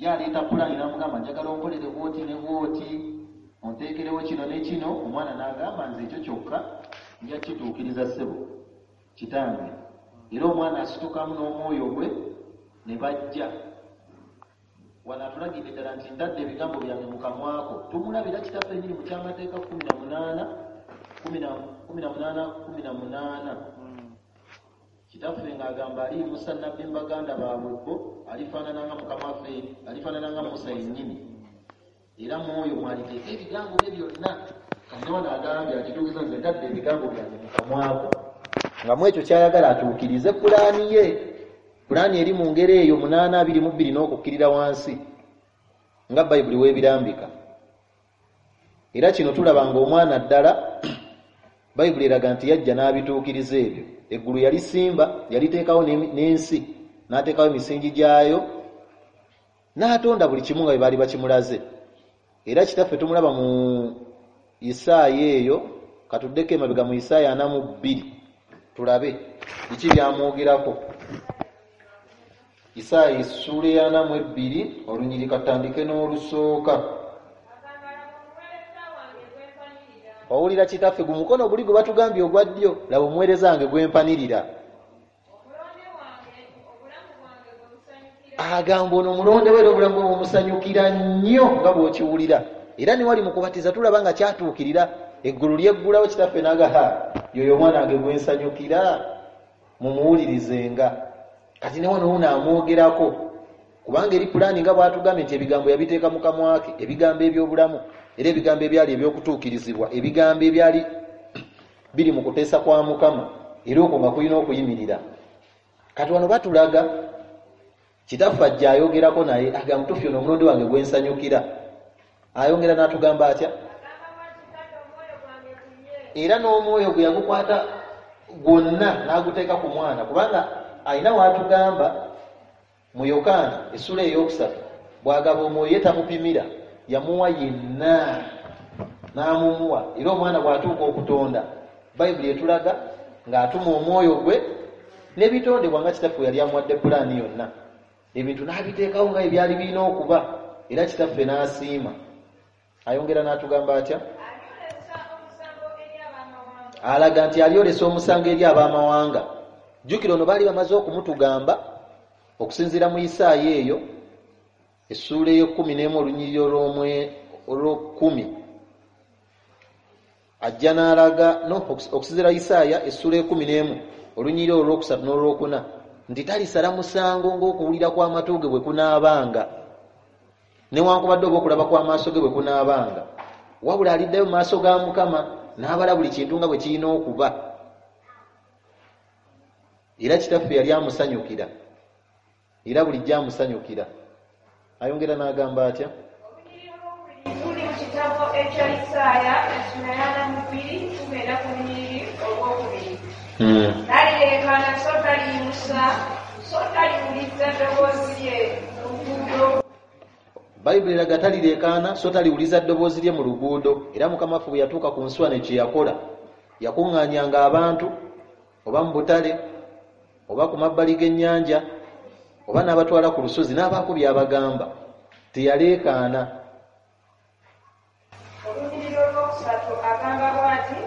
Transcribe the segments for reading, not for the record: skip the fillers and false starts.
Ye aleeta pulaani n'amugamba, njagala onkolere bwoti ne bwoti, onteekerewo kino ne kino. Omwana n'agamba, nze ekyo kyokka nja kituukiriza ssebo kitange. Era omwana asitukamu n'omwoyo gwe ne bajja. Wano atulagidde ddala nti ntadde ebigambo byange mu kamwako. Tumulabira kitaffe nyini mu kyamateeka 18 18 18. Kitaffe ng'agamba aliyimusa nnabbi mu baganda baabwe bo, alifaanana nga Mukama waffe, alifaanana nga Musa yennyini, era mwoyo mwaliteeka ebigambo bye byonna. Kati ne wano agambye akituukiza, nze ntadde ebigambo byange mu kamwako, nga mu ekyo kyayagala atuukirize pulaani ye. Pulaani eri mu ngeri eyo 8:22 n'okukkirira wansi nga Bayibuli weebirambika. Era kino tulaba ng'omwana ddala Bayibuli eraga nti yajja n'abituukiriza ebyo. Eggulu yalisimba, yaliteekawo n'ensi, n'ateekawo emisingi gyayo, n'atonda buli kimu nga bwe baali bakimulaze. Era kitaffe tumulaba mu Isaaya eyo, katuddeko emabega mu Isaaya 42 tulabe biki byamwogerako. Isaaya essuula ey'ana mu ebbiri, olunyiriri katutandike n'olusooka. Owulira kitaffe gu mukono guli gwe batugambye ogwa ddyo, laba omuweereza wange gwe mpanirira. Agamba ono omulonde we era obulamu bwe bumusanyukira nnyo nga bw'okiwulira. Era ne wali mu kubatiza tulaba nga kyatuukirira, eggulu lyeggulawo kitaffe n'aga, yoyo omwana wange gwe nsanyukira, mumuwulirizenga. Kati ne wano wuno amwogerako, kubanga eri pulaani nga bw'atugambye nti ebigambo yabiteeka mu kamwa ke, ebigambo eby'obulamu, era ebigambo ebyali eby'okutuukirizibwa, ebigambo ebyali biri mu kuteesa kwa Mukama, era okwo nga kulina okuyimirira. Kati wano batulaga kitaffe ajja ayogerako naye agamba, mutuufu ono omulonde wange gwe nsanyukira. Ayongera n'atugamba atya? Era n'omwoyo gwe yagukwata gwonna n'aguteeka ku mwana, kubanga alina w'atugamba mu Yokaana essula ey'okusatu, bw'agaba omwoyo ye tamupimira, yamuwa yenna n'amumuwa. Era omwana bw'atuuka okutonda, Bayibuli etulaga ng'atuma omwoyo gwe n'ebitondebwa nga kitaffe yali amuwadde pulaani yonna, ebintu n'abiteekawo nga ebyali birina okuba, era kitaffe n'asiima. Ayongera n'atugamba atya? Alaga nti alyolesa omusango eri ab'amawanga. Jjukira ono baali bamaze okumutugamba okusinziira mu Isaaya eyo essuula ey'ekkumi n'emu olunyiriri olw'ekkumi. Ajja n'alaga no okusinziira Isaaya essuula ekumi n'emu olunyiriri olwokusatu n'olwokuna nti talisala musango ng'okuwulira kw'amatu ge bwe kunaabanga, newankubadde oba okulaba kw'amaaso ge bwe kunaabanga, wabula aliddayo mu maaso ga Mukama n'abala buli kintu nga bwe kirina okuba. Era kitaffe yali amusanyukira, era bulijjo amusanyukira. Ayongera n'agamba atya? Tuli mu kitabo ekya Isaaya essula y'ana mu bbiri, tugenda ku lunyiriri olwokubiri. Talireekaana so taliyimusa so taliwuliza ddoboozi lye mu luguudo. Bayibuli eraga talireekaana so taliwuliza ddoboozi lye mu luguudo. Era Mukama waffe bwe yatuuka ku nsi wano kye yakola, yakuŋŋaanyanga abantu oba mu butale oba ku mabbali g'ennyanja oba n'abatwala ku lusozi n'abaako by'abagamba. Teyaleekaana. Olunyiriri olwokusatu agamba bw'ati,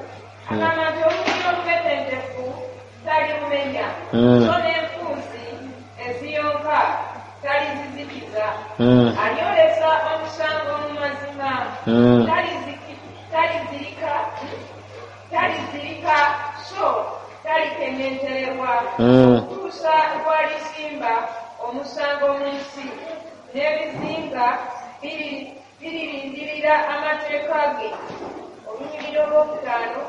agamba nti olunyiriri olubetentefu talirumenya, so n'enfuuzi eziyonka talizizikiza. Alyolesa omusango mu mazima, talizirika so talikeŋŋentererwa, okutuusa lw'alisimba omusango mu nsi, n'ebizinga biririndirira amateeka ge. Olunyiriri olwokutaano,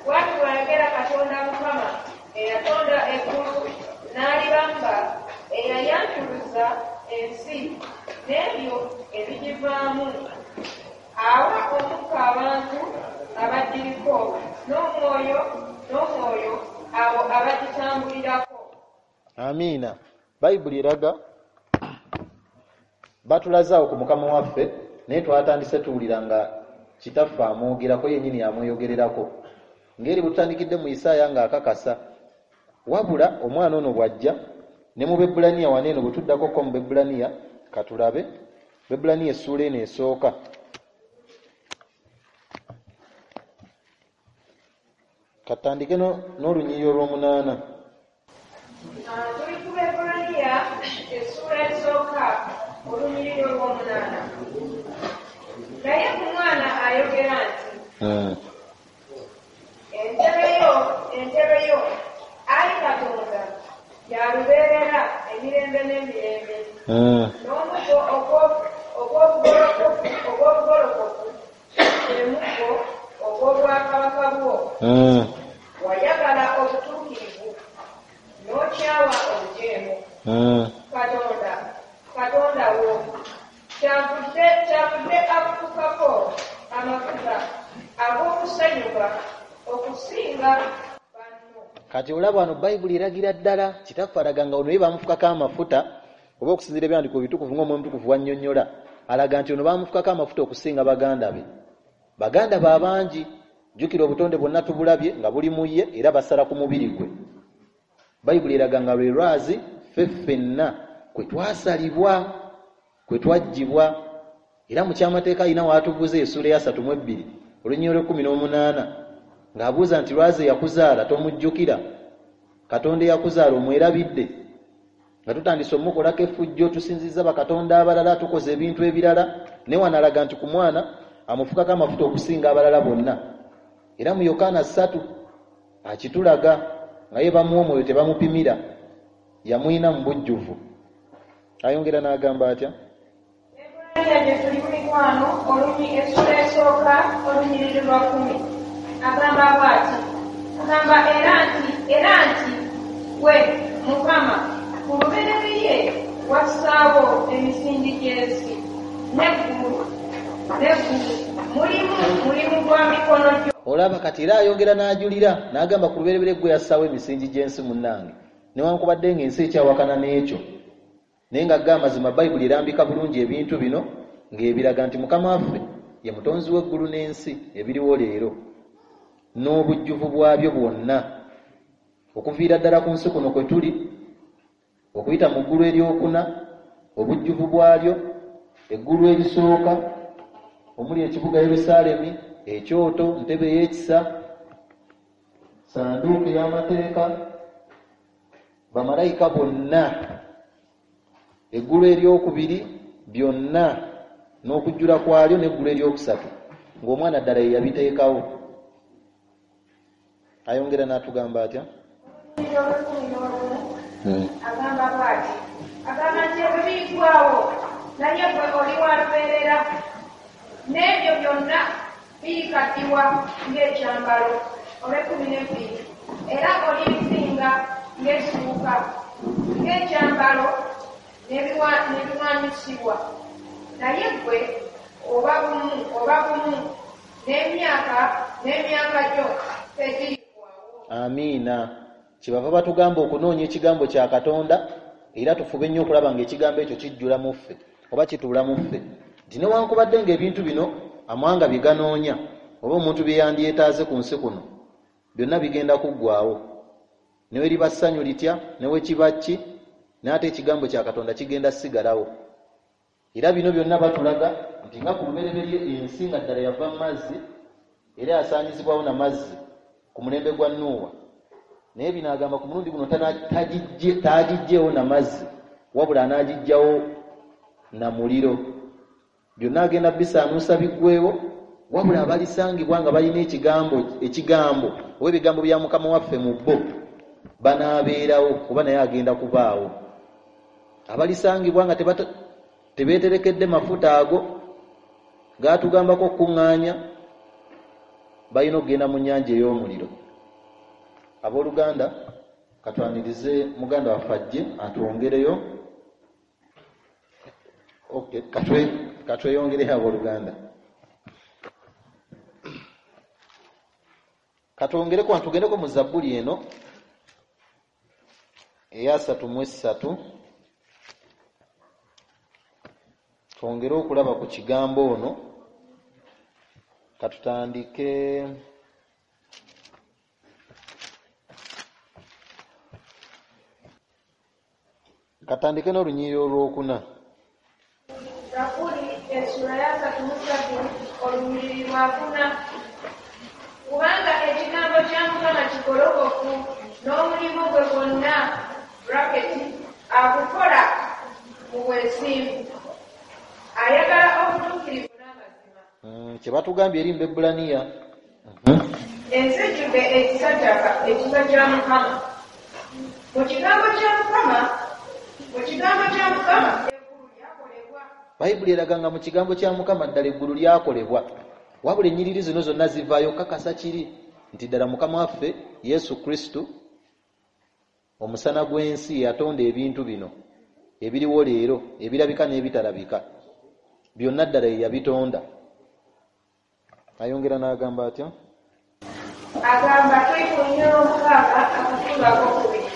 bw'ati bw'ayogera Katonda Mukama eyatonda eggulu n'alibamba, eyayanjuluza ensi n'ebyo ebigivaamu, awa omukka abantu abagiriko, n'omwoyo abo abagitambulirako. Amiina. Bayibuli eraga batulazaawo ku Mukama waffe, naye twatandise tuwulira nga kitaffe amwogerako yennyini, amweyogererako ng'eri bwe tutandikidde mu Isaaya ng'akakasa. Wabula omwana ono bw'ajja Ne mu Bebbulaniya wano eno bwe tuddako ko mu Bebbulaniya, katulabe Bebbulaniya essuula eno esooka. Katandike n'olunyiriri olw'omunaana. Tuli ku Bebbulaniya essuula esooka olunyiriri olw'omunaana. Naye ku mwana ayogera nti entebe yo ayi Katonda ya lubeerera emirembe n'emirembe, n'omuggo ogw'obugolokofu gwe muggo ogw'obwakabaka bwo. Wayagala obutuukirivu n'okyawa obujeemu. Katonda wo kyavudde akufukako amafuta ag'okusanyuka okusinga banno. Kati olaba wano Bayibuli eragira ddala kitaffe alaga nga ono ye bamufukako amafuta, oba okusinziira ebyandiiko ebitukuvu ng'Omwoyo Omutukuvu wannyonnyola, alaga nti ono bamufukako amafuta okusinga baganda be. Baganda be abangi, jjukira obutonde bwonna tubulabye nga buli mu ye era basala ku mubiri gwe. Bayibuli eraga nga lwe lwazi ffe ffenna kwe twasalibwa, kwe twaggyibwa. Era mu kyamateeka alina w'atubuuza essuula eya 32 olunyiriri olw'e18 ng'abuuza nti lwazi eyakuzaala tomujjukira? Katonda eyakuzaala omwerabidde? Nga tutandise omukolako effujjo, tusinzizza bakatonda abalala, tukoze ebintu ebirala. Naye wano alaga nti ku mwana amufukako amafuta okusinga abalala bonna. Era mu Yokaana 3 akitulaga nga ye bamuwa omwoyo tebamupimira, yamuyina mu bujjuvu. Ayongera n'agamba atya? Bebbulaniya gye tuli mikwano, essuula esooka olunyiriri lwa 10. Agamba bw'ati, agamba era nti gwe Mukama ku lubereberye wassaawo emisingi gy'ensi n'eggulu mulimu gwa mikono gyo. Olaba kati era ayongera n'ajulira n'agamba ku lubereberye gwe yassaawo emisingi gy'ensi munnange, newankubadde ng'ensi ekyawakana n'ekyo, naye nga ga amazima Bayibuli erambika bulungi ebintu bino ng'ebiraga nti Mukama waffe ye mutonzi w'eggulu n'ensi ebiriwo leero n'obujjuvu bwabyo bwonna, okuviira ddala ku nsi kuno kwe tuli okuyita mu ggulu eryokuna, obujjuvu bwalyo, eggulu erisooka omuli ekibuga Yerusaalemi, ekyoto, ntebe ey'ekisa, sanduuku ey'amateeka, bamalayika bonna, eggulu eryokubiri byonna n'okujjula kwalyo, n'eggulu eryokusatu ng'omwana ddala ye yabiteekawo. Ayongera n'atugamba atya? Agamba bw'ati, agamba nti ebyo biriggwaawo, naye gwe oli wa lubeerera, n'ebyo byonna birikaddiwa ng'ekyambalo. Olw'e12, era olibisinga ng'essuuka, ng'ekyambalo n'ebiwaanyisibwa, naye gwe oba bumu n'emyaka gyo tegiriggwaawo. Amiina. Kyebava batugamba okunoonya ekigambo kya Katonda, era tufube nnyo okulaba ng'ekigambo ekyo kijjula mu ffe oba kituula mu ffe, nti newankubadde ng'ebintu bino amawanga bye ganoonya oba omuntu bye yandyetaaze ku nsi kuno byonna bigenda kuggwaawo, ne we liba ssanyu litya ne we kiba ki, naye ate ekigambo kya Katonda kigenda sigalawo. Era bino byonna batulaga nti nga ku lubereberye ensi nga ddala yava mu mazzi era yasaanyizibwawo na mazzi ku mulembe gwa Nuuwa, naye bino agamba ku mulundi guno tagiggyeewo na mazzi, wabula anaagiggyawo na muliro. Byonna agenda bisaanuusa biggweewo, wabula abalisangibwa nga balina ekigambo oba ebigambo bya Mukama waffe mu bo banaabeerawo, kuba naye agenda kubaawo. Abalisangibwa nga tebeeterekedde mafuta ago gaatugambako okukuŋŋaanya, balina okugenda mu nnyanja ey'omuliro. Abooluganda, katwanirize muganda waffe ajje atwongereyo. Okay, katweyongereyo abooluganda. Katwongereko, tugendeko mu Zabbuli eno eya 33, twongere okulaba ku kigambo ono. Katutandike Katandike n'olunyiriri olwokuna. Zabbuli essula ya 33 olunyiriri lwakuna. Kubanga ekigambo kya Mukama kigolokofu, n'omulimu gwe gwonna braketi agukola mu bwesimbu. Ayagala obutuukirivu n'amazima. Kye batugambye eri mu Bebbulaniya. Ensi ejjudde ekisa kya Mukama. Mu kigambo kya Mukama, mu kigambo kya Mukama eggulu lyakolebwa. Bayibuli eraga nga mu kigambo kya Mukama ddala eggulu lyakolebwa. Wabula ennyiriri zino zonna zivaayo kakasa kiri nti ddala Mukama waffe Yesu Kristo omusana gw'ensi yatonda ebintu bino ebiriwo leero, ebirabika n'ebitalabika, byonna ddala ye yabitonda. Ayongera n'agamba atya? Agamba tuli ku lunyiriri olwomukaaga akatundu akookubiri.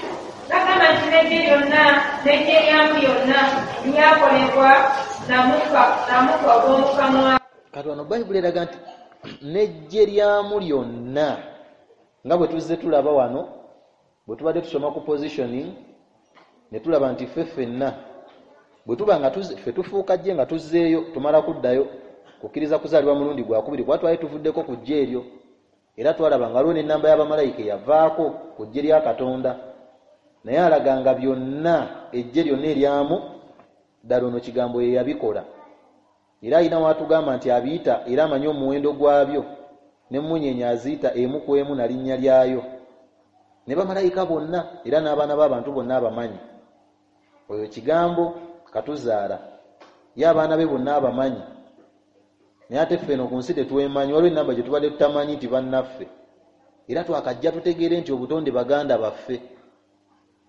N'agamba nti n'eggye lyonna n'eggye lyamu lyonna lyakolebwa na mukka ogw'omu kamwa. Kati wano Bayibuli eraga nti n'eggye lyamu lyonna, nga bwe tuzze tulaba wano bwe tubadde tusoma ku positioning, ne tulaba nti ffe ffenna bwe tuba nga ffe tufuuka ggye nga tuzzeeyo, tumala kuddayo kukkiriza kuzaalibwa mulundi gwakubiri, kuba twali tuvuddeko ku ggye eryo. Era twalaba nga waliwo n'ennamba y'abamalayika eyavaako ku ggye lya Katonda, naye alaga nga byonna eggye lyonna eryamu ddala ono kigambo ye yabikola. Era alina w'atugamba nti abiyita era amanyi omuwendo gwabyo, n'emmunyeenye aziyita emu ku emu na linnya lyayo, ne bamalayika bonna era n'abaana b'abantu bonna abamanyi. Oyo kigambo katuzaala, ye abaana be bonna abamanyi. Naye ate ffe eno ku nsi tetwemanyi, waliwo ennamba gye tubadde tutamanyi nti bannaffe. Era twakajja tutegeere nti obutonde baganda baffe,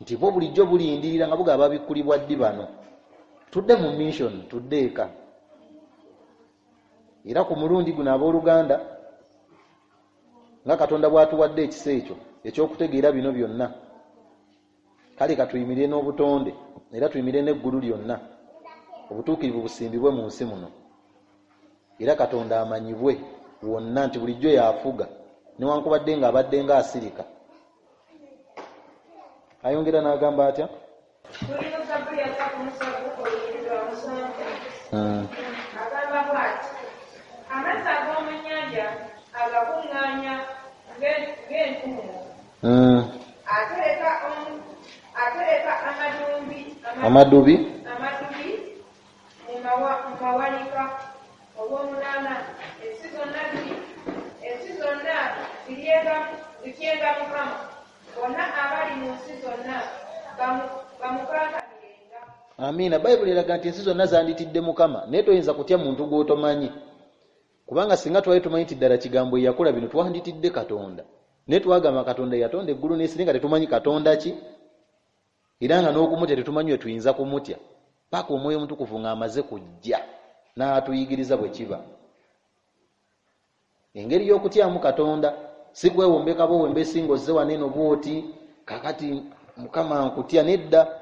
nti bo bulijjo bulindirira nga bugaba babikkulibwa ddi bano. Tudde mu mission, tudde eka. Era ku mulundi guno abooluganda, nga Katonda bw'atuwadde ekisa ekyo ekyokutegeera bino byonna, kale katuyimirire n'obutonde era tuyimirire n'eggulu lyonna, obutuukirivu busimbibwe mu nsi muno. Era Katonda amanyibwe wonna nti bulijjo y'afuga, newankubadde ng'abadde ng'asirika. Ayongera n'agamba atya? Tuli mu Zabbuli ya 37 olunyiriri lwa 7. Agamba bw'ati: amazzi ag'omu nnyanja agakuŋŋaanya ng'entuumo. Atereka amadubi mu mawanika olw'omunaana. Ensi zonna zityenga Mukama, bonna abali mu nsi zonna bamukankanirenga. Amiina. Bayibuli eraga nti ensi zonna zanditidde Mukama, naye toyinza kutya muntu gw'otomanyi, kubanga singa twali tumanyi nti ddala kigambo ye yakola bino twanditidde Katonda. Naye twagamba Katonda yatonda eggulu n'ensi, nga tetumanyi Katonda ki, era nga n'okumutya tetumanyi we tuyinza kumutya, paka Omwoyo Omutukuvu ng'amaze kujja n'atuyigiriza bwe kiba. Engeri y'okutyamu Katonda si kwewombeka bwowembesi ng'ozze wano eno bw'oti kakati Mukama nkutya, nedda.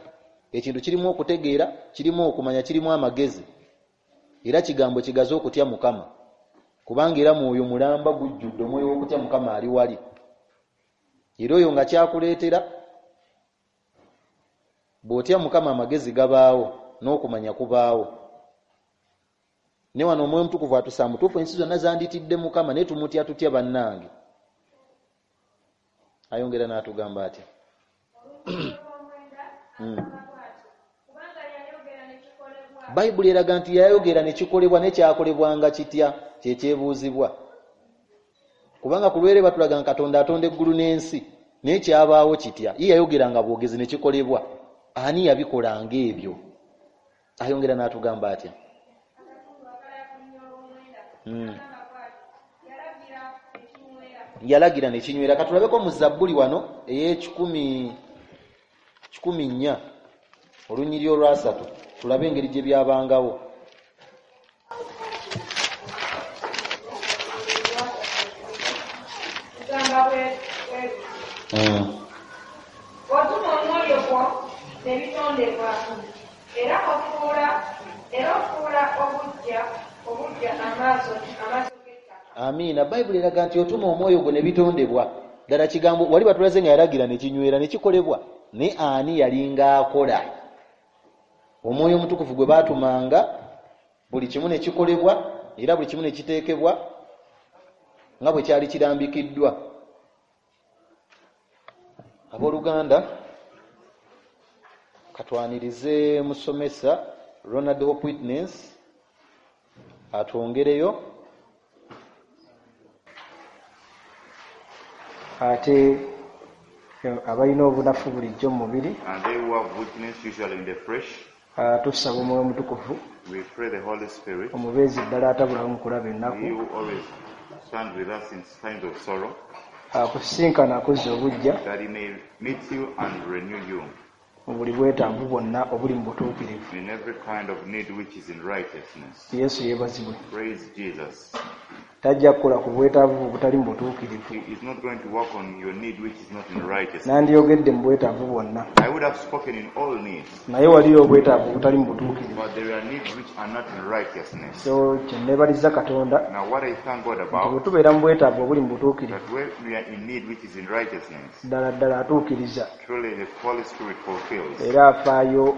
Ekintu kirimu okutegeera, kirimu okumanya, kirimu amagezi. Era kigambo kigaze okutya Mukama, kubanga era mwoyo mulamba gujjudde omwoyo w'okutya Mukama ali wali. Era oyo nga kyakuleetera bw'otya Mukama amagezi gabaawo n'okumanya kubaawo. Ne wano Omwoyo Omutukuvu atusa mutuufu, ensi zonna zanditidde Mukama, naye tumutya tutya bannange? Ayongera n'atugamba atya? Bayibuli eraga nti yayogera ne kikolebwa, ne kyakolebwanga kitya kyekyebuuzibwa. Kubanga ku lwere batulaga nga Katonda atonda eggulu n'ensi, naye kyabaawo kitya? Ye yayogeranga bwogezi ne kikolebwa. Ani yabikolanga ebyo? Ayongera n'atugamba atya? Yalagira ne kinywera. Katulabeko mu Zabbuli wano ey'ekikumi 4 olunyiriri olwasatu, tulabe engeri gye byabangawo. Otuma omwoyo gwo ne bitondebwa, era ofuula obuggya amaaso g'ettaka. Amiina. Bayibuli eraga nti otuma omwoyo gwo ne bitondebwa. Ddala kigambo wali batulaze nga yalagira ne kinywera ne kikolebwa, naye ani yalinga akola? Omwoyo Omutukuvu gwe baatumanga, buli kimu ne kikolebwa era buli kimu ne kiteekebwa nga bwe kyali kirambikiddwa. Abooluganda, katwanirize musomesa Ronald Hope Witness atwongereyo. Ate abalina obunafu bulijjo mu mubiri, And they who have weakness usually in the flesh, tusaba Omwoyo Omutukuvu, we pray the Holy Spirit, omubeezi ddala atabulawo mu kulaba he ennaku, who always stands with us in times of sorrow, akusisinkana akuzza obuggya that he may meet you and renew you mu buli bwetaavu bwonna obuli mu butuukirivu. in every kind of need which is in righteousness. Yesu yeebazibwe. Praise Jesus. Tajja kukola ku bwetaavu obutali mu butuukirivu. He is not going to work on your need which is not in righteousness. Nandiyogedde mu bwetaavu bwonna, I would have spoken in all needs, naye waliyo obwetaavu obutali mu butuukirivu. but there are needs which are not in righteousness. So kye neebaliza Katonda Now what I thank God nti bwe about, tubeera mu bwetaavu obuli mu butuukirivu, that when we are in need which is in righteousness, ddala ddala atuukiriza truly the Holy Spirit fulfills. era afaayo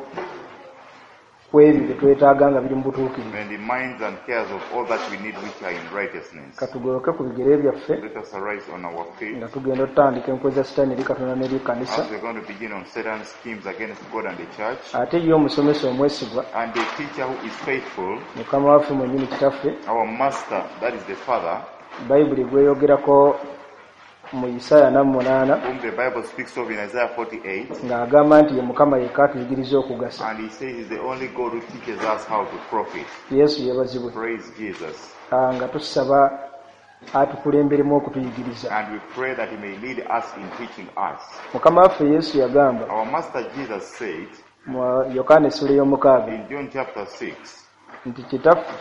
ku ebyo bye twetaaga nga biri mu butuukirivu. And he minds and cares of all that we need which are in righteousness. Katugoloke ku bigere byaffe Let us arise on our feet nga tugenda otutandika enkwe za Sitaani eri Katonda n'eri ekkanisa. as we're going to begin on Satan's schemes against God and the church. Ate ye omusomesa omwesigwa, And the teacher who is faithful, Mukama waffe mwennyini Kitaffe, our master, that is the Father, Bayibuli gweyogerako mu Isaaya 48, whom the Bible speaks of in Isaiah 48, ng'agamba nti ye Mukama yekka atuyigiriza okugasa. and he says he's the only God who teaches us how to profit. Yesu yeebazibwe. Praise Jesus. Nga tusaba atukulemberemu okutuyigiriza. And we pray that he may lead us in teaching us. Mukama waffe Yesu yagamba Our master Jesus said mu Yokaana essula ey'omukaaga in John chapter 6 nti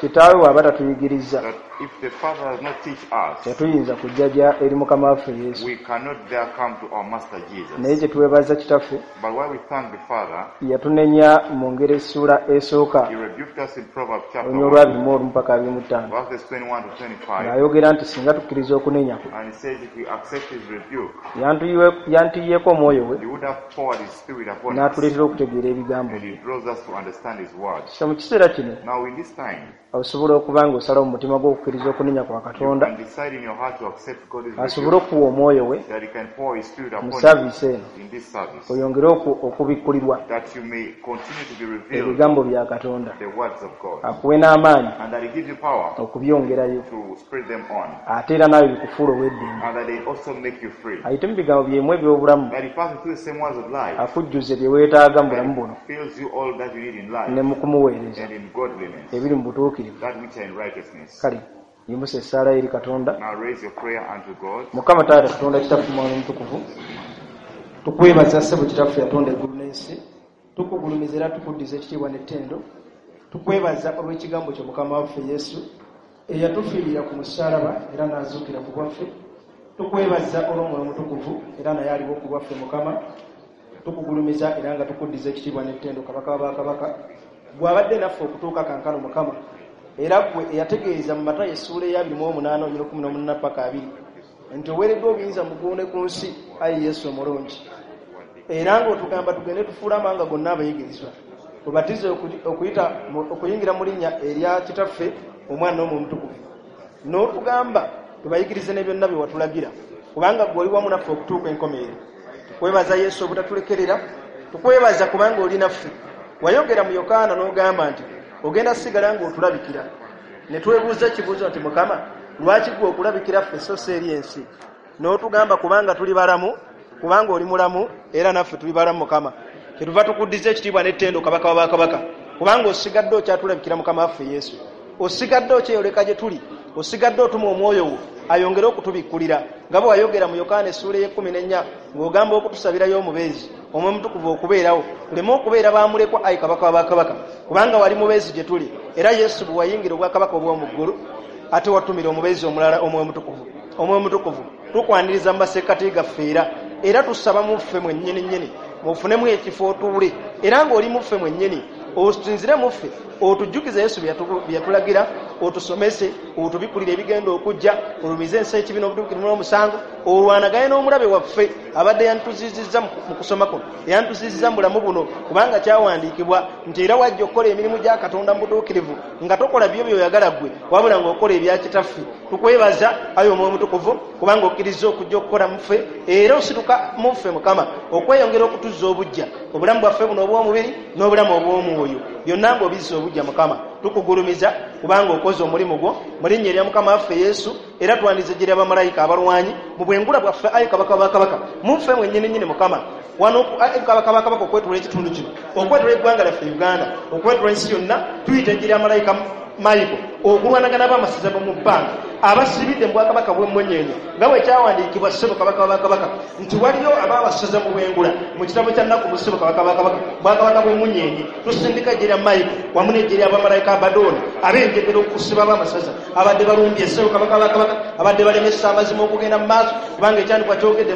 kitaawe bw'aba tatuyigiriza, that if the Father does not teach us, tetuyinza kujja eri Mukama waffe Yesu. we cannot dare come to our master Naye Jesus. kye twebaza Kitaffe, But while we thank the Father, yatunenya mu ngeri essuula esooka, he rebuked us in Proverbs chapter olunya olwa 1, 21 paka 25, verses 21 to 25. ng'ayogera nti singa tukkiriza okunenya kwe, And he says if we accept his rebuke, yantuyiyeeko omwoyo we he would have poured his spirit upon us, n'atuleetera okutegeera ebigambo and bye. he draws us to understand his words. So mu kiseera kino Now in this time, osobola okuba ng'osalawo mu mutima gw'okukkiriza okunenya kwa you Katonda, can decide in your heart to accept God's asobole rebuke, okuwa omwoyo we that he can pour his spirit mu upon you saaviisi eno, in this service, oyongere okubikkulirwa that you may continue to be revealed ebigambo bya Katonda, the words of God, akuwe n'amaanyi and that he gives you power okubyongerayo, to spread them on, ate era naawe bikufuula ow'eddembe, and that they also make you free, ayite mu bigambo byemu eby'obulamu, that he passes through the same words of life, akujjuze bye weetaaga mu bulamu that buno he fills you all that you need in ne life mu kumuweereza and in godliness, ebiri mu butuukirivu. that which are in righteousness. Kale yimusa essaala eri Katonda. Now raise your prayer unto God. Mukama Taata Katonda Kitaffe Mwana Omutukuvu, tukwebaza ssebo Kitaffe yatonda eggulu n'ensi, tukugulumiza era tukuddiza ekitiibwa n'ettendo. Tukwebaza olw'ekigambo kyo Mukama waffe Yesu eyatufiirira ku musaalaba era n'azuukira ku bwaffe. Tukwebaza olw'Omwoyo Omutukuvu era naye aliwo ku bwaffe Mukama. Tukugulumiza era nga tukuddiza ekitiibwa n'ettendo Kabaka w'abakabaka, gw'abadde naffe okutuuka kankano Mukama, era ggwe eyategeeza mu Matayo essuula eya 28 olunyiriri 18 paka 20 nti oweereddwa obuyinza mu ggulu ne ku nsi, ayi Yesu omulungi, era ng'otugamba tugende tufuule amawanga gonna abayigirizwa, obatize okuyingira mu linnya erya Kitaffe, Omwana n'Omwoyo Omutukuvu, n'otugamba tubayigirize ne byonna bye watulagira, kubanga ggwe oli wamu naffe okutuuka enkomerero. Tukwebaza Yesu obutatulekerera, tukwebaza kubanga oli naffe. Wayogera mu Yokaana n'ogamba nti ogenda sigala ng'otulabikira, ne twebuuza ekibuuzo nti Mukama, lwaki ggwe okulabikira ffe so si eri ensi? N'otugamba kubanga tuli balamu, kubanga oli mulamu era naffe tuli balamu Mukama. Kyetuva tukuddiza ekitiibwa n'ettendo Kabaka w'abakabaka, kubanga osigadde okyatulabikira Mukama waffe Yesu, osigadde okyeyoleka gye tuli, osigadde otuma omwoyo wo ayongere okutubikkulira, nga bwe wayogera mu Yokaana essuula ey'e14 ng'ogamba okutusabirayo omubeezi Omwoyo Omutukuvu okubeerawo, tuleme okubeera baamulekwa ayi Kabaka w'abakabaka, kubanga wali mubeezi gye tuli. Era Yesu bwe wayingira obwakabaka obw'omu ggulu, ate watumira omubeezi omulala Omwoyo Omutukuvu. Omwoyo Omutukuvu tukwaniriza mu masekkati gaffe era tusaba mu ffe mwennyini nnyini mufunemu ekifo otuule, era ng'oli mu ffe mwennyini osinzire mu ffe, otujjukize Yesu bye yatulagira, otusomese, Otubikulire ebigenda okujja, olumize ensi ekibi n'obutuukirivu n'omusango, olwanagane n'omulabe waffe abadde yantuzizizza mu kusoma kuno, yantuzizizza mu bulamu buno, kubanga kyawandiikibwa nti era wajja okukola emirimu gya Katonda mu butuukirivu, nga tokola byo by'oyagala ggwe, wabula ng'okola ebya Kitaffe. Tukwebaza ayi Omwoyo Omutukuvu, kubanga okkiriza okujja okukola mu ffe, era osituka mu ffe Mukama okweyongera okutuzza obuggya obulamu bwaffe buno obw'omubiri n'obulamu obw'omwoyo, byonna ng'obizza obuggya Mukama. Tukugulumiza kubanga okoze omulimu gwo mu linnya erya Mukama waffe Yesu, era twandize ejje lya bamalayika abalwanyi mu bwengula bwaffe ayi Kabaka wa Kabaka, mu ffe mwennyini nnyini Mukama. Wano ayi Kabaka wa Kabaka okwetoola ekitundu kino, okwetoola eggwanga lyaffe Uganda, okwetoola ensi yonna, tuyita ejje lya malayika Mayiko okulwanagana ab'amasaza mu bbanga abasibidde mu bwakabaka bw'emmunyeenye, nga bwe kyawandiikibwa ssebo Kabaka wa Kabaka nti waliyo ab'amasaza mu bwengula mu kitabo kya Nnaku mu ssebo Kabaka wa Kabaka bwakabaka bw'emmunyeenye. Tusindika ejje lya Mayiko wamu n'ejje lya bamalayika Abadooni ab'enjegere okusiba ab'amasaza abadde balumbye ssebo Kabaka wa Kabaka, abadde balemesa amazima okugenda mu maaso, kubanga ekyandikwa kyogedde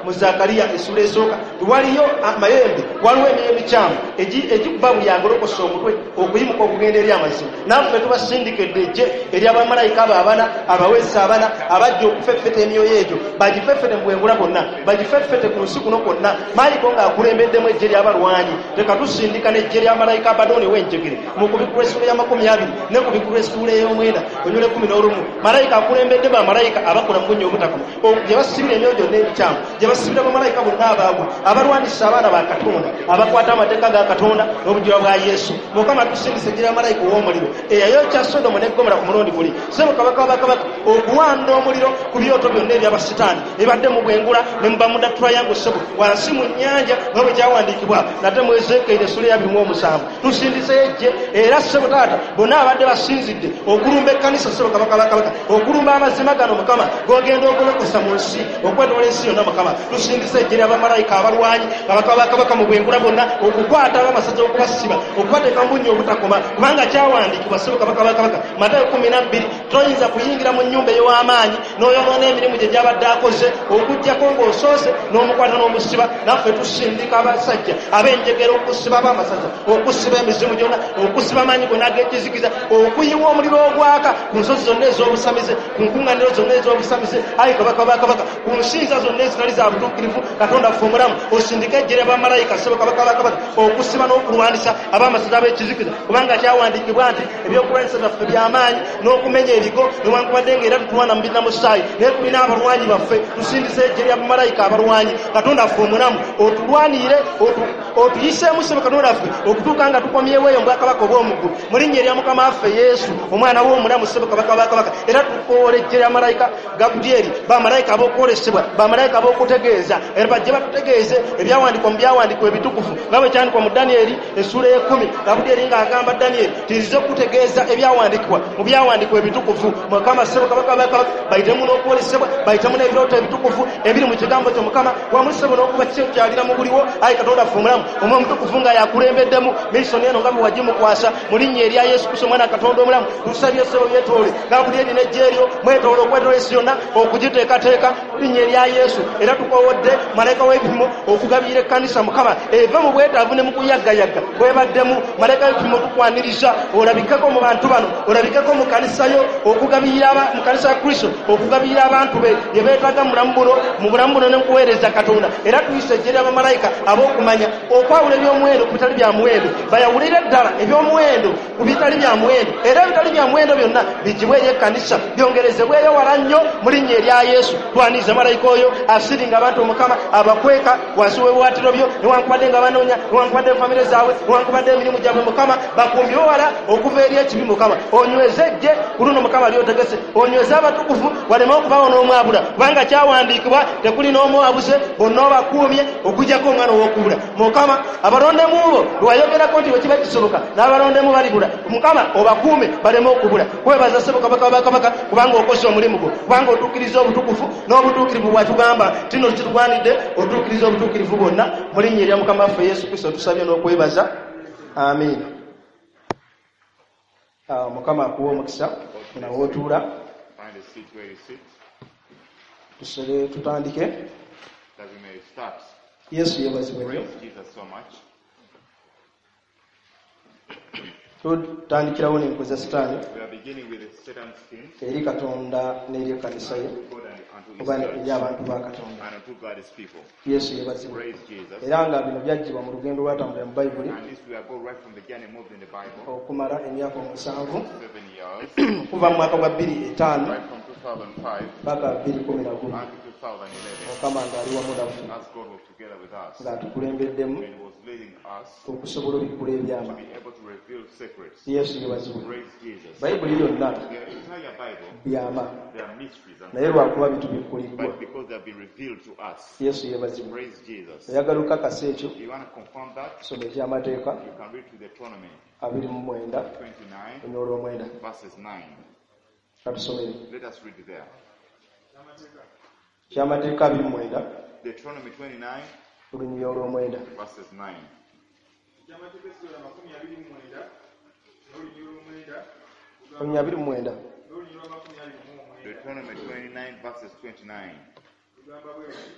mu Zakariya essula esooka nti waliyo amayembe, waliwo emyoyo emikyamu egikuba buli agolokosa omutwe okuyimuka okugenda eri amazima. Naffe tubasindikidde ejje ery'abamalayika abo abana, abaweesa abana, abajja okufeffeta emyoyo egyo, bagifeffete mu bwengula bwonna, bagifeffete ku nsi kuno kwonna. Mayiko ng'akulembeddemu ejje ly'abalwanyi, leka tusindika n'ejje lya malayika Abadooni w'enjegere mu kubikulwa essuula ya 20 ne kubikulwa essuula ey'omwenda onyula 11. Malayika akulembedde bamalayika abakola mu bunnya obutakoma, gye basibira emyoyo gyonna emikyamu, gye basibira bamalayika bonna abaagwa, abalwanisa abaana ba Katonda, abakwata amateeka ga Katonda n'obujulirwa bwa Yesu. Mukama tusindise ejje lya malayika ow'omuliro eyayokya Sodomu ne Gomora ku mulundi guli, ssebo Kabaka wa Kabaka, okuwanda omuliro ku byoto byonna eby'abasitaani ebadde mu bwengula ne mu Bermuda Triangle ssebo wansi mu nnyanja, nga bwe kyawandiikibwa nate mu Ezeekyeri essula ya 27. Tusindiseyo ejje era ssebo taata bonna abadde basinzidde okulumba ekkanisa ssebo Kabaka wa Kabaka, okulumba amazima gano Mukama g'ogenda ogolokosa mu nsi okwetoola ensi yonna Mukama. Tusindise ejje lya bamalayika abalwanyi Kabaka wa Kabaka mu bwengula bwonna okukwata ab'amasaza, okubasiba, okubateeka mu bunnya obutakoma, kubanga kyawandiikibwa ssebo Kabaka wa Kabaka Matayo 12, toyinza kuyingira mu nnyumba ey'amaanyi n'oyonoona emirimu gye gy'abadde akoze okuggyako ng'osoose n'omukwata n'omusiba. Naffe tusindika abasajja ab'enjegere okusiba ab'amasaza, okusiba emizimu gyonna, okusiba amaanyi gonna ag'ekizikiza, okuyiwa omuliro ogwaka ku nsozi zonna ez'obusamize, ku nkuŋŋaaniro zonna ez'obusamize, ayi Kabaka wa Kabaka, ku nsinza zonna ezitali za butuukirivu. Katonda ffe omulamu, osindike ejje lya bamalayika ssebo Kabaka wa Kabaka okusiba n'okulwanisa ab'amasaza ab'ekizikiza, kubanga kyawandiikibwa nti ebyokulwanyisa byaffe by'amaanyi n'okumenya ebigo, newankubadde ng'era tutulwana mu bina musaayi, naye tulina abalwanyi baffe. Tusindise ejje lya bamalayika abalwanyi. Katonda ffe omulamu, otulwanire, otuyiseemu ssebo Katonda ffe okutuuka nga tukomyewo eyo mu bwakabaka obw'omu ggulu, mu linnya erya Mukama waffe Yesu, omwana w'omulamu ssebo Kabaka wa Kabaka. Era tukoola ejje lya malayika Gabulyeri, bamalayika ab'okwolesebwa, bamalayika ab'okutegeeza, era bajje batutegeeze ebyawandiikwa mu byawandiikwa ebitukuvu, nga bwe kyandikwa mu Danyeri essuula ey'ekumi. Gabulyeri ng'agamba Danyeri nti nzize okutegeeza ebyawandiikibwa mu byawandiikwa ebitukuvu. Mukama ssebo Kabaka wa Kabaka, bayitemu n'okwolesebwa, bayitemu n'ebirooto ebitukuvu ebiri mu kigambo kyo Mukama, wamu ssebo n'okuba kyalira mu buliwo. Ayi Katonda ffe omulamu, Omwoyo Omutukuvu nga yakulembeddemu miisoni eno nga bwe wagimukwasa mu linnya erya Yesu Kristo omwana Katonda omulamu, tusabye ssebo byetoole Gabulyeri n'ejje eryo mwetoole okwetoola ensi yonna okugiteekateeka mu linnya erya Yesu. Era tukowodde malayika w'ebipimo okugabirira ekkanisa Mukama eve mu bwetaavu ne mu kuyaggayagga bwebaddemu. Malayika w'ebipimo tukwaniriza olabikeko mu bantu bano, olabikeko mu kkanisa yo okugabirira mu kkanisa ya Kristo okugabirira abantu be bye beetaaga mu bulamu buno n'okuweereza Katonda. Era tuyise ejje lya bamalayika ab'okumanya okwawula eby'omuwendo ku bitali bya muwendo, bayawulire ddala eby'omuwendo ku bitali bya muwendo, era ebitali bya muwendo byonna bigibwe eri ekkanisa, byongerezebweyo wala nnyo mu linnya erya Yesu. Twaniriza malayika oyo asiringa abantu Mukama abakweka wansi w'ebiwaatiro byo, newankubadde nga banoonya, newankubadde famire zaabwe, newankubadde emirimu gyabwe Mukama, bakumbibwe wala okuva eri ekibi Mukama. Onyweze ejje ku luno Mukama lyotegese, onyweze abatukuvu waleme okubaawo n'omwabula, kubanga kyawandiikibwa tekuli n'omwabuze, bonna obakuumye okuggyako omwana ow'okubula. Mukama abalondemu bo lwayogerako nti bwe kiba kisoboka n'abalondemu balibula, Mukama obakuume baleme okubula. Kwebaza ssebo Kabaka wa Kabaka kubanga okoze omulimu gwo, kubanga otuukiriza obutukuvu n'obutuukirivu bwatugamba tino kitugwanidde otuukiriza obutuukirivu bwonna mu linnya erya Mukama waffe Yesu Kristo tusabye n'okwebaza, amiina. Mukama akuwe omukisa nawootuula, tusole tutandike. Yesu yeebazibwe nnyo. Tutandikirawo n'enkwe za Sitaani We are beginning with the Satan's schemes eri Katonda n'eri ekkanisa ye unto God and unto his oba church eri abantu ba Katonda. and unto God's people. Yesu yeebazibwe. Praise Jesus. Era nga bino byaggyibwa mu lugendo lwatambulira mu Bayibuli And this we are go right from the journey moved in the Bible, okumala emyaka 7 7 years, okuva mu mwaka gwa 2005 right from 2005 paka 2011 unto 2011, Mukama ng'ali wamu naffe as God was together with us ng'atukulembeddemu and was leading us okusobola obikkula to ebyama. be able to reveal secrets. Yesu yeebazibwe. Praise Jesus. Bayibuli yonna The entire Bible, byama there are mysteries, and naye lwakuba bitubikkuliddwa. but because they have been revealed to us. Yesu yeebazibwe. Praise Jesus. Oyagala okukakasa ekyo You want to confirm that? soma ekyamateeka You can read to Deuteronomy 29 29, onyoola 9. verses 9. Katusomere. Let us read there. Kyamateeka 29 Deuteronomy 29, olunyiriri olw'omwenda. verses 9. Ekyamateeka essula 29 n'olunyiriri olw'omwenda Olunyiriri 29. n'olunyiriri lwa 29 Deuteronomy 29, verses 29. lugamba bwe luti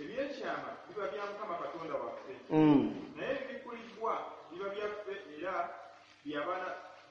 ebyekyama biba bya Mukama Katonda waffe naye ebibikkuliddwa biba byaffe era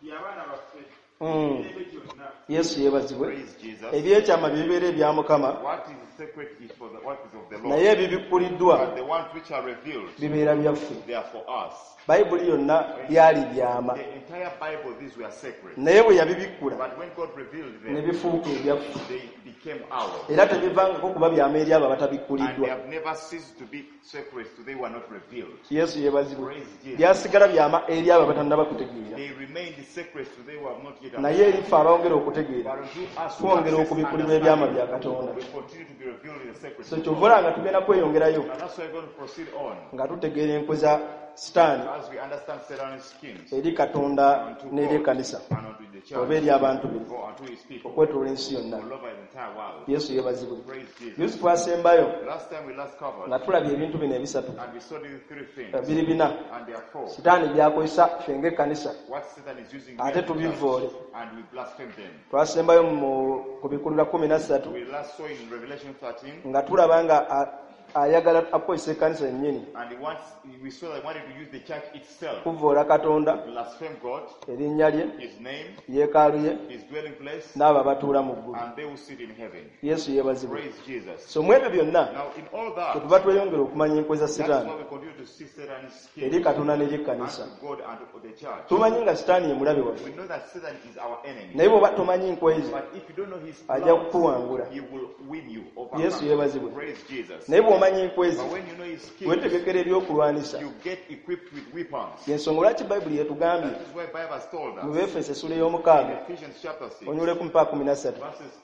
by'abaana baffe emirembe gyonna. Yesu yeebazibwe. Praise Jesus. Ebyekyama bibeera ebya Mukama What is sacred is for the, what is of the Lord. naye ebibikkuliddwa But the ones which are revealed, bibeera byaffe. they are for us. Bayibuli yonna byali byama The entire Bible, these were sacred. naye bwe yabibikkula But when God revealed ne them, bifuuka ebyaffe they became ours. era tebivangako kuba byama eri abo And they abatabikkuliddwa. have never ceased to be sacred to they were not revealed. Yesu yeebazibwe. Praise Jesus. Byasigala byama eri abo abatannaba kutegeera They remained sacred to they who have not yet naye eri ffe abongera okutegeera But unto us who twongera access okubikkulirwa ebyama bya understanding, Katonda. we continue to be revealed in the secret. So kyova olaba nga tugenda kweyongerayo And that's why we're going to proceed on nga tutegeera enkwe za Sitaani as we understand Satan's schemes eri Katonda unto n'eri God ekkanisa and unto the oba church eri abantu be or unto his people okwetoola ensi yonna. all over the entire world. Yesu yeebazibwe. Praise Jesus. Yesu twasembayo Last time we last covered nga tulabye ebintu bino ebisatu and we saw these three things biri bina and there are four. Sitaani by'akozesa ffe ng'ekkanisa What Satan is using ate we as the church, tubivoole. and we blaspheme them. Twasembayo mu kubikulira 13 We last saw in Revelation 13 nga tulaba nga ayagala akozesa ekkanisa yennyini and he wants, we saw that he wanted to use the church itself kuvvoola Katonda to blaspheme God, erinnya lye his name, yeekaalu ye his dwelling place, n'abo abatuula mu ggulu. and they will sit in heaven. Yesu yeebazibwe. Praise Jesus. So mu ebyo byonna Now, in all that, kyetuva tweyongera okumanya enkwe za that's Sitaani why we continue to see Satan's eri schemes Katonda n'eri ekkanisa. unto God and to the church. Tumanyi nga Sitaani ye mulabe waffe We know that Satan is our enemy. naye bw'oba tomanyi nkwe ze But if you don't know his ajja plans, kukuwangula. he will win you over. Yesu yeebazibwe. Praise Jesus. Naye bw'omanya enkwe ze But when you know his schemes, weetegekera ebyokulwanisa. you get equipped with weapons. Yensonga lwaki Bayibuli yetugambye That is why Bible has told mu us Beefeso essula ey'omukaaga Ephesians chapter 6, onyuleku mpaka 13 verses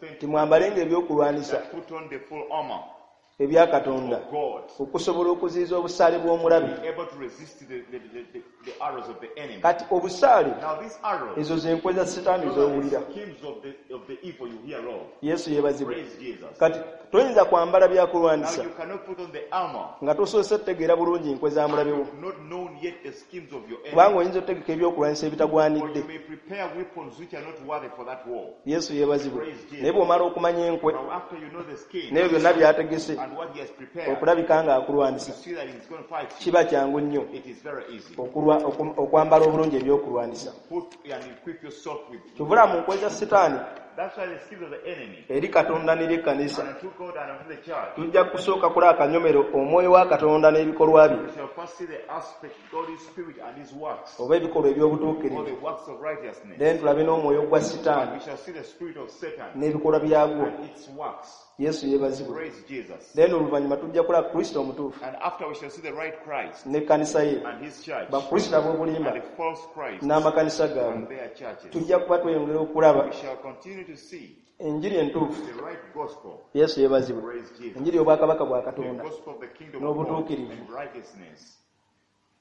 20, timwambalenga ebyokulwanisa that put on the full armor ebya Katonda of God, okusobola okuziyiza obusaale bw'omulabe. be able to resist the arrows of the enemy. Kati obusaale Now these arrows, ezo ze nkwe za Sitaani those are z'owulira. the schemes of the evil you hear of. Yesu yeebazibwe. Praise Jesus. Kati toyinza kwambala Now byakulwanisa you cannot put on the armor, nga tosoose kutegeera bulungi nkwe za mulabe wo not known yet the schemes of your kubanga enemy. oyinza otegeka ebyokulwanyisa Or ebitagwanidde. you may prepare weapons which are not worthy for that war. Yesu yeebazibwe. Praise Jesus. Naye bw'omala okumanya enkwe Now after you know the schemes n'ebyo byonna by'ategese and what he has prepared, okulabika you ng'akulwanisa see that he's going to fight you. kiba kyangu nnyo It is very easy. okwambala obulungi ebyokulwanisa. Put and equip yourself with. Kyova mu nkwe za Sitaani That's why the schemes of the enemy eri Katonda n'eri ekkanisa and unto God and unto the church. tujja kusooka kulaba akanyomero omwoyo wa Katonda n'ebikolwa bye We shall first see the aspect God's spirit and his works, oba ebikolwa or eby'obutuukirivu the works of righteousness. then tulabe n'omwoyo gwa And Sitaani we shall see the spirit of Satan n'ebikolwa byagwo. and its works. Yesu yeebazibwe. Praise Jesus. Then oluvannyuma tujja kulaba Kristo omutuufu And after we shall see the right Christ n'ekkanisa ye and his church bakristo ab'obulimba and the false Christ n'amakanisa gaabwe. and their churches. Tujja kuba tweyongera okulaba We shall continue to see enjiri entuufu. the right gospel. Yesu yeebazibwe. Praise Jesus. Enjiri y'obwakabaka bwa The Katonda gospel of the kingdom of God n'obutuukirivu. and righteousness.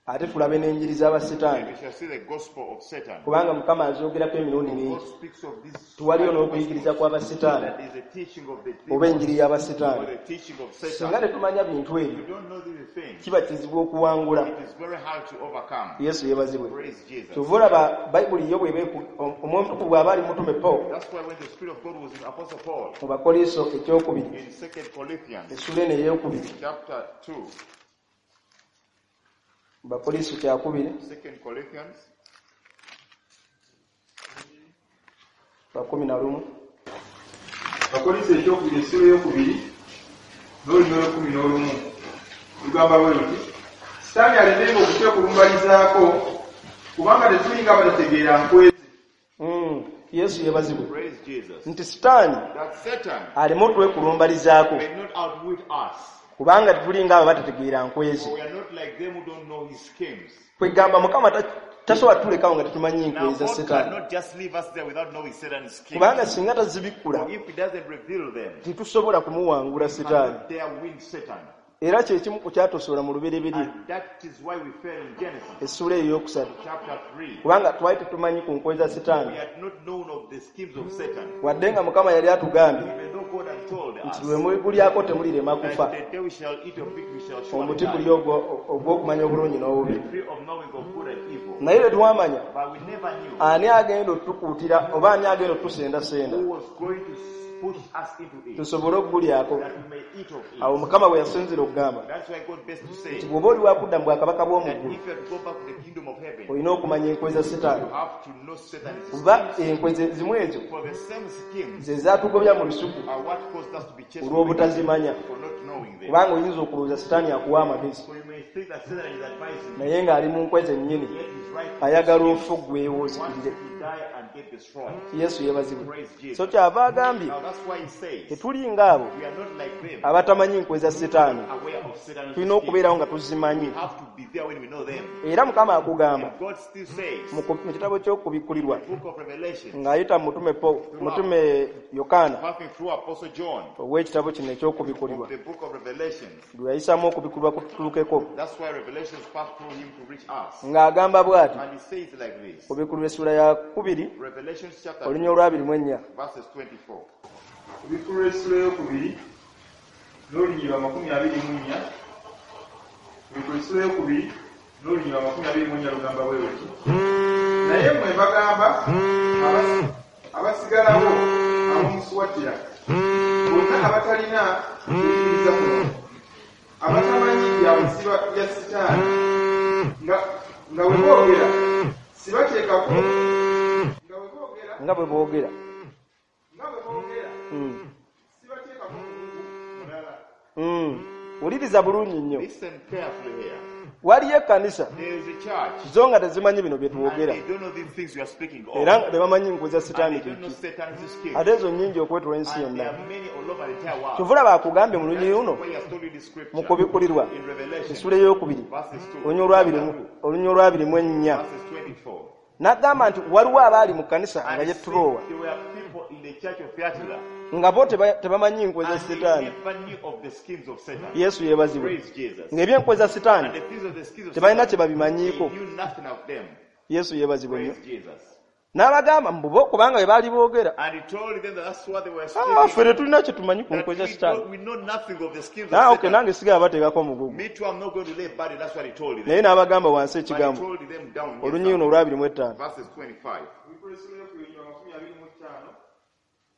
Ate tulabe n'enjiri z'abasitaani And we shall see the gospel of Satan. kubanga Mukama azoogerako emirundi God mingi. speaks of this Tuwaliyo n'okuyigiriza kw'abasitaani that is a teaching of the oba demons enjiri or y'abasitaani. the teaching of Singa Satan. tetumanya bintu If ebyo you don't know these things, kiba kizibu okuwangula. it is very hard to overcome. Yesu yeebazibwe. Praise Jesus. Kyova olaba Bayibuli yo bw'eba Omwoyo Omutukuvu bw'aba ali mutume Pawulo That's why when the Spirit of God was in Apostle Paul mu Bakoliso ekyokubiri in 2 Corinthians essula eno eyookubiri chapter 2, Bakolinso kyakubiri 2 Corinthians 11. Abakolinso ekyokubiri essula eyokubiri n'olunyiriri olw'11 lugamba bwe luti: Sitaani alemenga okutwekulumbalizaako, kubanga tetulinga abatategeera nkwe ze. Yesu yeebazibwe. Praise Jesus. Nti Sitaani That Satan aleme otwekulumbalizaako, may not outwit us, kubanga tetulinga abo abatategeera nkwe ze. for we are not like them who don't know his schemes. Kwegamba Mukama tasobola tulekawo nga tetumanyi Now nkwe za God Sitaani, cannot just leave us there without knowing Satan's schemes. kubanga singa tazibikkula For if he doesn't reveal them, tetusobola kumuwangula we Sitaani. cannot dare win Satan. Era kye kimu ku kyatosobola mu lubereberye And that is why we fell in Genesis essuula eyo eyokusatu, chapter 3. kubanga twali tetumanyi ku nkwe za We Sitaani, had not known of the schemes of Satan. wadde nga Mukama yali atugambye Even though God had told nti us lwe muligulyako temulirema that kufa, the day we shall eat of it, we shall surely omuti guli die. ogw'okumanya obulungi n'obubi. The tree of knowing of good and evil. Naye lwe twamanya But we never knew ani agenda otukuutira oba ani agenda otusendasenda who was going to push us into it, tusobole okugulyako. that we may eat of it. Awo Mukama bwe yasinzira okugamba That's why God best to say nti bw'oba oli wakudda mu bwakabaka that bw'omu ggulu if you have to go back to the kingdom of heaven, olina okumanya enkwe za Sitaani, you have to know Satan's kuba schemes. enkwe zimu ezo For the same schemes ze zaatugobya mu lusuku are what caused us to be chased olw'obutazimanya, for not knowing them. kubanga oyinza okulowooza Sitaani akuwa amagezi, So you may think that Satan is advising you, naye ng'ali mu nkwe zennyini, yet he's right. ayagala ofe ggwewo He wants ozikirire. you to die and get destroyed. Yesu yeebazibwe. Praise Jesus. So kyava agambye Now that's why he says tetuli ng'abo we are not like them, abatamanyi nkwe za Sitaani, aware of Satan's tulina schemes. okubeerawo nga tuzimanyi. We have to be there when we know them. Era Mukama akugamba And God still says, mu kitabo ky'okubikkulirwa the book of Revelation, ng'ayita mu mutume Yokaana passing through Apostle John ow'ekitabo kino eky'okubikkulirwa of the book of Revelations. lwe yayisaamu okubikkulirwa kututuukeko, That's why Revelations passed through him to reach us. ng'agamba bw'ati And he says like this, kubikkulirwa essula ya 2 Revelation chapter olunya olwa 24. verses 24. Okubikulwa essula eyokubiri n'olunyiriri lwa 24. Okubikulwa essula eyokubiri n'olunyiriri lwa 24 lugamba bwe luti: Naye mmwe mbagamba abasigalawo ab'omu Suwatira, bonna abatalina kuyigiriza kuno, abatamanyi bya buziba bya Sitaani, nga bwe boogera sibateekako nga bwe boogera sibateekako mugugu mulala. Wuliriza bulungi nnyo. Listen carefully here. Waliyo ekkanisa There is a church, zo nga tezimanyi bino bye and twogera, they don't know these things we are speaking of. era nga tebamanyi nkwe za And Sitaani they don't know kiki, Satan's schemes. ate ezo nnyingi okwetoola ensi And there yonna. are many all over the entire world. Kyova olaba akugambye mu lunyiriri luno That's why he has told you this scripture mu kubikkulirwa in Revelation, essula eyokubiri verses 2, olunya olwa 24 verses 24. n'agamba nti waliwo abaali mu kkanisa nga And he ye said Turowa there were people in the church of Thyatira, nga bo tebamanyi nkwe za and they Sitaani. never knew of the schemes of Satan. Yesu yeebazibwe. Praise Jesus. Ng'ebyenkwe za Sitaani And the things of the schemes of tebalina kye Satan, babimanyiiko. they knew nothing of them. Yesu yeebazibwe nnyo. Praise Jesus. N'abagamba mbu bo kubanga bwe baali boogera, And he told them that that's what they were "Ah, speaking. ffe tetulina kye tumanyi ku That nkwe za Sitaani." we know nothing of the schemes Ah, of okay, Satan. nange sigala bateekako omugugu. Me too, I'm not going to lay burden. That's what he told them. Naye n'abagamba wansi But he ekigambo told them down here, olunyiriri luno olwa 25. verses 25. Okubikulwa essula eyokubiri olunyiriri lwa 25.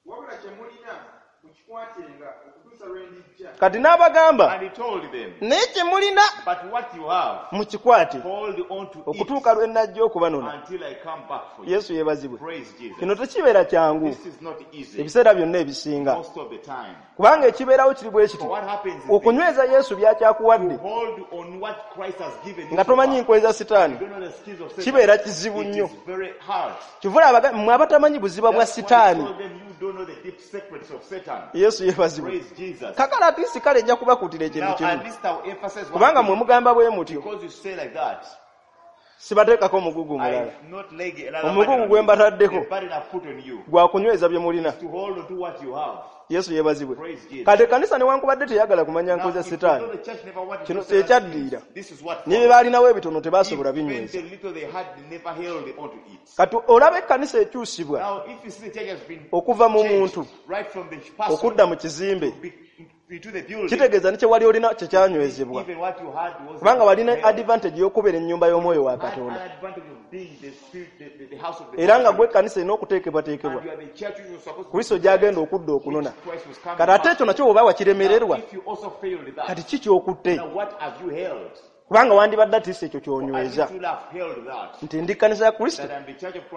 Wabula kye mulina mukikwatenga okutuusa lwe ndijja. Kati n'abagamba And he told them, naye kye mulina but what you have, mukikwate hold on to it okutuuka lwe najja okubanona. until I come back for you. Yesu yeebazibwe. Praise Jesus. Kino tekibeera kyangu This is not easy ebiseera byonna ebisinga, most of the time. kubanga ekibeerawo kiri bwe kiti: For what happens is this, okunyweza Yesu by'akyakuwadde hold on what Christ has given you. nga so tomanyi far. nkwe za Sitaani You don't know the schemes of Satan. kibeera kizibu It nnyo. is very hard. Kyova olaba mmwe abatamanyi buziba bwa That's why he Sitaani. told them you don't know the deep secrets of Satan. Yesu yeebazibwe. Praise Jesus. Kakala atiisi kale nja kubakuutira ekintu Now at kimu, least I'll emphasize one kubanga mmwe thing. mugamba bwe mutyo, Because you say like that, sibateekako mugugu mulala. I'm not laying another Omugugu burden on gwe you. mbataddeko The burden I've put on you gwa kunyweza bye mulina. is to hold on to what you have. Yesu yeebazibwe. Praise Jesus. Kati ekkanisa newankubadde teyagala kumanya Now, nkwe za if you Sitaani, know the church never wanted kino to know Satan's ekyaddirira schemes, this is what ne bye followed. baalinawo ebitono tebaasobola Even binyweza. the little they had, they never held onto it. Kati olaba ekkanisa ekyusibwa Now, if you see the church has been okuva mu changed muntu right from the person okudda mu kizimbe, into the building, kitegeeza ne kye wali olina kye kyanywezebwa, even what you had was kubanga walina held. advantage y'okubeera ennyumba y'omwoyo wa Had an Katonda, advantage of being the spirit, the house of the era nga Spirit. gwe ekkanisa erina okuteekebwateekebwa And you are the church which was supposed to Kristo be gy'agenda okudda okunona. which Christ was coming Kati ate back. ekyo nakyo bw'oba wakiremererwa, Now, if you also failed that, kati ki ky'okutte? now what have you held? Kubanga wandibadde atiisa ekyo ky'onyweza nti ndi kkanisa ya Kristo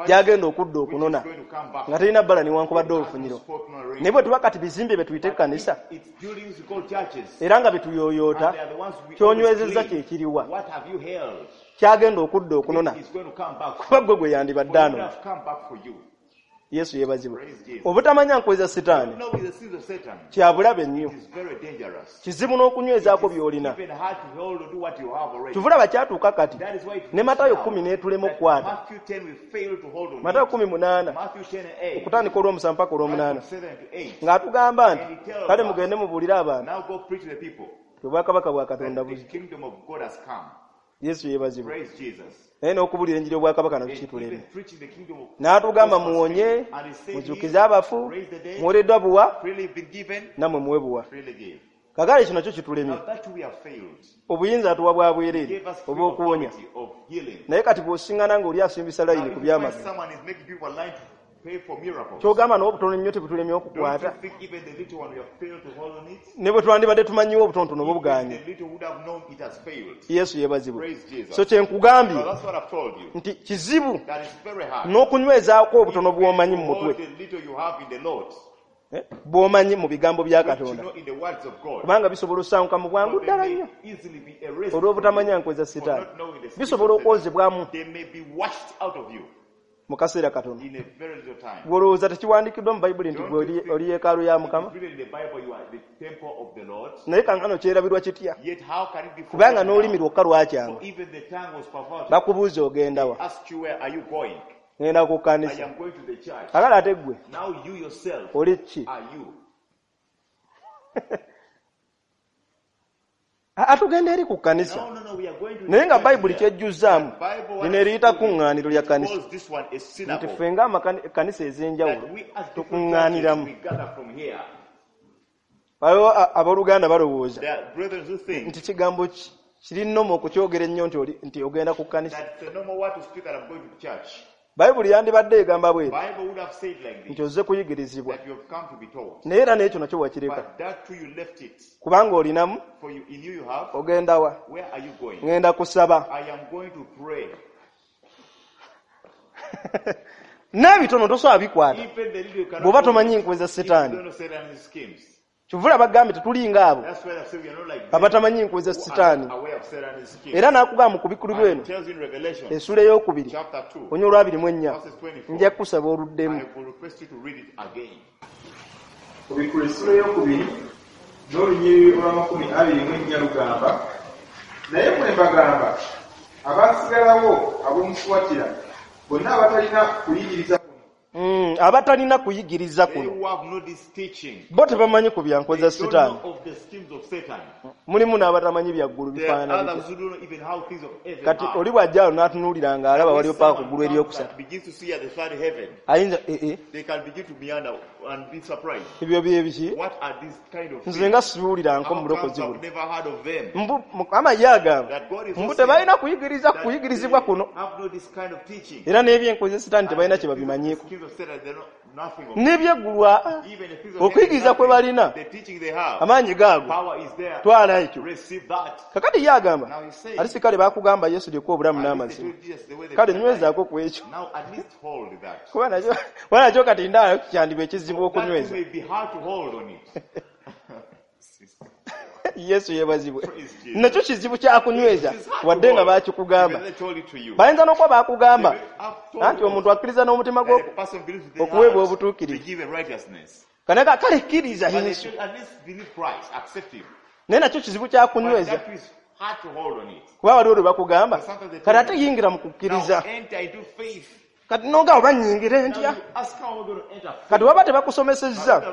gy'agenda okudda okunona nga terina bbala newankubadde olufunyiro. Naye bwe tuba kati bizimbe bye tuyita ekkanisa era nga bye tuyooyoota, ky'onywezezza kye kiriwa kyagenda okudda okunona, kuba ggwe gwe yandibadde anona. Yesu yeebazibwe. Obutamanya nkwe za Sitaani kya bulabe nnyo, kizibu n'okunywezaako by'olina. Kyova kyatuuka kati ne Matayo 10 n'etulema okukwata. Matayo 18 okutandika olw'omusanvu mpaka olw'omunaana ng'atugamba nti kale mugende mubuulire abantu obwakabaka bwa Katonda buzze. Yesu yeebazibwe. Naye n'okubuulira enjiri y'obwakabaka nakyo kituleme. N'atugamba muwonye, muzuukize abafu, muweereddwa buwa, nammwe muwe buwa. Kakale kino nakyo kitulemye. Obuyinza atuwa bwa bwereere obw'okuwonya. Naye kati bw'osiŋŋana ng'oli asimbisa layini ku byamagero, ky'ogamba n'obutono nnyo tebutulemye okukwata. Ne bwe twandibadde tumanyiwo obutonotono bubuganye. Yesu yeebazibwe. So kye nkugambye nti kizibu n'okunywezaako obutono bw'omanyi mu mutwe, bw'omanyi mu bigambo bya Katonda, kubanga bisobola osanguka mu bwangu ddala nnyo olw'obutamanya nkwe za Sitaani. Bisobola okwozebwamu mu kaseera katono. Bw'olowooza tekiwandiikiddwa mu Bayibuli nti gwe oli yeekaalu ya Mukama, naye kankano kyerabirwa kitya? Kubanga n'olulimi lwokka lwakyama. Bakubuuza ogenda wa? Ngenda ku kkanisa. Kakale ate ggwe oli ki? Atugenda eri ku kkanisa, naye nga Bayibuli kyejjuzaamu lino eriyita kuŋŋaaniro lya kkanisa, nti ffe ng'amakanisa ez'enjawulo tukuŋŋaaniramu. Waliwo abooluganda balowooza nti kigambo kiri nnomo okukyogera ennyo nti ogenda ku kkanisa. Bayibuli yandibadde egamba bw'eti nti ozze kuyigirizibwa, naye era n'ekyo nakyo wakireka, kubanga olinamu. Ogenda wa? Ngenda kusaba. N'ebitono tosobola bikwata bw'oba tomanyi nkwe za Sitaani. Kyova bagambye tetulinga abo abatamanyi nkwe za Sitaani. Era n'akugamba mu kubikkulirwa eno essuula ey'okubiri onye olwa 24, nja kukusaba oluddemu. Kubikkulirwa essuula ey'okubiri n'olunyiriri olwa 24 lugamba, naye mwe mbagamba abaasigalawo ab'omu Suwatira bonna abatalina kuyigiriza kuno, abatalina kuyigiriza kuno bo tebamanyi ku bya nkwe za Sitaani. Mulimu n'abatamanyi bya ggulu bifaanana bitya. Kati oli bw'ajja awo n'atunuulira ng'alaba waliwo paka ku ggulu eryokusatu, ayinza ebyo bye biki? Nze nga sibiwuliranko mu bulokozi buno. Mukama ye agamba mbu tebalina kuyigirizibwa kuno, era n'ebyenkwe za Sitaani tebalina kye babimanyiiko. N'ebyeggulu okuyigiriza kwe balina amaanyi gaago twala ekyo. Kakati ye agamba ate kale baakugamba Yesu lyekkubo obulamu n'amazima, kale nywezaako ku ekyo, kuba nakyo kati ndaba kyandiba ekizibu okunyweza. Yesu yeebazibwe. Nakyo kizibu kyakunyweza wadde nga baakikugamba. Bayinza n'okuba baakugamba anti omuntu akkiriza n'omutima gwe okuweebwa obutuukirivu, kanaka kale kkiriza Yesu, naye nakyo kizibu kyakunyweza, kuba waliwo lwe bakugamba kati ate yingira mu kukkiriza. Kati nonga oba nnyingire ntya? Kati waba tebakusomesezza.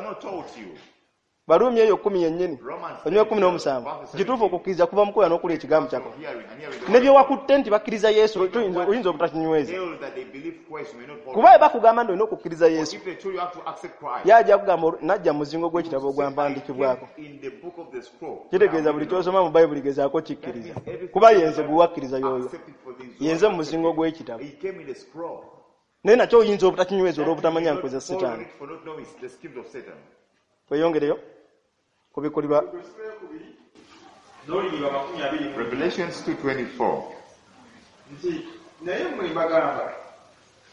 Barumi eyo 10 yennyini onywe 17 kituufu okukkiriza kuva mu kuwulira n'okulya ekigambo kya Katonda. Ne bye wakutte nti bakkiriza Yesu oyinza obutakinyweza, kuba bwe bakugamba nti olina okukkiriza Yesu, ye ajja kugamba najja mu muzingo gw'ekitabo ogwampandiikibwako. Kitegeeza buli ky'osoma mu Bayibuli gezaako kikkiriza, kuba yenze gwe wakkiriza y'oyo, yenze mu muzingo gw'ekitabo. Naye nakyo oyinza obutakinyweza olw'obutamanya nkwe za Sitaani. Tweyongereyo kubikkulirwa N'olunyiriri 24. Revelations 2:24. Nti naye mmwe mbagamba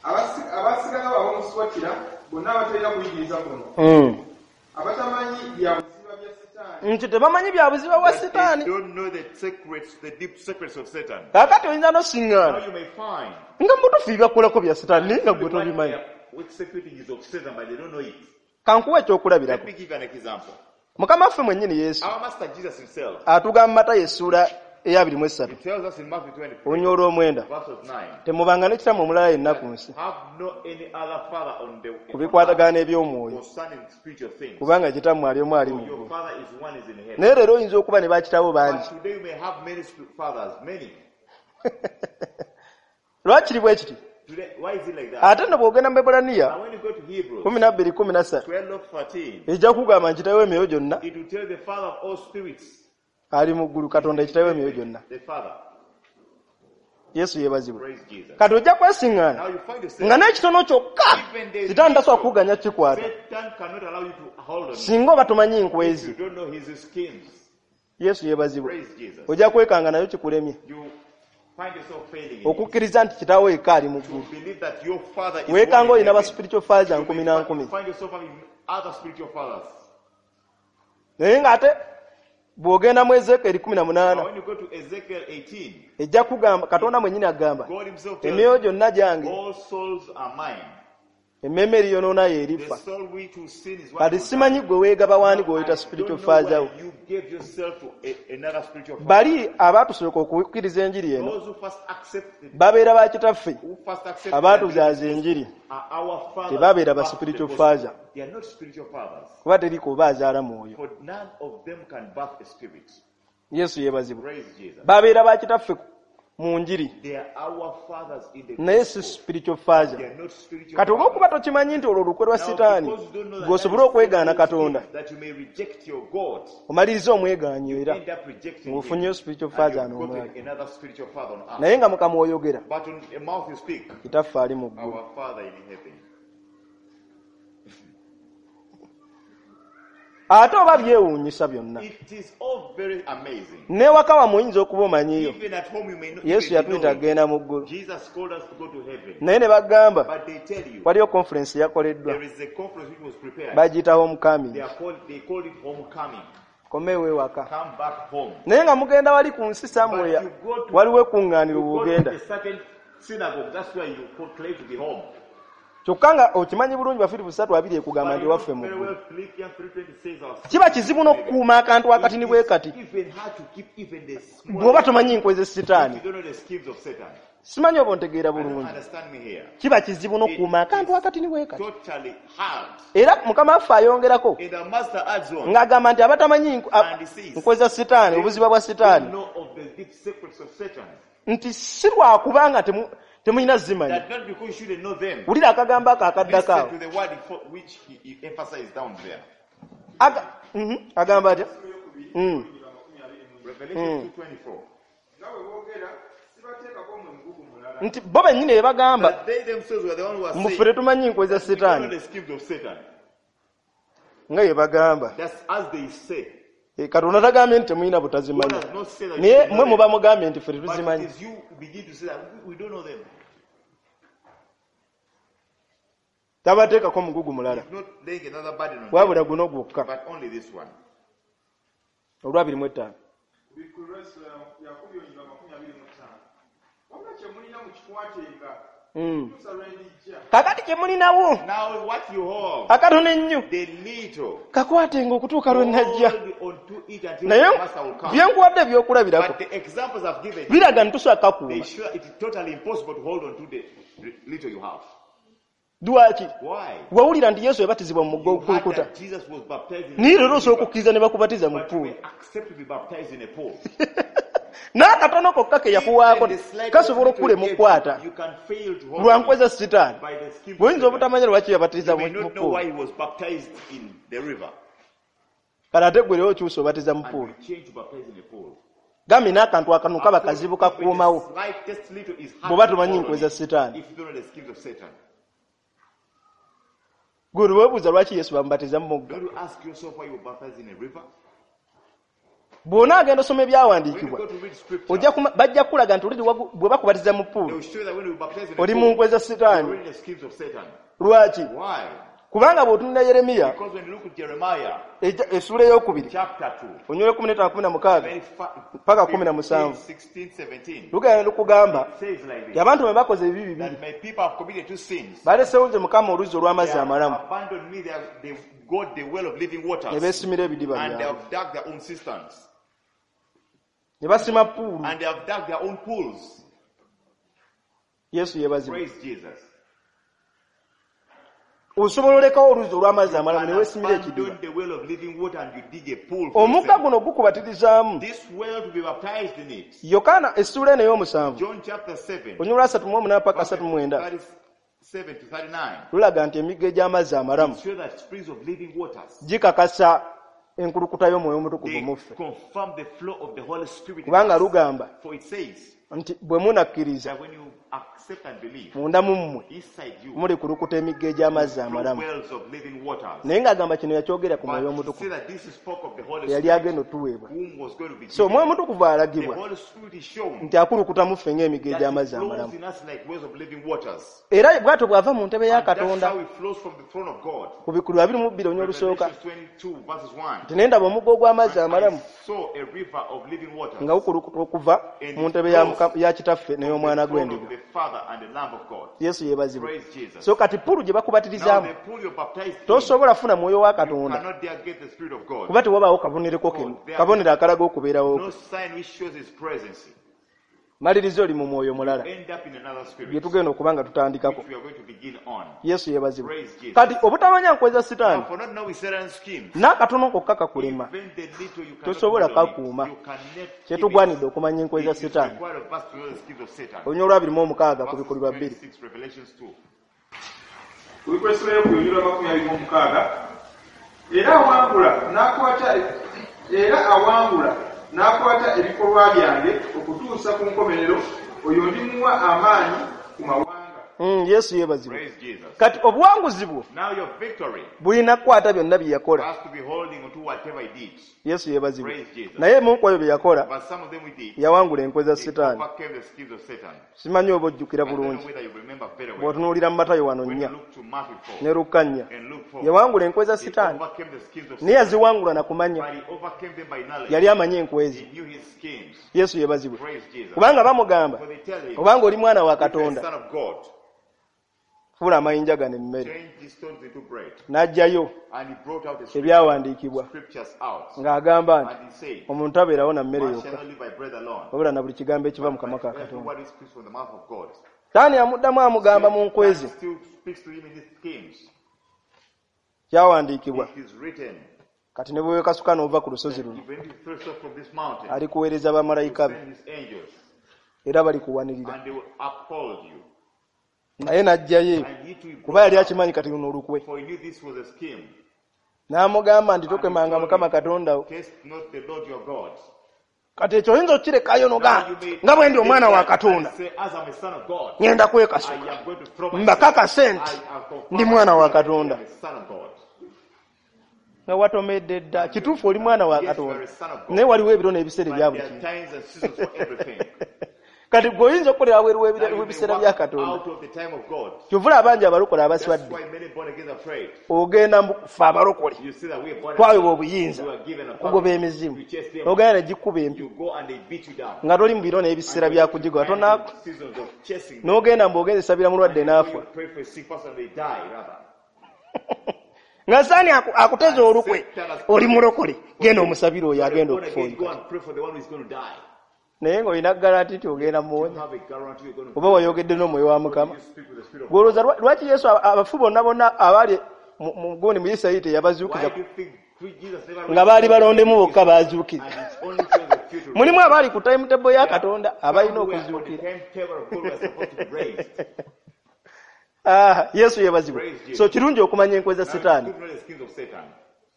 abasigalawo ab'omu Suwatira bonna abatalina kuyigiriza kuno, abatamanyi bya buziba bya Sitaani, Nti tebamanyi bya buziba bwa That they Sitaani. don't know the secrets, the deep secrets of Satan. Kaakati oyinza n'osiŋŋaana Now you may find nga mutuufu byebakolako bya Sitaani, naye nga gwe what they tobimanyi. are executing is of Satan, but they don't know it. Kankuwa Let ekyokulabirako. me give you an example. Mukama waffe mwennyini Yesu Our Master Jesus himself, atugamba Matayo essuula eya 23, he tells us in Matthew 23, olunya olw'omwenda, verse of 9, temubanga ne kitammwe omulala yenna ku nsi have no any other father on the ku bikwatagana n'eby'omwoyo, concerning spiritual things. kubanga kitammwe ali omu ali mu Your ggulu. father is one is in heaven. Naye leero oyinza okuba ne bakitabo bangi. But today you may have many fathers, many. Lwakiri bwe kiti? Today, why is it like that? Ate nno bw'ogenda mu Bebbulaniya And when you go to Hebrews 12:13, 12:13, ejja kugamba nti kitawe emyoyo gyonna it will tell the Father of all spirits, ali mu ggulu, Katonda ekitawe emyoyo gyonna. the Father. Yesu yeebazibwe. Praise Jesus. Kati ojja kwesiŋŋaana Now you find yourself, nga n'ekitono kyokka Sitaani tasobola kukuganya kikwata Satan cannot allow you to hold on singa oba tomanyi if nkwezi. you don't know his schemes. Yesu yeebazibwe. Praise Jesus. Ojja kwekanga nayo kikulemye You find yourself failing in it. okukkiriza nti kitaawo yekka ali mu To ggulu. believe that your father is Weekanga one in olina ba heaven. spiritual father You may nkumi na nkumi, find yourself having other spiritual fathers. naye ng'ate bw'ogenda mu Ezeekeri But 18, when you go to Ezekiel 18, ejja kugamba Katonda mwennyini agamba, God himself tells emyoyo you, gyonna gyange, all souls are mine. emmeeme eriyonoona The yeerifa. soul which will sin is what Kati will die. simanyi gwe weegaba waani Now, gw'oyita I spiritual don't know father wo. why you gave yourself to another spiritual father. Bali abatusooka okukkiriza enjiri eno Those who first accepted, babeera ba kitaffe who first accepted abaatuzaaza enjiri, are our fathers. tebabeera ba who birthed the spiritual gospel. father. They are not spiritual fathers. Kuba teri kuba azaala mwoyo. For none of them can birth a spirit. Yesu yeebazibwe. Praise Jesus. Babeera ba kitaffe mu njiri, They are our fathers in the naye si gospel. spiritual They father. are not spiritual Kati oba okuba fathers. tokimanyi nti olwo olukwe lwa Now, Sitaani because you don't know that gwe osobole that is okwegaana Satan's Katonda, scheme, that you may reject your God, omaliriza omwegaanyi era end up rejecting him, ng'ofunyeyo spiritual and father you've ano omulala. gotten another spiritual father on earth. Naye nga Mukama oyogera, But on the mouth you speak, kitaffe ali mu ggulu. our Father in heaven. Ate oba byewuunyisa byonna, It is all very amazing. n'ewaka wammwe oyinza okuba omanyiyo Even at home you may not Yesu even yatuyita know it. agenda mu ggulu, Jesus called us to go to heaven. naye ne bagamba But they tell you waliyo conference yakoleddwa, there is a conference which was prepared. bagiyita homecoming. They called it homecoming. Komewo ewaka, Come back home. naye nga mugenda wali ku nsi somewhere, But you go to- waliwo ekkuŋŋaaniro You go bw'ogenda, to a certain synagogue, that's where you claim to be home. kyokka nga okimanyi bulungi Bafiripo 3:20 ekugamba But nti you know waffe mu very ggulu. well Philippians 3:20 says our Kiba kizibu n'okukuuma akantu akatini bwe kati It is even hard to keep even the small bw'oba tomanyi nkwe ze if Sitaani. you don't know the schemes of Satan. Simanyi oba ontegeera I don't bulungi. understand me here. Kiba kizibu n'okukuuma akantu akatini bwe kati. Totally hard. Era Mukama waffe ayongerako And the master adds on. ng'agamba nti abatamanyi And he says, nkwe za Sitaani, obuziba bwa They Sitaani, know of the deep secrets of Satan. nti si lwakubanga temulina zimanya. That not because you shouldn't know them. Wulira akagambo ako akaddako Listen awo. to the word which he emphasized down there. Agamba atya? Revelation 2:24. Nga bwe boogera sibateekako mmwe mugugu mulala. Nti bo bennyini be bagamba That they themselves were the ones who were mbu ffe saying, tetumanyi nkwe za we don't know Sitaani, the schemes of Satan. nga bye bagamba. That's as they say. Katonda tagambye nti temulina God butazimanyi, has not said that you naye should know mmwe muba them. mugambye nti ffe But tetuzimanyi. it is you who begin to say that we don't know them. Tabateekako mugugu mulala, He's not laying another burden on them, wabula guno gwokka, but only this one. olwa 25. Kubikkulirwa essula ya 2:25. Wabula kye mulina mukikwatenga okutuusa lwe ndijja. Kakati kye mulinawo Now what you have, akatono ennyo, the little, kakwatenga okutuuka lwe najja. hold on to it until Naye the master will come. bye nkuwadde ebyokulabirako But the examples I've given, biraga nti tosobola they kukakuuma. show it is totally impossible to hold on to the little you have. Lwaki? Why? Wawulira nti Yesu yabatizibwa mu mugga You heard ogukulukuta, that Jesus was baptized in naye the leero osobola river, okukkiriza ne bakubatiza mu but you ppuulu. may accept to be baptized in a pool. N'akatono kokka ke yakuwaako Even the slightest kasobola little okukulema you gave, okukwata you can fail to hold lwa on nkwe za Sitaani. by the schemes of Bw'oyinza Satan. obutamanya lwaki yabatiriza You mu may not know ppuulu. why he was baptized in the river. Kale ate gwe leero okyusa obatiza mu And ppuulu. you change to baptize in a pool. Gambye n'akantu akatono kaba kazibu kakuumawo Even the slightest little is hard bw'oba to tomanyi hold nkwe on za it Sitaani. if you don't know the schemes of Satan. Gwe lwe weebuuza lwaki Yesu bamubatiza mu mugga. Don't you ask yourself why you were baptized in a river? Bw'onaagenda osoma ebyawandiikibwa, bajja kukulaga nti bwe bakubatiza mu pool oli mu nkwe za Sitaani. Lwaki? Kubanga bw'otunula Yeremiya essuula ey'okubiri onyula 15 16 paka 17 lugenda lukugamba nti abantu bwe bakoze ebibi bibiri, balesewo nze Mukama oluzzi olw'amazzi amalamu, ne beesimira ebidiba byabwe, ne basima puulu. Yesu yeebazibwe. Osobola olekawo oluzzi olw'amazzi amalamu ne weesimira ekidiba. Omugga guno gukubatirizaamu. Yokaana essuula eno ey'omusanvu onyula 38 paka 39 lulaga nti emigga egy'amazzi amalamu gikakasa enkulukuta y'Omwoyo Omutukuvu mu ffe, kubanga lugamba nti bwe munakkiriza munda mu mmwe muli kulukuta emigga egy'amazzi amalamu. Naye ng'agamba kino yakyogera ku Mwoyo Omutukuvu eyali agenda otuweebwa. So Omwoyo Omutukuvu alagibwa nti akulukuta mu ffe ng'emigga egy'amazzi amalamu, era bw'atyo bw'ava mu ntebe ya Katonda ku bikulu 22 olunyiriri olusooka nti ne ndaba omugga ogw'amazzi amalamu nga gukulukuta okuva mu ntebe ya Kitaffe n'ey'Omwana gw'Endiga. Yesu yeebazibwe. So kati puulu gye bakubatirizaamu tosobola funa Mwoyo wa Katonda kuba tewabaawo kabonero akalaga okubeerawo kwe. Maliriza oli mu mwoyo mulala bye tugenda okuba nga tutandikako. Yesu yeebazibwe. Kati obutamanya nkwe za Sitaani n'akatono kokka kakulema, tosobola kakuuma. Kyetugwanidde okumanya enkwe za Sitaani. Olunyiriri 26 ku Bikolwa 2. Era awangula n'akwata ebikolwa byange okutuusa ku nkomerero, oyo ndimuwa amaanyi ku mawanga. Yesu yeebazibwe. Kati obuwanguzi bwo bulina kukwata byonna bye yakola. Yesu yeebazibwe. Naye mu nkwayo bye yakola yawangula enkwe za Sitaani. Simanyi oba ojjukira bulungi bw'otunuulira mu Matayo wano 4 ne Luka 4, yawangula enkwe za Sitaani, naye yaziwangula na kumanya. Yali amanyi enkwe ze. Yesu yeebazibwe. Kubanga bamugamba obanga oli mwana wa Katonda, fuula amayinja gano emmere. N'aggyayo ebyawandiikibwa ng'agamba nti omuntu abeerawo na mmere yokka, wabula na buli kigambo ekiva mu kamwa ka Katonda. Sitaani amuddamu amugamba mu nkwe ze, kyawandiikibwa. Kati ne bwe weekasuka n'ova ku lusozi luno, alikuweereza bamalayika be era balikuwanirira. Naye n'aggyayo kuba yali akimanyi kati luno olukwe. N'amugamba nti tokemanga Mukama Katonda wo. Kati ekyo oyinza okukirekayo n'ogamba nga bwe ndi omwana wa Katonda ngenda kwekasuka mbakakase nti ndi mwana wa Katonda. Nga watomedde dda. Kituufu oli mwana wa Katonda, naye waliwo ebiro n'ebiseera ebya buli kintu. Kati gwe oyinza okukolera wabweru w'ebiseera bya Katonda. Kyovula abangi abalokole abaswadde, ogenda ffe abalokole twaweebwa obuyinza okugoba emizimu, ogenda ne gikuba empi nga toli mu biro n'ebiseera bya kugigoba, n'ogenda mbu ogenze sabira mulwadde n'afa. Nga Sitaani akuteze olukwe, oli mulokole, genda omusabire oyo agenda okufa oyo. Naye ng'olina garanti nti ogenda muwonya, oba wayogedde n'Omwoyo wa Mukama. Gw'olowooza lwaki Yesu abafu bonna bonna abaali mu gundi mu Isirayiri teyabazuukiza, nga baali balondemu bokka baazuukira? Mulimu abaali ku timetable ya Katonda abalina okuzuukira. Yesu yeebazibwe. So kirungi okumanya enkwe za Sitaani.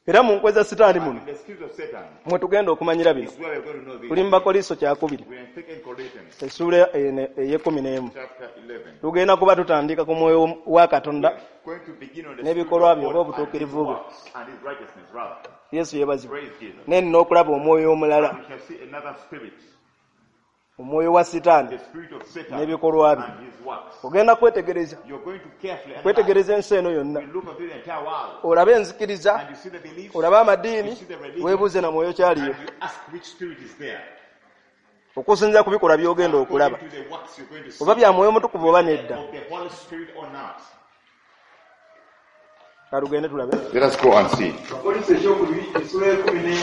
Era mu nkwe za Sitaani muno mwe tugenda okumanyira bino. Tuli mu Bakoliso kyakubiri essuula ey'ekumi n'emu. Tugenda kuba tutandika ku mwoyo wa Katonda We're going to begin on the n'ebikolwa Spirit bye of oba God and his obutuukirivu bwe. works and his righteousness, rather. Yesu yeebazibwe. Praise Jesus. Naye nina okulaba omwoyo omulala, We shall see another spirit, omwoyo wa Sitaani the spirit of Satan n'ebikolwa bye. and his works. Ogenda kwetegereza, You're going to carefully analyze. kwetegereza ensi eno yonna, You look at the entire world olabe enzikiriza, and you see the beliefs olabe amadiini, you see the religion, weebuuze na mwoyo kyaliyo and you ask which spirit is there. okusinziira ku bikolwa by'ogenda okulaba, According to the works you're going to see, oba bya mwoyo mutukuvu oba nedda. of the Holy Spirit or not. Katugende tulabe. Let us go and see. Abakolinso ekyokubiri essula 11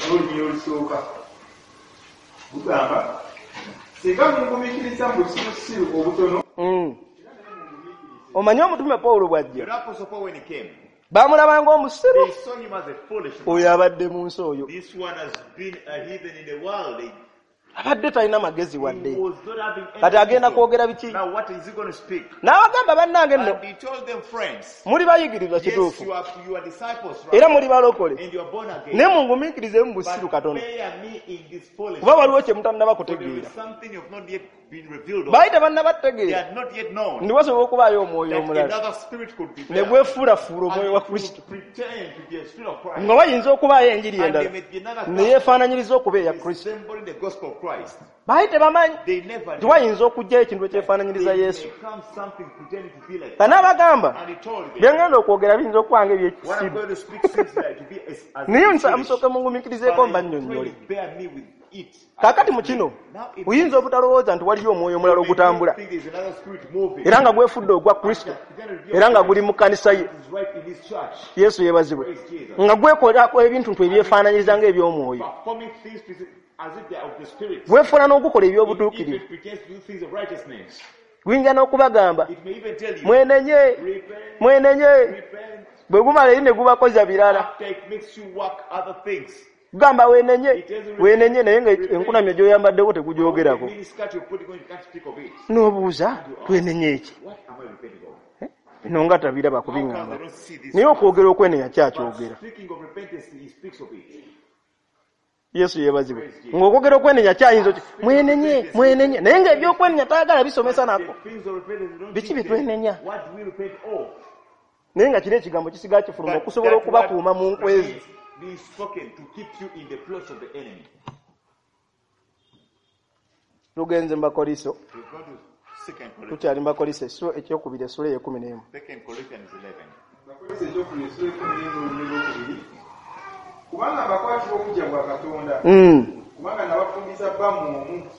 n'olunyiriri olusooka lugamba singa mungumiikiriza mu busirusiru obutono Omanyi omutume Pawulo bw'ajja, The Apostle Paul, when he came, baamulaba ng'omusiru. they saw him as a foolish man. Oyo abadde mu nsi oyo This one has been a heathen in the world. He abadde talina magezi wadde, was not having any kati agenda wisdom. kwogera biki? Now what is he going to speak? N'abagamba bannange nno And he told them, friends, muli bayigirizwa yes, kituufu you are disciples, era right? muli balokole, And you are born again. naye mungumiikirize mu busiru But katono, bear me in this foolishness. kuba waliwo kye mutannaba For there kutegeera. is something you've not yet been revealed of. Baali They tebannabategeera had not yet known nti wasobola okubaayo omwoyo that omulala another spirit could be ne there. gwefuulafuula And omwoyo wa it would Kristo, pretend to be a spirit of Christ. nga wayinza okubaayo enjiri And endala there may be another ne yeefaananyiriza okuba eya Kristo. resembling the gospel of Christ. Baali tebamanyi They never nti knew. wayinza okuggyayo ekintu ekyefaananyiriza They Yesu. may come something pretending to be like Kanaabagamba And he told them, bye ngenda okwogera biyinza okuba nga what I'm ebyekisiru, going to speak seems like to be as naye foolish. musooke mungumiikirizeeko But I mbannyonnyole. pray you bear me with it. Kaakati mu kino Now it oyinza obutalowooza nti waliyo omwoyo omulala You may ogutambula think there's another spirit moving. era nga gwefudde ogwa Kristo era nga guli mu kkanisa ye. It is right in his church. Yesu yeebazibwe, nga gwekolako ebintu ntu ebyefaananyiriza ng'eby'omwoyo, Performing things as if they are of the spirit. gwefuula n'ogukola If eby'obutuukirivu. it pretends to do things of righteousness, Guyinza n'okubagamba it may even tell you, mwenenye, repent, mwenenye. repent. Bwe gumala eri ne gubakoza birala, After it makes you work other things. gugamba weenenye, weenenye, naye nga enkunamyo gy'oyambaddeko The tegugyogerako. miniskirt you're putting on, you can't speak of it. N'obuuza twenenye eki? What am I repenting of? Bino nga tabiraba How come they kubiŋŋamba, don't see this? naye okwogera okwenenya But kyakyogera. speaking of repentance, he speaks of it. Yesu yeebazibwe, ng'okwogera okwenenya kyayinza oti mwenenye, mwenenye, naye ng'ebyokwenenya tayagala bisomesa nako. The things of repentance, they don't Biki teach bye them. twenenya? What do we repent of? Naye nga kiri ekigambo kisigaa kifuluma But okusobola that okubakuuma mu word nkwezi. remains being spoken to keep you in the plots of the enemy. Tugenze mu Bakoliso, We go to Second Corinthians. tukyali mu Bakoliso ekyokubiri essula ey'ekkumi n'emu. 2 Corinthians 11. Abakolinso ekyokubiri essula 11 n'olunyiriri olwokubiri kubanga mbakwatibwa obuggya bwa Katonda kubanga nabafumbiza bba mu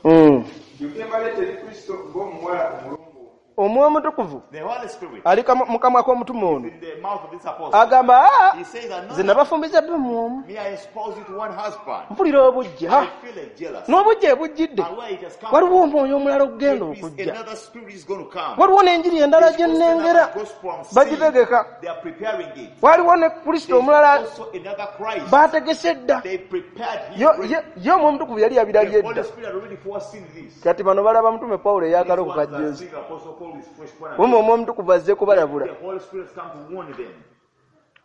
omu ndyoke mbaleete eri Kristo ng'omuwala omulongoofu. Omwoyo Omutukuvu The Holy Spirit ali mu kamwa k'omutume ono in the mouth of this apostle. agamba, "Ah, He says that nze no, nabafumbiza bba mu omu, me I espouse you to one husband. mpulira obuggya I feel a jealous. n'obuggya ebujjidde And where it has come waliwo omwoyo omulala ogugenda there is okujja, another spirit is going to come. waliwo n'enjiri endala gye There's also nnengera another gospel I'm seeing. bagitegeka, They are preparing it. waliwo ne Kristo There's omulala also another Christ. baategese dda." They prepared him. Ye omwoyo omutukuvu yali yabirabye The Holy dda. Spirit had already foreseen this. Kati bano balaba mutume Pawulo These eyakala ones are okukajjeezi, seeing Apostle Paul with fresh born wuma again. omwoyo omutukuvu azze kubalabula. The Holy Spirit has come to warn them.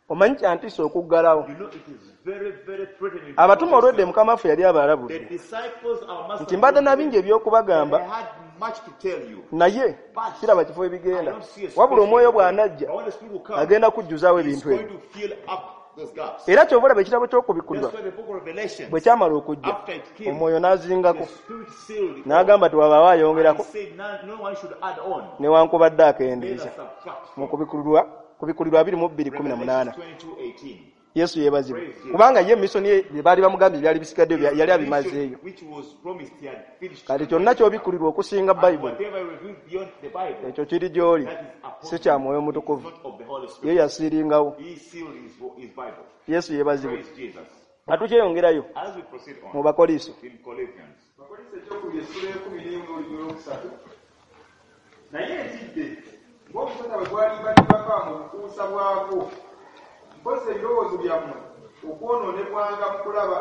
Omanyi kyantiisa okuggalawo. You know, it is very, very threatening. Abatume olwedde Mukama waffe yali The abalabudde disciples, our master, nti mbadde na bingi they eby'okubagamba, had much to tell you. naye But kiraba kifo I ebigenda, don't see a wabula omwoyo space. bw'anajja But when the Spirit will come, agenda kujjuzaawo he's ebintu going ebyo. to fill up those gaps. Era ky'ova olaba ekitabo ky'okubikkulirwa That's why the book of Revelation, bwe kyamala okujja, after it came, omwoyo n'azingako the Spirit sealed it. all. n'agamba tewabaawo And he ayongerako said, no one should add on, newankubadde neither akendeeza. subtract Mu from. kubikkulirwa 22:18 Revelation 22:18. Yesu yeebazibwe, kubanga ye misoni ye bye baali bamugambye byali bisigaddeyo yali abimazeeyo. Which was promised, he had finished. Kati kyonna ky'obikkulirwa okusinga And Bayibuli whatever revealed beyond the Bible, ekyo kiri gy'oli, that is upon si kya mwoyo mutukuvu. not of the Holy Ye Spirit. yasiiringawo. He sealed his Bible. Yesu yeebazibwe. Praise Jesus. Nga tukyeyongerayo As we proceed mu on Bakoliso, in Corinthians, Abakolinso ekyokubiri essula 11 n'olunyiriri olwokusatu naye ntidde ng'omusota bwe gwalimbalimbako mu bukuusa bwagwo mpoza ebirowoozo byammwe okwonoonebwanga mu kulaba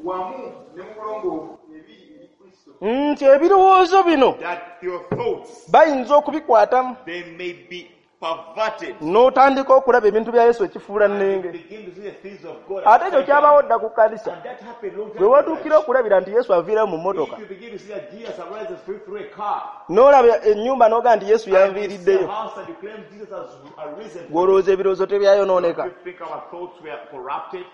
wamu ne mu bulongoofu ebiri eri Kristo. Nti ebirowoozo bino that your thoughts bayinza okubikwatamu they may be perverted. N'otandika okulaba ebintu bya Yesu ekifuula And you nnenge. begin to see the things of God Ate ekyo upside kyabawo down. dda ku kkanisa. And that happened long Bwe time ago. watuukira okulabira nti Yesu aviirayo mu mmotoka, If you begin to see that Jesus arises through a car, n'olaba ennyumba n'ogaa nti Yesu and you see a yanviiriddeyo, house and you claim Jesus has arisen, gw'olowooza ebirowoozo tebyayonooneka. you think our thoughts were corrupted?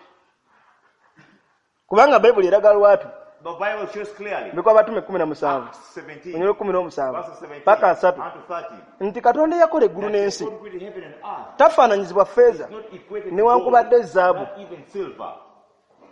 Kubanga Bayibuli eraga lwatu, The Bible shows clearly, bikwa Abatume 17, Acts 17, onyolo 17, verses 17 paka 30, and to 30, nti Katonda eyakola eggulu that the n'ensi God created heaven and earth tafaananyizibwa ffeeza is not equated to gold, newankubadde zaabu. not even silver.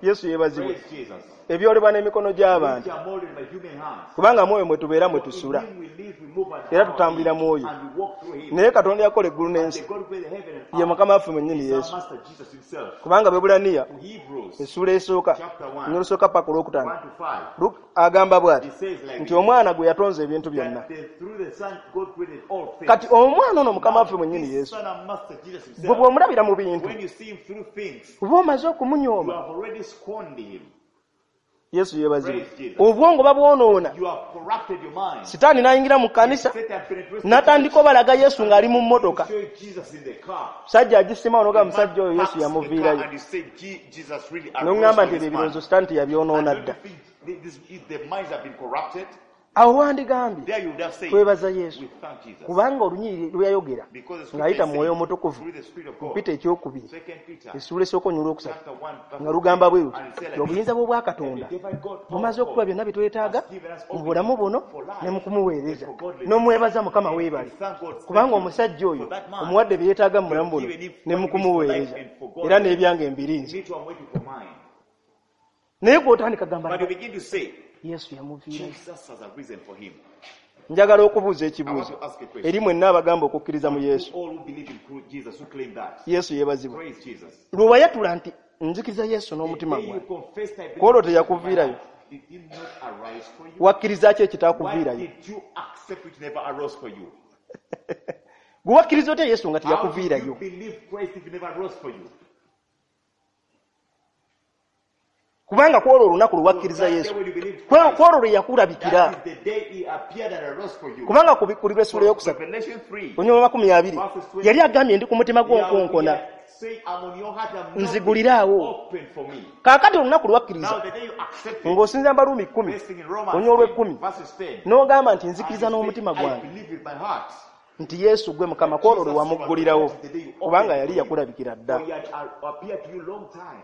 Yesu yeebazibwe. Praise Jesus. Ebyolebwa n'emikono gy'abantu. Which are molded by human hands. Kubanga mwoyo mwe tubeera mwe For in tusula. him we live, we move, and Era have our tutambulira being, mwoyo. and we walk through him. Naye Katonda yakola eggulu And the n'ensi God who created heaven and ye earth Mukama waffe mwennyini is our Yesu. Master Jesus himself. Kubanga Abaebbulaniya To Hebrews essuula esooka chapter 1, n'olusooka paka olwokutaano 1 to 5, agamba bw'ati he says like nti this, omwana gwe yatonza ebintu byonna. that through the Son God created all things. Kati omwana ono Mukama Now, waffe mwennyini this Yesu Son and Master Jesus gwe himself, bw'omulabira mu bintu when you see him through things, oba omaze you okumunyooma. have already scorned him. Yesu yeebazibwe. Praise Jesus. Obwongo babwonoona. You have corrupted your mind. Sitaani n'ayingira mu kkanisa Satan penetrates the n'atandika church obalaga Yesu ng'ali mu to mmotoka. show you Jesus in the car. Musajja agisima A n'ogamba man musajja oyo Yesu parks the car yamuviirayo. and you say, Jesus really arose N'oŋŋamba for nti this ebyo man. ebirowoozo Sitaani And teyabyonoona don't you dda. think the minds have been corrupted? Awo wandigambye There you would have said, twebaza Yesu we thank Jesus. kubanga olunyiriri lwe yayogera Because the ng'ayita scripture mu Mwoyo says, Omutukuvu through the Spirit of God, Peter ekyokubiri 2 Peter essuula esooka onyula okusatu chapter 1, nga verse lugamba bwe luti 10, and it said like this, obuyinza bw'obwakatonda that the divine God, bumaze our okutuwa God, byonna bye twetaaga has given us mu all we bulamu need buno for ne mu life kumuweereza and for godliness. n'omwebaza Mukama And weebale we thank God, thank kubanga you omusajja oyo for that man. omuwadde bye yeetaaga mu bulamu You've buno given him ne mu what he needs for life kumuweereza and for era godliness. n'ebyange mbirinze Me too, I'm waiting for mine. naye gw'otandika gamba But you begin to say, Yesu yamuviirayo. Jesus has arisen for him. Njagala okubuuza I want ekibuuzo to ask a eri question. mwenna abagamba okukkiriza mu To Yesu. all who believe in Jesus, who claim that. Yesu yeebazibwe. Praise Jesus. Lwe wayatula nti nzikiriza Yesu The n'omutima day you gwange confessed, I ku olwo believe in Jesus with my teyakuviirayo. heart, did he not arise for you? Wakkiriza ki Why ekitaakuviirayo? did you accept which never arose for you? Gwe wakkiriza otya Yesu nga How did you teyakuviirayo? believe Christ if he never arose for you? Kubanga ku olwo olunaku lwe So wakkiriza that day Yesu when you believed ku Christ, olwo lwe yakulabikira. that is the day he appeared and arose for you. Kubanga ku bikulirwa essuula For eyokusatu Revelation 3, onyuma 20 verses 20, yali agambye ndi ku mutima he gwo had, he nkonkona had said, I'm on your heart, I'm knocking. nziguliraawo. Open for me. Kaakati olunaku lwe wakkiriza Now the day you accepted, ng'osinza Baruumi 10 based in Romans onyuma 10, olw'ekkumi verses 10, n'ogamba nti and nzikiriza you say, n'omutima I gwange believe with my heart nti Yesu gwe Mukama that ku olwo lwe Jesus you are wamuggulirawo that is the day you kubanga opened yali for him. yakulabikira dda. For he had appeared to you long time.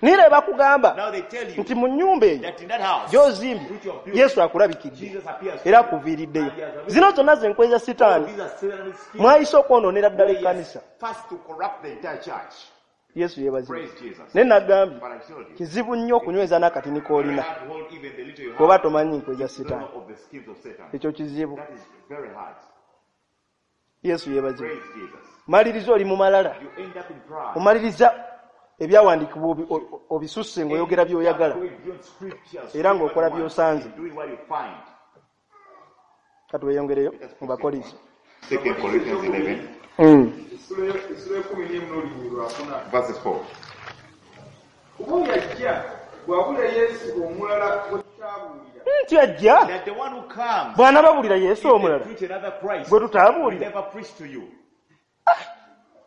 Naye era bakugamba Now they tell you nti mu nnyumba eyo that in that house gy'ozimbye which you have built, Yesu akulabikidde Jesus appears to era you akuviiriddeyo. and he has arisen. Zino zonna ze nkwe za All Sitaani these are satanic schemes mwayise okwonoonera ddala where he has ekkanisa. first to corrupt the entire church. Yesu yeebazibwe. Praise Jesus. Naye nagambye But I told you, kizibu nnyo okunyweza n'akatini very k'olina hard to hold even the little you bw'oba have. tomanyi nkwe za If you don't Sitaani. know of the schemes of Satan. Ekyo kizibu. That is very hard. Yesu yeebazibwe. Praise Jesus. Maliriza oli mu malala. You end up in pride. Omaliriza ebyawandiikibwa obisusse ng'oyogera End up by'oyagala going beyond scriptures, era doing what ng'okola you want, by'osanze. and doing what you find. Katweyongereyo Let us mu proceed Bakolinso. on. 2 Corinthians 11, Essula ekumi n'emu n'olunyiriri lwakuna. verses 4. Kuba oyo ajja bw'abulira Yesu omulala gwe tutaabuulira. Nti ajja That the one who comes, bw'anaababulira Yesu if they omulala preach another Christ, gwe we tutaabuulira. never preach to you.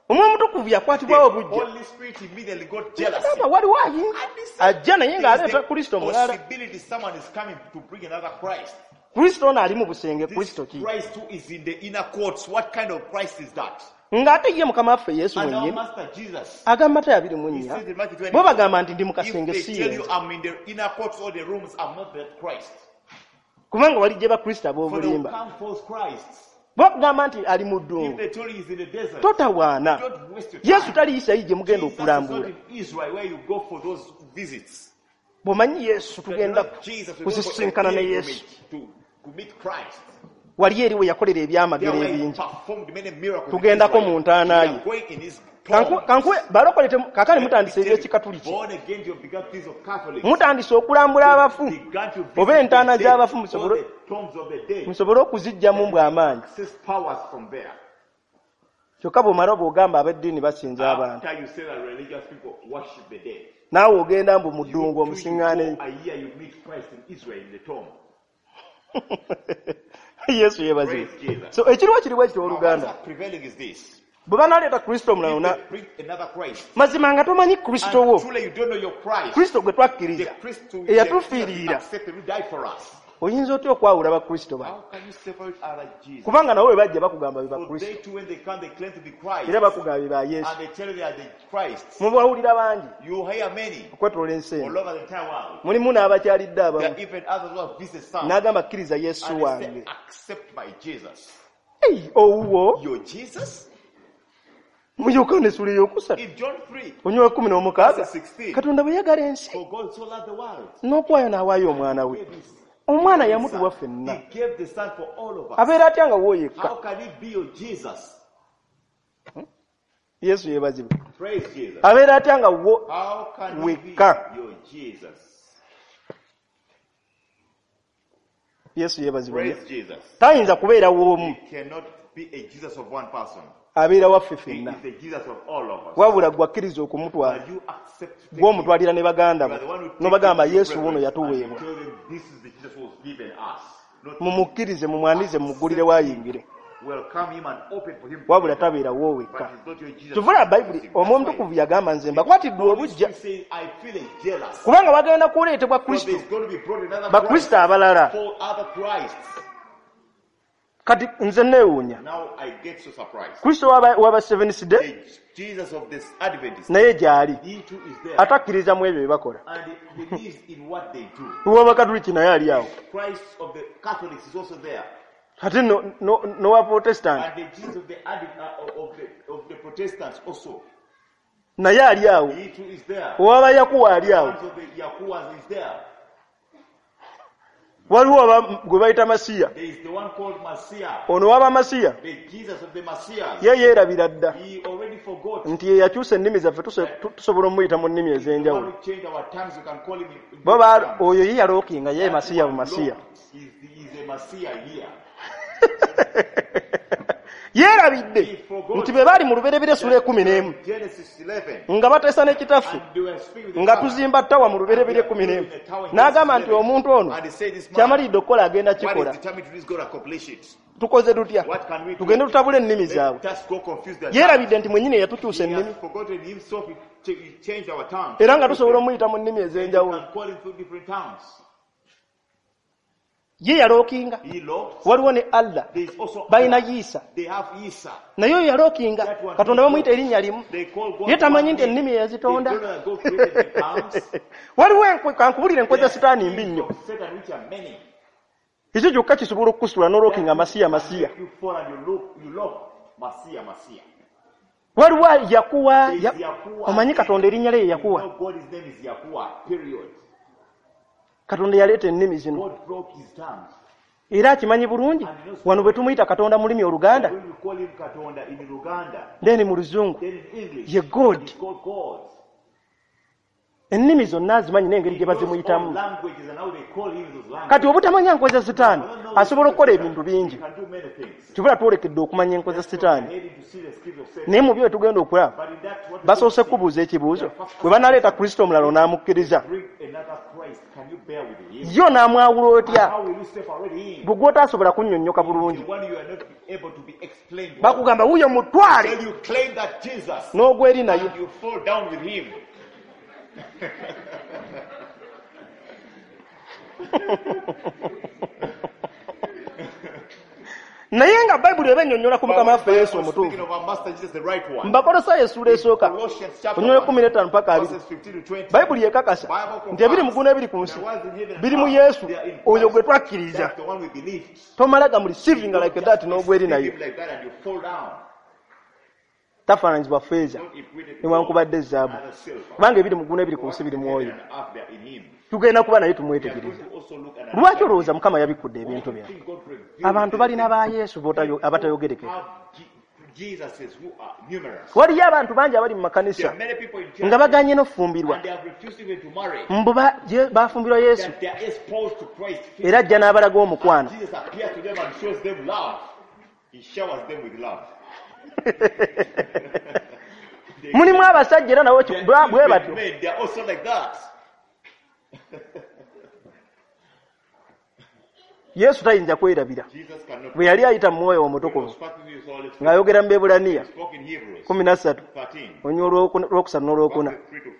Omwoyo Omutukuvu The yakwatibwawo bujja. Holy Spirit immediately got jealousy. Gamba waliwo ayinza And he said, ajja naye there is ng'aleeta the Kristo omulala. possibility someone is coming to bring another Christ. Kristo ono ali mu busenge This Kristo ki? Christ who is in the inner courts, what kind of Christ is that? Ng'ate ye Mukama waffe Yesu And our mwennyini Master Jesus, agamba Matayo abiri mu he nnya says in Matthew bo 24, bagamba nti ndi mu if kasenge they si tell you yenze I'm in the inner courts or the rooms, I'm not that Christ. kubanga wali gye bakristo For there will ab'obulimba. come false Christs. Bwakugamba nti ali mu If ddungu they tell you he's in the desert, totawaana. don't waste your Yesu time. tali Isirayiri gye mugenda Jesus is not okulambula. in Israel where you go for those visits. Bw'omanyi Yesu That you tugenda know Jesus, we go for a kusisinkana ne Yesu. pilgrimage to meet Christ. Wali eri we yakolera There ebyamagero where he ebingi. performed many miracles in Tugendako Israel. mu ntaana We ye. are going in his Kankuwe tombs. balokole kaakati Let me mutandise tell you, eby'ekikatuliki. born again, you have begun things of Catholics. Mutandise okulambula You abafu began to oba visit the entaana dead, z'abafu all musobole the tombs of the dead. musobole okuziggyamu mbw amaanyi. Access powers from there. Kyokka bw'omala bw'ogamba ab'eddiini basinza abantu. After you say that religious people worship the dead, Naawe ogenda mbu mu you ddungu too, you go omusiŋŋaaneyo. a year, you meet Christ in Israel in the tomb. Yesu yeebazibwe. Praise Jesus. So ekiriwo kiri bwe kityo, Now, oluganda, what's prevailing is this. bwe banaleeta Kristo omulala If na they bring another Christ, mazima nga tomanyi Kristo wo, and truly you don't know your Christ, Kristo gwe the twakkiriza Christ who eyatufiirira, accepted, who died for us. oyinza otya okwawula bakristo bano? How can you separate other Jesus? Kubanga nabo bwe bajja bakugamba be For bakristo, they too, when they come, they claim to be Christ. era bakugamba be ba Yesu. And they tell you they are the Christ. Mubawulira bangi You hear many okwetoola ensi all eno, over the entire world. mulimu n'abakyalidde There abamu are even others who have visited some. n'agamba kkiriza Yesu And they say, wange. accept my Jesus. Ei, owuwo Your Jesus? mu Yokaana essula eyokusatu In John 3, onywa 16, verse 16, Katonda bwe yagala ensi for God so loved the world. n'okuwaayo n'awaayo omwana we. Gave his Omwana son. yamutuwa ffenna. He gave the Son for all of us. Abeera atya nga wo yekka? How can it be your Jesus? Yesu yeebazibwe. Praise Jesus. Abeera atya nga wo How can it be wekka? your Jesus? Yesu yeebazibwe. Praise Jesus. Tayinza kubeera w'omu, He cannot be a Jesus of one person. abeera waffe He ffenna. is the Jesus of all of us. Wabula gwe akkiriza okumutwala, And you accept to take gwe him. omutwalira ne baganda You bo are the one who take n'obagamba him to your Yesu wuno brethren and you yatuweebwa, tell them this is the Jesus who was given us. Not mumukkirize, mumwanirize, mumuggulire waayingire. welcome him and open for him to Wabula enter. tabeera wo wekka. But he's not your Jesus. Kyova Bayibuli That's Omwoyo why Omutukuvu yagamba nze mbakwatiddwa Holy obuggya, Spirit says, I feel a jealous. kubanga bagenda kuleetebwa Because Kristo, there's going to be brought another Christ. bakristo abalala. Four other Christs. Kati nze neewuunya, Now I get so surprised. Kristo w'aba Seventh Day The Jesus of this Adventist, naye gy'ali, he too is there. atakkiriza mu ebyo bye bakola. And he believes in what they do. Ow'Abakatuliki naye ali awo, Christ of the Catholics is also there. ate n'owa Protestant And the Jesus of the of the Protestants also. naye ali awo, He too is there. ow'Abayakuwa ali The awo, ones of the Yakuwas is there. waliwo gwe bayita Masiya. There is the one called Messiah. Ono w'Abamasiya The Jesus of the Messiahs. ye yeerabira dda He already forgot. nti ye yakyusa ennimi zaffe, tusobola omuyita mu nnimi The one ez'enjawulo. who changed our tongues, you can call him in Bo different tongues. oyo ye yalookinga ye That Masiya one bu Masiya. looked, he's a Messiah here. Yeerabidde He forgot nti bwe baali mu Lubereberye essula 11 Genesis 11. nga bateesa ne kitaffe And they were speaking with the nga Father. tuzimba ttawa mu Lubereberye And they are 11, building a tower in n'agamba Genesis nti 11. omuntu ono And he said, this man, kyamaliridde okukola agenda what is kikola. determined to do is God accomplish it. Tukoze tutya? What can we do? Tugende tutabule ennimi zaabwe. Let us go confuse their tongues. Yeerabidde nti mwennyini yatukyusa He ennimi, has forgotten himself. He changed our tongues. era nga tusobola omuyita mu nnimi You ez'enjawulo. can call him through different tongues. Ye yalookinga. He locked. Waliwo ne Allah, There is also balina Allah. Yiisa, They have Isa. naye oyo yalookinga That one Katonda he bamuyita locked. erinnya limu. They call God Ye tamanyi one nti name. ennimi They eyazitonda. don't know that God created the tongues. Waliwo enkwe, kankubulire enkwe There za are Sitaani mbi schemes nnyo. of Satan which are many. Ekyo kyokka kisobola okukusitula n'olookinga That Masiya can Masiya. make you fall and you look Masiya Masiya. Waliwo Yakuwa, There is Yakuwa. omanyi Katonda erinnya lye ye You Yakuwa. know God, his name is Yakuwa. Period. Katonda yaleeta ennimi zino, God broke his tongues. era akimanyi bulungi And he knows wano bwe tumuyita Katonda mu lulimi Oluganda, when we call him Katonda in Luganda, then mu Luzungu then in English, ye God. he's called God. Ennimi zonna azimanyi n'engeri He gye knows all bazimuyitamu. languages and how they call him those Kati languages. obutamanya nkwe za Sitaani, I don't know asobola the okukola secret ebintu of Satan. bingi. He can do many things. Kibula twolekedde okumanya enkwe za That's why Sitaani. we're heading to see the schemes of Satan. Naye mu byo tugenda okulaba, But in that, what we're going to basoose see, kubuuza they ekibuuzo, are first bwe asking banaleeta the Kristo omulala question, onaamukkiriza? bring another Christ, can you bear with him? Ye onaamwawula And otya? how will you separate him? Gwe gw'otaasobola kunnyonnyoka bulungi. The one you are not able to be explained well. Bakugamba wuuyo mutwale Tell you claim that Jesus n'ogwa eri naye. and you fall down with him. Naye nga Bayibuli eba ennyonnyola ku But Mukama when waffe Yesu Bible speaking omutuufu. of our Master Jesus, the right one, Mu Bakolosaayo essuula in esooka, Colossians chapter onyonyola 1, 15 paka 20, verses 15 to 20, Bayibuli ekakasa Bible nti ebiri mu confirms ggulu n'ebiri ku nsi the ones in heaven and biri mu earth, Yesu they are in oyo gwe Christ. twakkiriza. That's the one we believed. Tomala ga mu You receiving don't like just that n'ogwa eri receive naye. him like that and you fall down. Tafaananyizibwa ffeeza Not equated to gold, newankubadde ezaabu, neither silver. kubanga ebiri mu ggulu n'ebiri For ku nsi what's biri in mu heaven oyo. and earth, they are in him. Tugenda kuba naye We are going tumwetegereza. to also look and Lwaki understand olowooza him. Mukama yabikkudde Why ebintu do you bino? think God revealed Abantu these balina ba things? Yesu People abatayogerekeka. have Jesuses who are numerous. Waliyo abantu bangi abali mu There makanisa are many people in nga churches baganye n'okufumbirwa, and they have refused even to marry. mbu bafumbirwa Yesu, That they are exposed to Christ era ajja physically. n'abalaga And omukwano. Jesus appears to them and shows them love. He showers them with love. They, Mulimu abasajja era nabo they bwe are bwe even batyo. men, they are also like that. Yesu tayinza kwerabira. Jesus cannot. Bwe yali ayita mu mwoyo He omutukuvu was speaking with his Holy Spirit. ng'ayogera mu Beebulaniya He spoke in Hebrews 13 13. olunywa olwokusatu n'olwokuna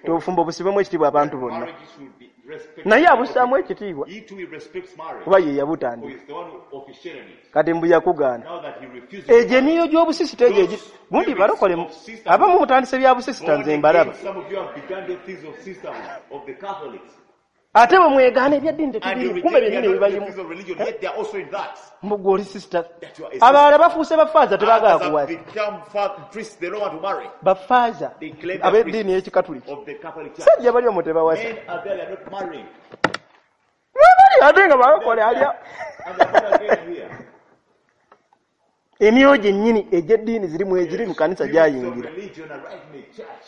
obufumbo busibwemu ekitiibwa abantu bonna. Marriage should be respected. Naye abussaamu ekitiibwa He too, he respects marriage. kuba ye For yabutandika. he's the one who officiated it. Kati mbu yakugaana. Now that he refuses Egyo emyoyo gy'obusisita egyo gundi balokole abamu mutandise bya busisita Born nze again, mbalaba. some of you have begun the things of sisters of the Catholics. Ate bwe mwegaana ebyaddiini And you tetubirimu kumbe reject byennyini the ebibayimu. things of religion, yet they are also in that. Mbu gwe oli sisita. That you are a sister. Abalala bafuuse bafaaza tebaagala Others have kuwasa. become priests, they don't want to marry. Bafaaza They claim they are ab'eddiini priests y'ekikatuliki. of the Catholic Church. Sajja bali omwo tebawasa. Men are there, they are not marrying. Bali ate nga balokole alya. And they are born again here. Emyoyo gyennyini egy'eddiini zirimu egiri mu kanisa Spirits of gyayingira. religion are right in the church.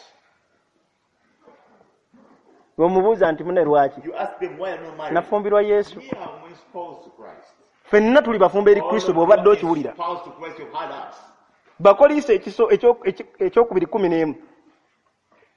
Bw'omubuuza nti mune lwaki? You ask them why are not married. Nafumbirwa Yesu. We are espoused to Christ. Ffenna tuli bafumbo eri All Kristo of you bw'obadde are okiwulira. espoused to Christ, you've heard us. Bakoliisa ekiso ekyokubiri 11.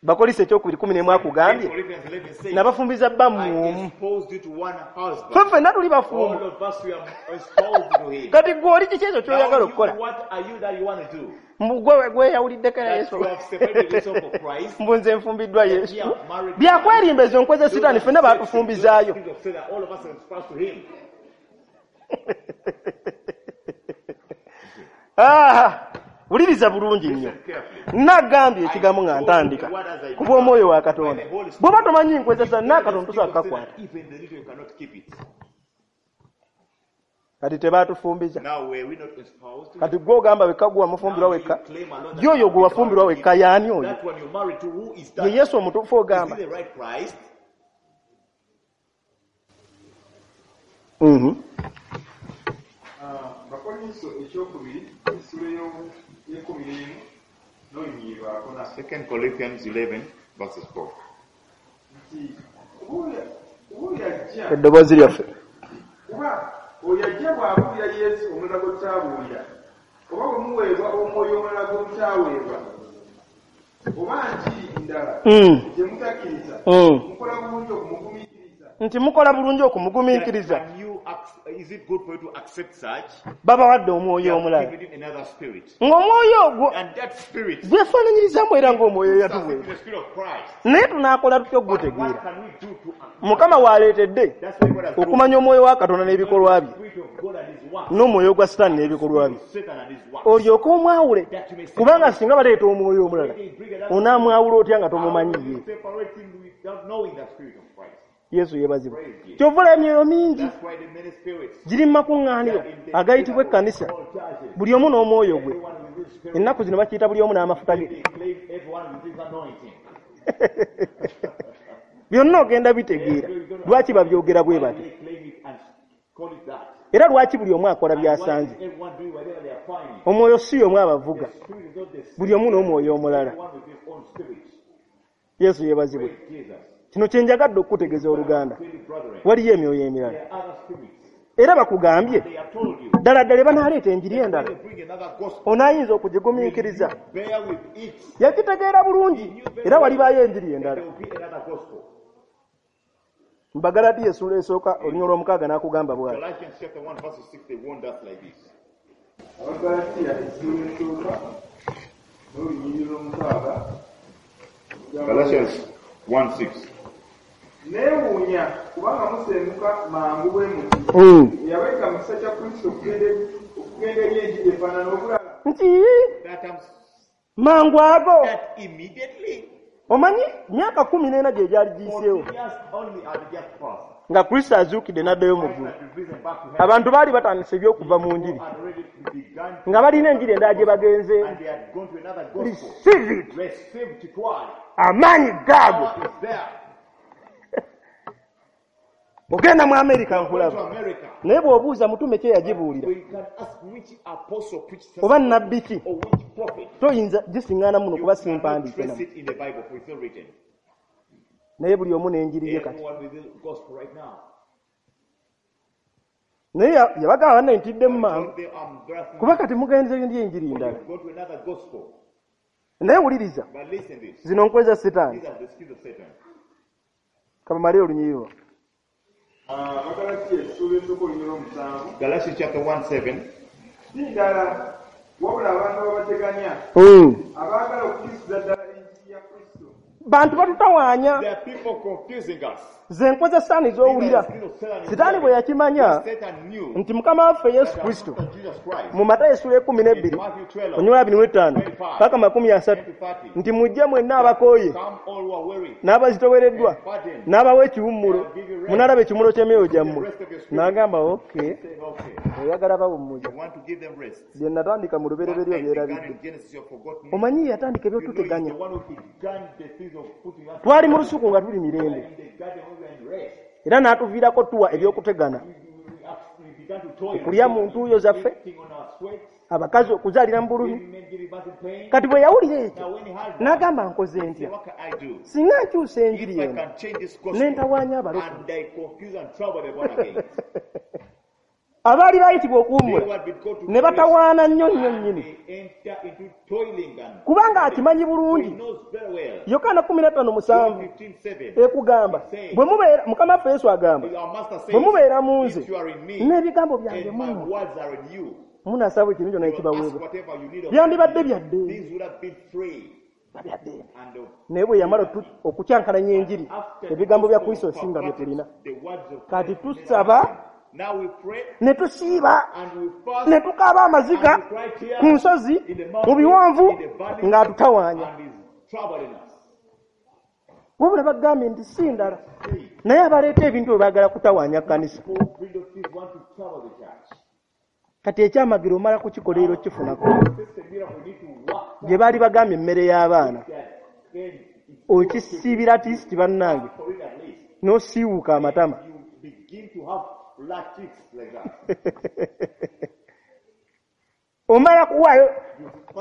Bakoliisa ekyokubiri 11 akugambye Corinthians 11 says, nabafumbiza bba I mu omu. espoused you to one husband. Ffe ffenna tuli bafumbo. All of us, we are espoused to him. Kati gwe oli kiki ekyo Now ky'oyagala you, okukola? what are you that you want to do? Mbu gwe gweyawuliddeko era That Yesu. you have separated yourself from Christ. Mbu nze nfumbiddwa That Yesu. ye have married Byakwerimba ezo nkwe za Sitaani ffenna baatufumbizaayo. Those of Satan, all of us are espoused to him. Ah, wuliriza bulungi nnyo. Listen carefully. Nagambye ekigambo nga ntandika ku bw'omwoyo wa Katonda. Bw'oba tomanyi nkwe za Sitaani n'akatono tosobola kukakwata. Even the little you cannot keep it. Kati tebaatufumbiza. Now were we not espoused to Kati gwe ogamba wekka gwe wamufumbirwa Now you wekka. claim alone that Ye oyo you gwe wafumbirwa wekka y'ani oyo? That one you married to, who is Ye that? Yesu omutuufu Is ogamba. he the right Christ? Mhm. Bakolinso ekyokubiri essula y'ekkumi n'emu n'olunyiriri lwakuna. 2 Corinthians 11 verses 4. Nti kuba oyo ajja Eddoboozi lyaffe. kuba oyo ajja bw'abuulira Yesu omulala gwe tutaabuulira oba bwe muweebwa omwoyo omulala gwe mutaaweebwa oba njiri ndala gye mutakkiriza mukola bulungi okumugumiikiriza. Nti mukola bulungi okumugumiikiriza. Can you is it good for you to accept such? Babawadde They omwoyo have omulala. given you another spirit. Ng'omwoyo ogwo And that spirit gwefaananyirizaamu era ng'omwoyo is yatuweebwa. the spirit of Christ. Naye tunaakola tutya But what okugutegeera? can we do to Mukama w'aleetedde That's why God has brought okumanya omwoyo wa Katonda n'ebikolwa bye the spirit of God and his works. n'omwoyo gwa Sitaani n'ebikolwa bye. Satan and his works. Olyoke omwawule That you may kubanga singa baleeta omwoyo omulala They bring another onaamwawula otya nga How tomumanyi do you ye? separate him without knowing the spirit of Christ? Yesu yeebazibwe. Kyova olaba emyoyo mingi That's why the many spirits giri mu makuŋŋaaniro agayitibwa ekkanisa all churches, buli omu n'omwoyo gwe. everyone with his spirit, Ennaku zino bakiyita buli omu n'amafuta ge. they claim everyone with his anointing. Byonna ogenda bitegeera lwaki babyogera bwe Why do bati they claim it and call it that? era lwaki buli omu akola And why is by'asanze. everyone doing whatever they are finding? Omwoyo si omu abavuga The spirit is not the same. buli omu n'omwoyo omulala. Everyone with his own spirit. Yesu yeebazibwe. Praise Jesus. Kino kye njagadde okukutegeeza oluganda. Really, brethren, Waliyo emyoyo emirala there are other spirits. era bakugambye They have told you. ddala ddala banaaleeta enjiri endala They bring another gospel. onaayinza okugigumiikiriza. Bear with it. Yakitegeera bulungi era walibaayo enjiri endala. There will be another gospel. Mu Bagalatiya essuula esooka olunyiriri lw'omukaaga n'akugamba bw'ati. Galatians chapter 1 verse 6, they warned us like this. Abagalatiya essula esooka n'olunyiriri lw'omukaaga. Galatians 1 6. Neewuunya kubanga musenguka mangu bwe muti. Eyabayita mu kisa kya Kristo okugenda eri enjiri efaanana obulala. Nti That I'm mangu ago that immediately omanyi myaka 14 gye gyali giyiseewo 14 years only had just passed. nga Kristo azuukidde n'addayo mu Christ ggulu. had been risen back to heaven. Abantu baali batandise eby'okuva mu njiri People had already begun to, nga balina enjiri endala gye bagenzeemu. and they had gone to another gospel. Receive it. Received it. Amaanyi gaago. Power is there. Ogenda mu Amerika Go to nkulaba. America. Naye bw'obuuza mutume ki eyagibuulira We can ask which apostle preached such oba nnabbi ki or which prophet. toyinza gisiŋŋaana muno You kuba cannot simpandiike trace namu. it in the Bible, for it's not written. Naye buli omu n'enjiri ye kati. Everyone with the gospel right now. Naye yabagamba banne ntiddemu mangu Don't they embarrass kuba kati mugenze ndi enjiri ndala. Go to another gospel. Naye wuliriza But listen this. zino nkwe za Sitaani. These are the schemes of Satan. Kabamale olunyiriri. Abagalatiya essuula esooka olunyiriri lw'omusanvu. Galatians chapter 1:7. Si ndala, wabula abantu ababateganya, abaagala okukyusiza ddala enjiri ya Kristo. Bantu batutawaanya. There are people confusing us. Ze nkoze Sitaani z'owulira. Sitaani bwe yakimanya Satan knew nti Mukama waffe Yesu that Kristo our Master Jesus Christ mu Matayo essula 12 Matthew 12, olunyiriri 25 paka 30 nti mujje mwenna abakooye come all who are weary n'abazitowereddwa n'abawa ekiwummulo, munaalaba ekiwummulo ky'emyoyo gyammwe. N'agamba okay, say, okay, oyagala bawummuza. you want to give them rest. Bye natandika mu What lubereberye I began obyerabidde. in Genesis, you have forgotten. Omanyi ye yatandika You know, he's ebyotuteganya. the one who began the things of putting us Twali mu lusuku nga tuli mirembe, in the garden when we were in rest. era n'atuviirako tuwa ebyokutegana, We began to toil, okulya mu ntuuyo zaffe, eating on our sweat, abakazi okuzaalira mu bulumi. women giving birth in pain. Kati bwe yawulira ekyo Now when he had that, n'agamba nkoze he ntya said, what can I do? singa nkyusa enjiri If I eno can change this ne gospel ntawaanya abalokole and I confuse and trouble the born again. abaali bayitibwa They okuwummula who had been called to ne rest, batawaana nnyo nnyo nnyini, they enter into toiling and kubanga akimanyi he bulungi. knows very well. Yokaana 15 John 7 15:7. ekugamba bwe mubeera, Mukama waffe Yesu agamba Our master says, bwe mubeera mu nze if you are in me n'ebigambo byange and my mu mmwe, words are in you, munaasaba ekintu kyonna you will ask ekibaweebwa. whatever you need of Byandibadde me. bya ddembe, These would have been free bya ddembe. and of Naye bwe yamala okukyankalanya enjiri, after ebigambo bya the Kristo gospel singa bye tulina. the words of Kati Christ made tusaba us. Now we pray ne tusiiba and we fast ne tukaaba amaziga and we cry tears ku nsozi, in the mu mountains, biwonvu, in the valleys, ng'atutawaanya. and is troubling us. Wabula bagambye nti si ndala, naye abaleeta ebintu bwe baagala kutawaanya kkanisa. People bring those things want to trouble the church. Kati ekyamagero omala kukikola era okifunako. This is a miracle. We need to work Gye baali bagambye emmere y'abaana that then it's okisiibira tisiti bannange for it at least. n'osiiwuuka amatama. You begin to have flat cheeks like that. Omala kuwaayo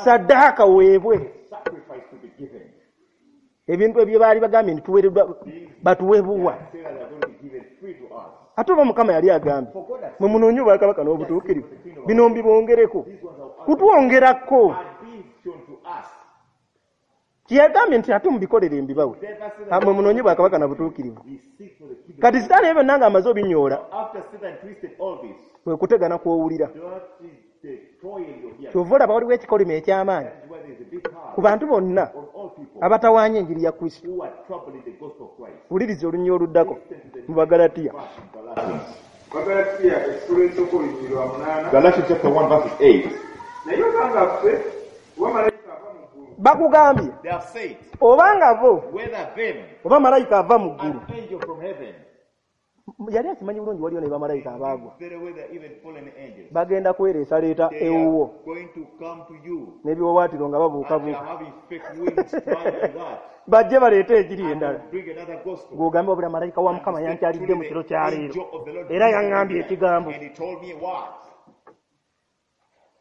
saddaaka weebwe Sacrifice to be given. ebintu ebyo baali bagambye nti tuweereddwa batuweebuwa. Say that they are going to be given free to us. Ate oba Mukama yali agambye For God has mwe munoonye obwakabaka n'obutuukirivu, bino mbibongereko kutwongerako. had been shown to us. Kyeyagambye nti ate mubikolere mbibawe, Therefore, Satan, Ah, mwe munoonye bwakabaka na butuukirivu. we seek for the kingdom. Kati Sitaani ebyo byonna ng'amaze obinyoola, After Satan twisted all this, kwe kutegana kw'owulira. that is the toil you're hearing. Kyova olaba waliwo ekikolimo eky'amaanyi That is why there is a big ku curse bantu bonna on all people abatawaanya enjiri ya Kristo. who are troubling the gospel of Christ. Wuliriza olunyiriri oluddako mu Bagalatiya. Verse in Galatians. Bagalatiya essuula esooka olunyiriri lwa 8. Galatians chapter 1 verses 8. Naye obanga ffe oba malayika ava mu ggulu Bakugambye They have said, obanga bo whether them, oba malayika ava mu ggulu, an angel from heaven, yali akimanyi bulungi waliyo ne bamalayika abaagwa very well they're even fallen angels. bagenda kwereesaleeta They ewuwo are going to come to you n'ebiwawaatiro nga and they are babuukabuuka, having fake wings flying like that. bajje baleete enjiri And endala. they'll bring another gospel. Ng'ogambe wabula malayika wa Mukama yankyalidde mu kiro kya leero era yaŋŋambye ekigambo, And he told me what?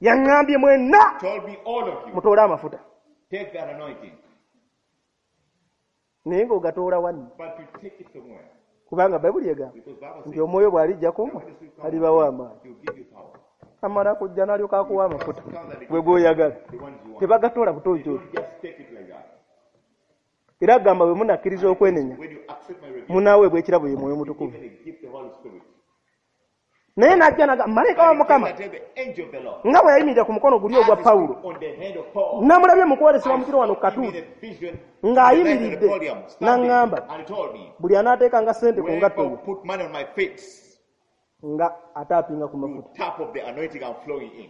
yaŋŋambye mwenna Told me all of you, mutoole amafuta, take that anointing, naye ng'ogatoola wanno, but you take it somewhere. kubanga Bayibuli egamba Because Bible nti says, omwoyo bw'alijja ku mmwe alibawa amaanyi. he'll give you power. Amala kujja n'alyoka akuwa amafuta gwe gw'oyagala, The ones you want. tebagatoola butookyo. Don't just take it like that. Era agamba bwe munakkiriza okwenenya When you accept my rebuke, munaaweebwa ekirabo ye Mwoyo Mutukuvu. even a gift the Holy Spirit. Naye n'ajja n'agamba malayika wa And he came Mukama and tell the angel of the Lord, nga bwe yayimirira ku mukono guli ogwa as he Pawulo, stood on the hand of Paul, namulabye mu kwolesebwa mu kiro wano ku I saw him katuuti in a vision ng'ayimiridde in the podium, standing, n'aŋŋamba and he told me, buli anaateekanga ssente ku ngatto whoever ye put money on my feet, nga ataapinga ku will mafuta. tap of the anointing I'm flowing in.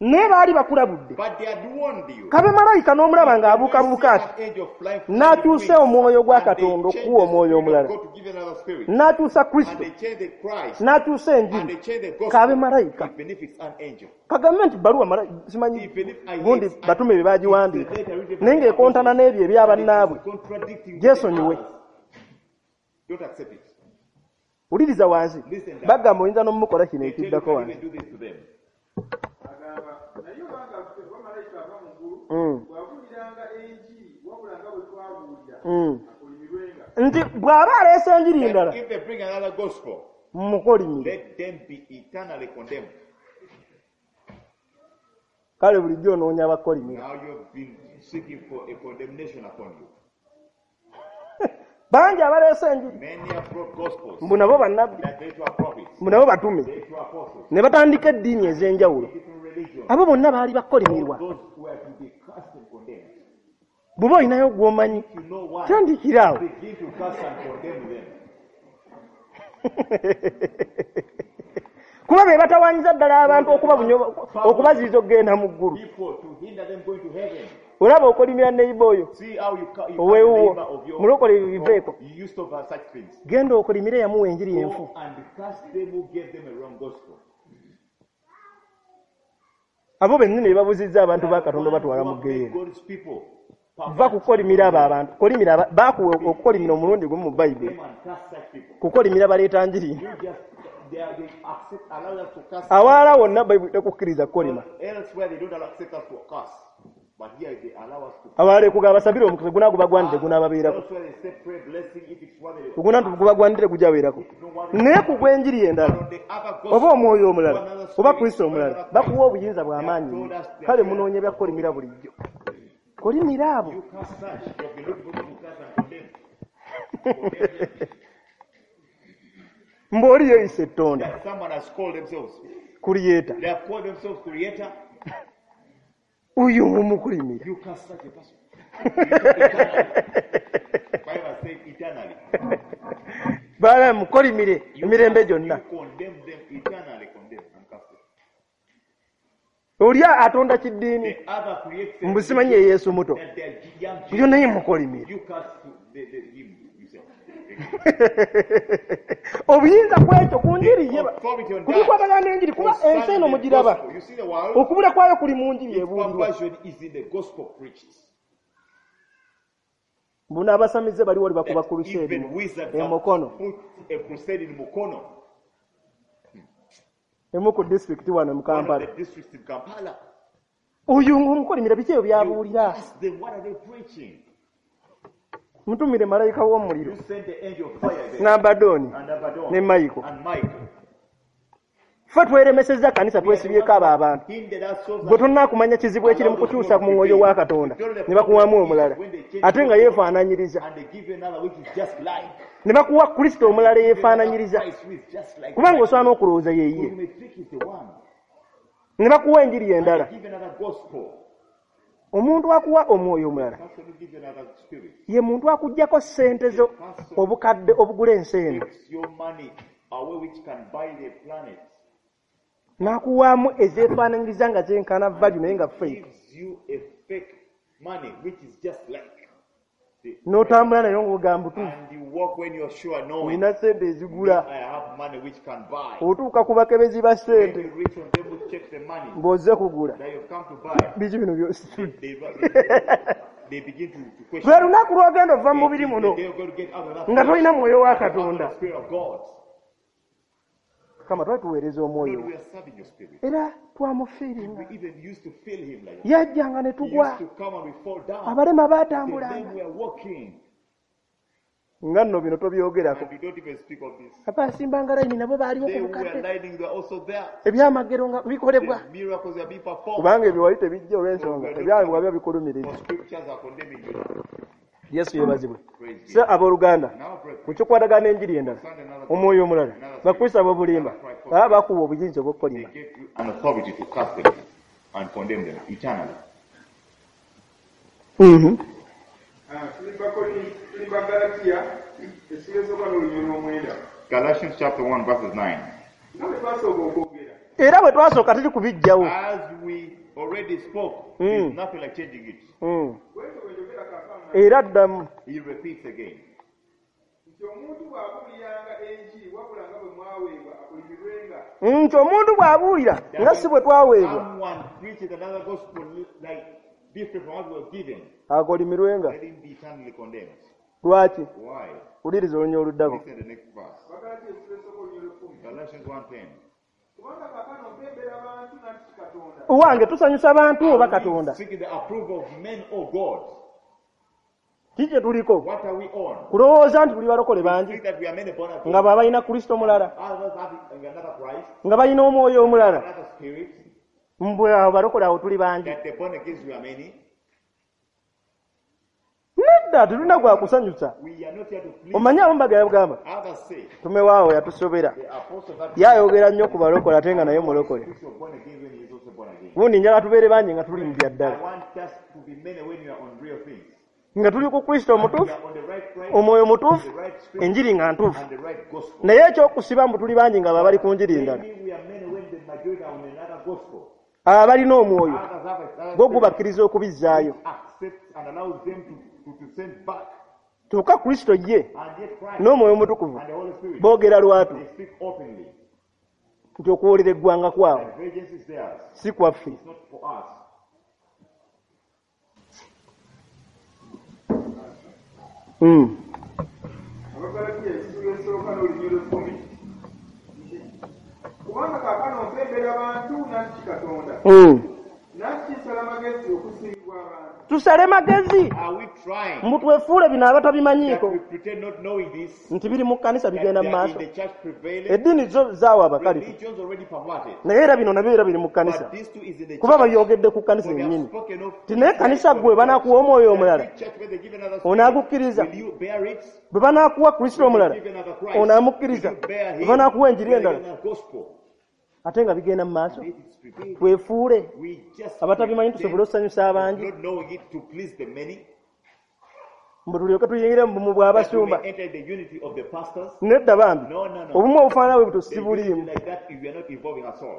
Naye baali bakulabudde, But they had warned you. kabe malayika n'omulaba ng'abuukabuuka ati An angel flying n'akyusa omwoyo gwa and they Katonda changed okuwa the omwoyo spirit of omulala, God to give another spirit. n'akyusa And Kristo, they changed the Christ. n'akyusa And enjiri, they changed the kabe gospel. malayika. Even if it's an angel. Kagambe nti bbaluwa simanyi Even if I gundi hate batume bye baagiwandiika, it's the letter written by naye the ng'ekontana apostles, n'ebyo ebya and it is bannaabwe, contradicting with gyesonyiwe. the others. Don't accept it. Wuliriza wansi, Listen down. bagamba oyinza n'omukola kino They tell you ekiddako can wansi. even do this to them. Agamba naye obanga ffe oba malayika ava mu ggulu bw'abuuliranga enjiri wabula nga bwe twabuulira, akolimirwenga. Nti bw'aba aleese enjiri endala, That if they bring another gospel, mukolimire. let them be eternally condemned. Kale bulijjo onoonya abakolimira. Now you've been seeking for a condemnation upon you. Bangi abaleese enjiri Many have brought gospels mbu nabo bannabbi, that they too are prophets, mbu nabo batume, they too are apostles, ne batandika eddiini ez'enjawulo. different religions. Abo bonna baali bakolimirwa. Those who are to be cursed and condemned. Bw'oba olinayo gw'omanyi, If you know one, tandikira awo. begin to curse and condemn them. Kuba be batawaanyiza ddala abantu okubaziyiza okugenda mu ggulu. People to hinder them going to heaven. Olaba okolimira neighbor oyo See how you curse the oweewuwo, neighbor of your mulokole ebyo biveeko. You used to have such things. Genda okolimire yamuwa enjiri enfu. Go and curse them who gave them a wrong gospel. Abo bennyini be babuzizza abantu ba Katonda Who batwala mu have made ggeyeena. God's people Va kukolimira abo abantu. Kolimira baakuwa okukolimira omulundi gumu mu Bayibuli. them and curse such people. Kukolimira baleeta njiri. You just they are, they accept allow us to curse. Awalala wonna Bayibuli tekukkiriza kukolima. Elsewhere they don't accept us to curse, but here they allow us to. Abalala ekugamba basabire omukisa gunaagubagwanidde gunaababeerako. Elsewhere they say pray blessing if it's what they. Oguna gubagwanidde gujabeerako. Naye ku gw'enjiri endala But on the other gospel, oba omwoyo omulala another oba spirit, Kristo omulala another bakuwa obuyinza bw'amaanyi nnyo. Kale munoonya bya kukolimira bulijjo. Kolimira abo. You curse such, you have been looking for people to curse and condemn. Condemn them. Mbu oli yeeyisa ettonda That someone has called themselves. Creator. They have called themselves creator. Oyo mumukolimira. You curse such a person. Eternally. Bible said eternally. Baala mukolimire You emirembe gyonna. You condemn them eternally, condemn and curse them. Oli atonda kiddiini The other creates a mbu simanyi ye Yesu muto. that they are young Oyo children. naye mukolimire. You curse him yourself. Obuyinza ku ekyo ku njiri ye Authority on ku bikwatagana that. n'enjiri kuba ensi Concerning eno the mugiraba. gospel. You see the world, Okubula kwayo kuli mu njiri its ebuulirwa. perversion is in the gospel preached. Mbu n'abasamize bali wali bakuba That crusade even wizards e have Mukono. put a crusade in Mukono, Emu ku disitulikiti wano mu one of Kampala. the districts in Kampala. Oyo ng'omukolimira biki ebyo You by'abuulira? ask them, what are they preaching? Mutumire malayika w'omuliro You send the angel of fire there. n'Abadooni And Abaddon ne Michael. and Michael. Ffe tweremesezza kanisa twesibyeko abo abantu. Hindered ourselves Gwe tonnaakumanya kizibu ekiri mu kukyusa mu mwoyo wa Katonda ne bakuwaamu omulala ate nga yeefaananyiriza and they give you another which is just like. ne bakuwa Kristo omulala eyeefaananyiriza Christ who is just like. kubanga Christ. osobola n'okulowooza ye You ye may think he's the one. ne bakuwa enjiri endala. Give another gospel. Omuntu akuwa omwoyo omulala Person who gives you another spirit. ye muntu akuggyako ssente zo obukadde obugula ensi eno Takes your money away which can buy the planet. n'akuwaamu ezeefaananyiriza nga zenkana value naye nga fake Gives you a fake money which is just like. The, n'otambula nayo ng'ogamba butuufu and you walk when you're sure knowing olina ssente ezigula. I have money which can buy. Otuuka ku bakebezi ba When ssente you reach on them who check the money ng'ozze kugula that you've come to buy, biki bino byositudde. they begin to question. Lwe lunaku lw'ogenda ova mu mubiri muno They're going to get out of that nga tolina mwoyo wa out of the Katonda. Spirit of God. Kama twali tuweereza omwoyo Lord, we we are serving your spirit. era twamufiiringa. We even used to feel him like that. Yajjanga ne He tugwa used to come and we fall down. abalema The baatambulanga men were walking. nga nno bino tobyogerako. And we don't even speak of this. Abaasimbanga layini nabo baaliwo They ku who were bukadde lining were also there. ebyamagero nga bikolebwa The miracles are being performed. kubanga ebyo wali tebijja olw'ensonga ebyabwe biba bikulumiriza. For scriptures are condemning you. Yesu yeebazibwe. Praise So God. abooluganda Now, brethren, ku kikwatagana n'enjiri endala omwoyo omulala bakristo ab'obulimba baba bakuwa obuyinza they obw'okukolima. gave you an authority to curse them and condemn them eternally. Tuli Bagalatiya essula esooka n'olunyiriri lw'omwenda. Galatians chapter 1 verses 9. Nga bwe twasooka okwogera Era bwe twasooka teri kubiggyawo. As we already spoke, there's nothing like changing it. Bwentyo bwe njogera kaakano Era ddamu. He repeats again. Nti omuntu bw'abuuliranga enjiri wabula nga bwe mwaweebwa akolimirwenga. Nti omuntu bw'abuulira nga si bwe twaweebwa Someone preaches another gospel like different from what we were given, akolimirwenga. let him be eternally condemned. Lwaki? Why? Wuliriza olunya oluddako. Listen to the next verse. Bagalatiya essula esooka olunyiriri lw'ekkumi. Galatians 1:10. Kubanga kaakano mpembera bantu nanti si Katonda. Owange tusanyusa bantu oba Are we Katonda? seeking the approval of men or God? Kiki kye tuliko? What are we on? Kulowooza nti tuli balokole bangi Think that we are many born again. nga be balina Kristo mulala Others have another Christ, nga balina omwoyo omulala another spirit. mbwe abo balokole awo tuli bangi. That the born again we are many. Nedda. Nedda, tetulina gwa kusanyusa. Omanyi abamu bagamba tumewaawo yatusobera, yayogera nnyo ku balokole ate nga naye mulokole. Gundi njagala tubeere bangi nga tuli mu bya ddala, nga tuli ku Kristo omutuufu, omwoyo mutuufu, enjiri nga ntuufu. Naye ekyokusiba mbu tuli bangi nga bali ku njiri endala, abalina omwoyo gwo gubakkiriza okubizzaayo. Kyokka Kristo ye n'omwoyo omutukuvu boogera lwatu nti okuwolera eggwanga kwabwe si kwaffe. Abagalatiya essula esooka n'olunyiriri 10 kubanga kaakano mpembera bantu nanti Katonda nanti nsala magezi okusiimibwa abantu. Tusale magezi mbu twefuule bino abatabimanyiiko nti biri mu kkanisa bigenda mu maaso. Eddiini zo zaawa abakalifu, naye era bino nabyo era biri mu kkanisa, kuba babyogedde ku kkanisa yennyini. Ti naye kkanisa ggwe banaakuwa omwoyo omulala onaagukkiriza, bwe banaakuwa Kristo omulala onaamukkiriza, bwe banaakuwa enjiri endala ate nga bigenda mu maaso. Twefuule abatabimanyi tusobole okusanyusa abangi, mbu tulyoke tuyingire mu bumu bw'abasumba. Nedda bambi, obumu obufaanana bwe butyo si buliimu.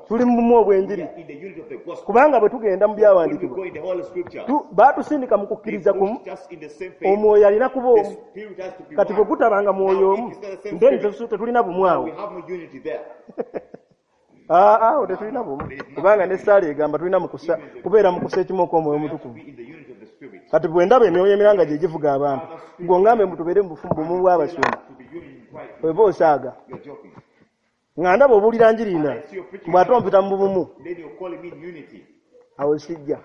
Tuli mu bumu obw'enjiri, kubanga bwe tugenda mu byawandiikibwa baatusindika mu kukkiriza kumu, omwoyo alina kuba omu. Kati bwe gutabanga mwoyo omu, then tetulina bumu awo. Awo tetulina bumu, kubanga n'essaala egamba tulina kubeera mu kussa ekimu okw'omwoyo omutukuvu. Kati bwe ndaba emyoyo emiranga gye givuga abantu, gwe ngambe mbu tubeere mu bumu bw'abasumba, oba osaaga. Nga ndaba obuulira njiri ndala, mbu ate ompita mu bumu, awo sijja.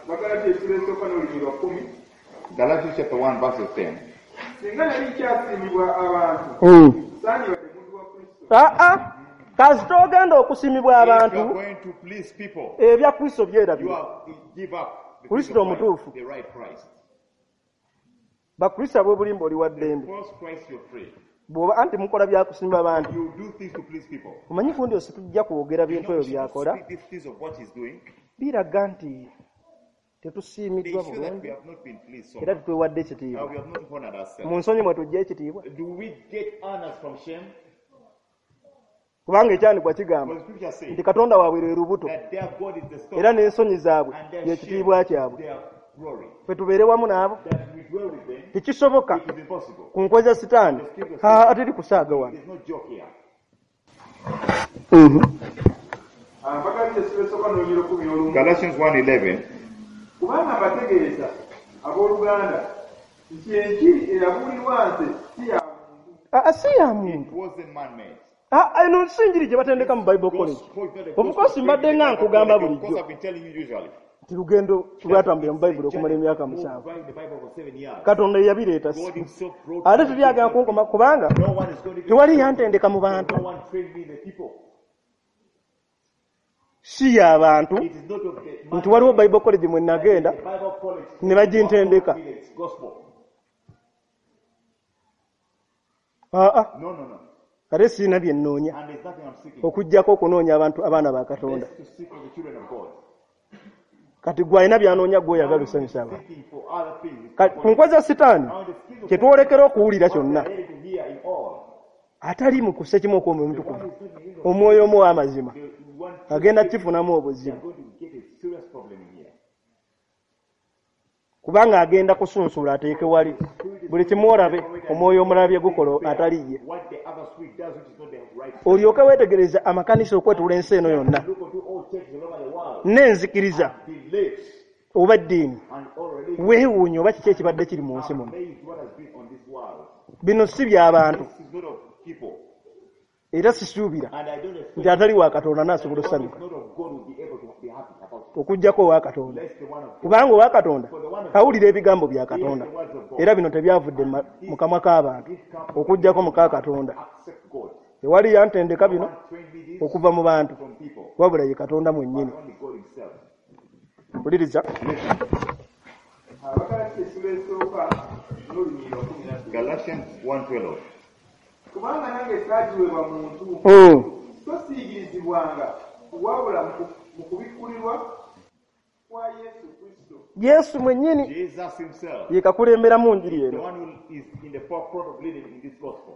Abagalatiya essula esooka n'olunyiriri 10. Galatians chapter 1 verse 10. Singa nali nkyasiimibwa abantu, sandibadde muntu wa Kristo. Kasita ogenda okusiimibwa abantu, ebya Kristo byerabira. Kristo omutuufu. Bakristo ab'obulimba oli wa ddembe. Bw'oba anti mukola byakusiima abantu, omanyi gundi osi tujja kwogera bintu ebyo by'akola, biraga nti tetusiimiddwa bulungi era tetwewadde ekitiibwa. Mu nsonyi mwe tujja ekitiibwa, kubanga ekyandikwa kigamba nti Katonda waabwe lwe lubuto era n'ensonyi zaabwe y'ekitiibwa kyabwe. Ffe tubeere wamu n'abo, tekisoboka ku nkwe za Sitaani. Ateri kusaaga wano. Abagalatiya essula esooka n'olunyiriri 11. Galatians 1:11. Kubanga mbategeeza abooluganda nti enjiri eyabuulirwa nze si ya muntu. Si ya muntu. Eno si njiri gye batendeka mu Bible College. Of course mbadde nga nkugamba bulijjo nti lugendo lwatambulira mu Bayibuli okumala emyaka 7. Katonda ye yabireeta, ate tebyagala kunkoma kubanga tewali yantendeka mu bantu. Si y'abantu nti waliwo Bible College mwe nagenda ne bagintendeka. Kale sirina bye nnoonya okuggyako okunoonya abantu abaana ba Katonda. Kati gwe alina by'anoonya gwe oyagala osanyusa abantu. Ku nkwe za Sitaani kye twolekera okuwulira kyonna, atali mu kussa ekimu okw'omwoyo omutukuvu, omwoyo omu ow'amazima, agenda kifunamu obuzibu, kubanga agenda kusunsula ateeke wali buli kimu olabe omwoyo omulala bye gukola atali ye. Olyoke weetegereza amakanisa okwetula ensi eno yonna n'enzikiriza oba eddiini, weewuunye oba kiki ekibadde kiri mu nsi muno. Bino si by'abantu, era sisuubira nti atali wa Katonda n'asobola osanyuka okuggyako owa Katonda, kubanga owa Katonda awulira ebigambo bya Katonda, era bino tebyavudde mu kamwa k'abantu okuggyako mu ka Katonda. Tewali yantendeka bino okuva mu bantu, wabula ye Katonda mwennyini. Wuliriza. Abagalatiya essula esooka n'olunyiriri lwa 12. Galatians 1:12. Kubanga nange saagiweebwa muntu, so siyigirizibwanga, wabula mu kubikkulirwa kwa Yesu Kristo. Yesu mwennyini Jesus himself, ye kakulemberamu njiri the eno. one who is in the forefront of leading in this gospel,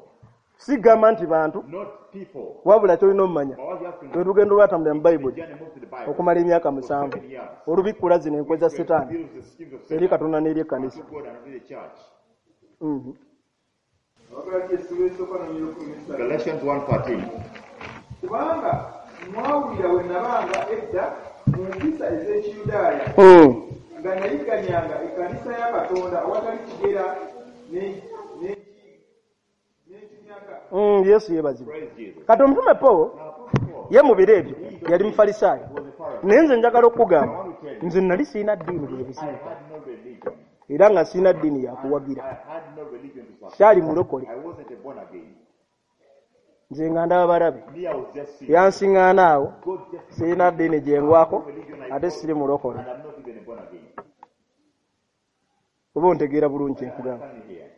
Sigamba nti bantu, not people. wabula ky'olina omumanya. But what you have to know, Olugendo lwatambulira mu the Bayibuli journey moves to the Bible okumala emyaka for 7 7 years. olubikkula zino enkwe za Setaani Reveals the schemes of eri Satan Katonda n'eri ekkanisa. to God and to the church. Abagalatiya essula esooka n'olunyiriri 13. Galatians 1:13. Kubanga mwawulira we nabanga edda mu mpisa ez'Ekiyudaaya, nga nayigganyanga ekkanisa ya Katonda awatali kigera n'ekinyaga. Yesu yeebazibwe. Praise Jesus. Kati omutume Pawulo Now, Apostle Paul ye mu biro ebyo yali mufalisaayo, was a Pharisee. naye nze njagala okukugamba nze nali sirina ddiini bwe I buzibu, had no religion. era nga sirina ddiini yakuwagira, I had no religion to support. kyali mulokole, I wasn't a born again. nze nga ndaba balabe Me, I was just seeing. yansiŋŋaana awo, God just sirina ddiini gye ngwako religion I ate siri mulokole. and I'm not even a born again. Oba ontegeera bulungi kye nkugamba. Stand here.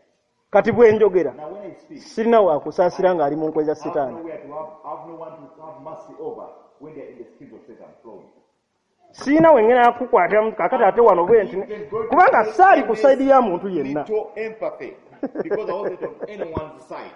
Kati bwe njogera Now when I speak, sirina wakusaasira ng'ali mu nkwe za I have Sitaani. nowhere to have, I have no one to have mercy over when they're in the schemes of Satan flowing. Sirina we ngenda kukwata kakati ate wano bwe nti kubanga saali ku sayidi ya muntu yenna. Little empathy because I wasn't on anyone's side.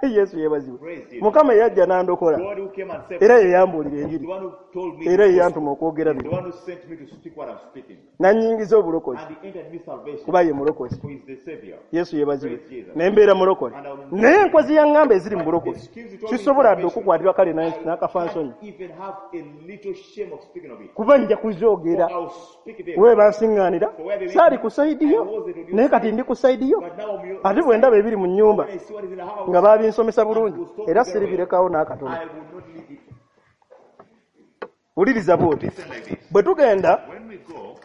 Yesu yeebazibwe. Praise Jesus. Mukama eyajja n'andokola God who came and saved era me, ye yambuulira the enjiri one who told me, era the ye gospel, yantuma okwogera the bino one who sent me to speak what I'm speaking, n'annyingiza obulokozi and he entered me salvation, kuba ye mulokozi. who is the Savior. Yesu yeebazibwe. Ne mbeera mulokole naye enkwe ze yaŋŋamba eziri mu bulokozi sisobola dde okukwatirwa kale n'akafa nsonyi Can't even have a little shame of speaking of it. kuba nja kuzoogera For I'll speak them. we bansiŋŋaanira saali ku sayidi yo naye kati ndi ku sayidi yo But now I'm your ate bwe ndaba ebiri mu nnyumba When I see what is in the house, nga baabinsomesa bulungi era siribirekawo n'akatono. I will not leave it. Wuliriza bw'oti Listen like this. bwe tugenda When we go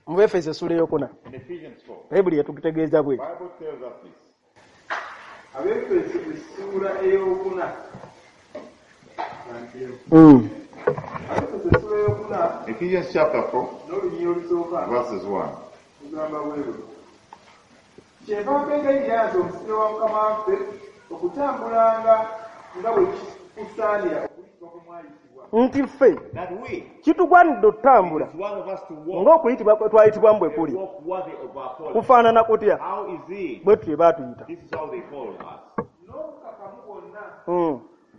mu Befeso essula eyokuna in Ephesians 4, Bayibuli yatutegeeza bweti. Bible tells us this. Abeefeso essuula ey'okuna. Abeefeso essuula ey'okuna Ephesians chapter 4, n'olunyiriri olusooka verses 1. lugamba bwe luti. Kyenva mbeegayirira nze omusibe wa Mukama waffe okutambulanga nga bwe kikusaanira okuyitibwa kwe mwayitibwa. Nti ffe That we, kitugwanidde okutambula is one of us to walk, ng'okuyitibwa kwe twayitibwamu bwe a kuli walk worthy of our calling. kufaanana kutya How is it? bwe tutyo baatuyita. This is how they called us. N'obukakamu bwonna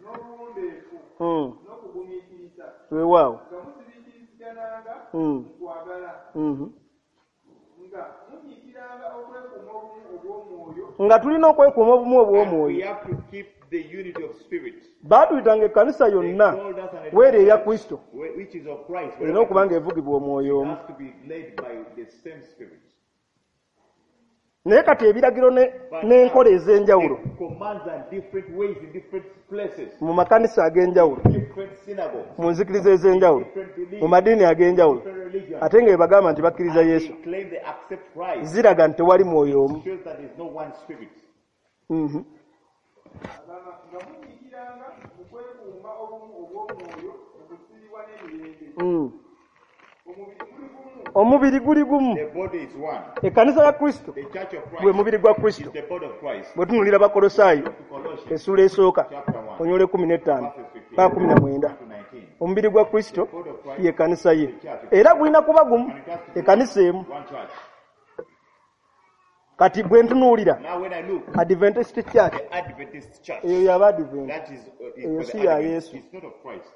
n'obuwombeefu n'okugumiikiriza Weewaawo. nga muzibiikirizigananga mu kwagala nga munyiikiranga okwekuuma obumu obw'omwoyo Nga tulina okwekuuma obumu And we obw'omwoyo. have to keep the unity of spirit. Baatuyitanga ekkanisa They yonna called us an weera eya Kristo which is of Christ. erina okuba ng'evugibwa omwoyo omu. has to be led by the same spirit. Naye kati ebiragiro n'enkola ez'enjawulo The commands are different ways in different places, mu makanisa ag'enjawulo, different synagogues, mu nzikiriza ez'enjawulo, different beliefs, mu madiini ag'enjawulo, different religions. ate nga bebagamba nti bakkiriza And Yesu, they claim they accept Christ. ziraga nti tewali mwoyo omu. Shows that there's no one spirit. Agamba nga munyiikiranga mu kwekuuma obumu obw'omwoyo mu kusiibwa n'emirembe. Omubiri guli gumu Omubiri guli gumu. The body is one. Ekkanisa ya Kristo The church of gwe Christ mubiri gwa Kristo. is the body of Christ. Bwe tunuulira Bakolosaayo To Colossians essuula esooka chapter 1, onyola 15 verses 15 paka 19. to 19. Omubiri gwa Kristo ye ekkanisa ye era gulina kuba gumu, And it has to be ekkanisa emu. one church. Kati bwe ntunuulira Now when I look, Adventist Church the Adventist church, eyo y'Abadvent, that is eyo for si the ya Adventists. Yesu. It's not of Christ.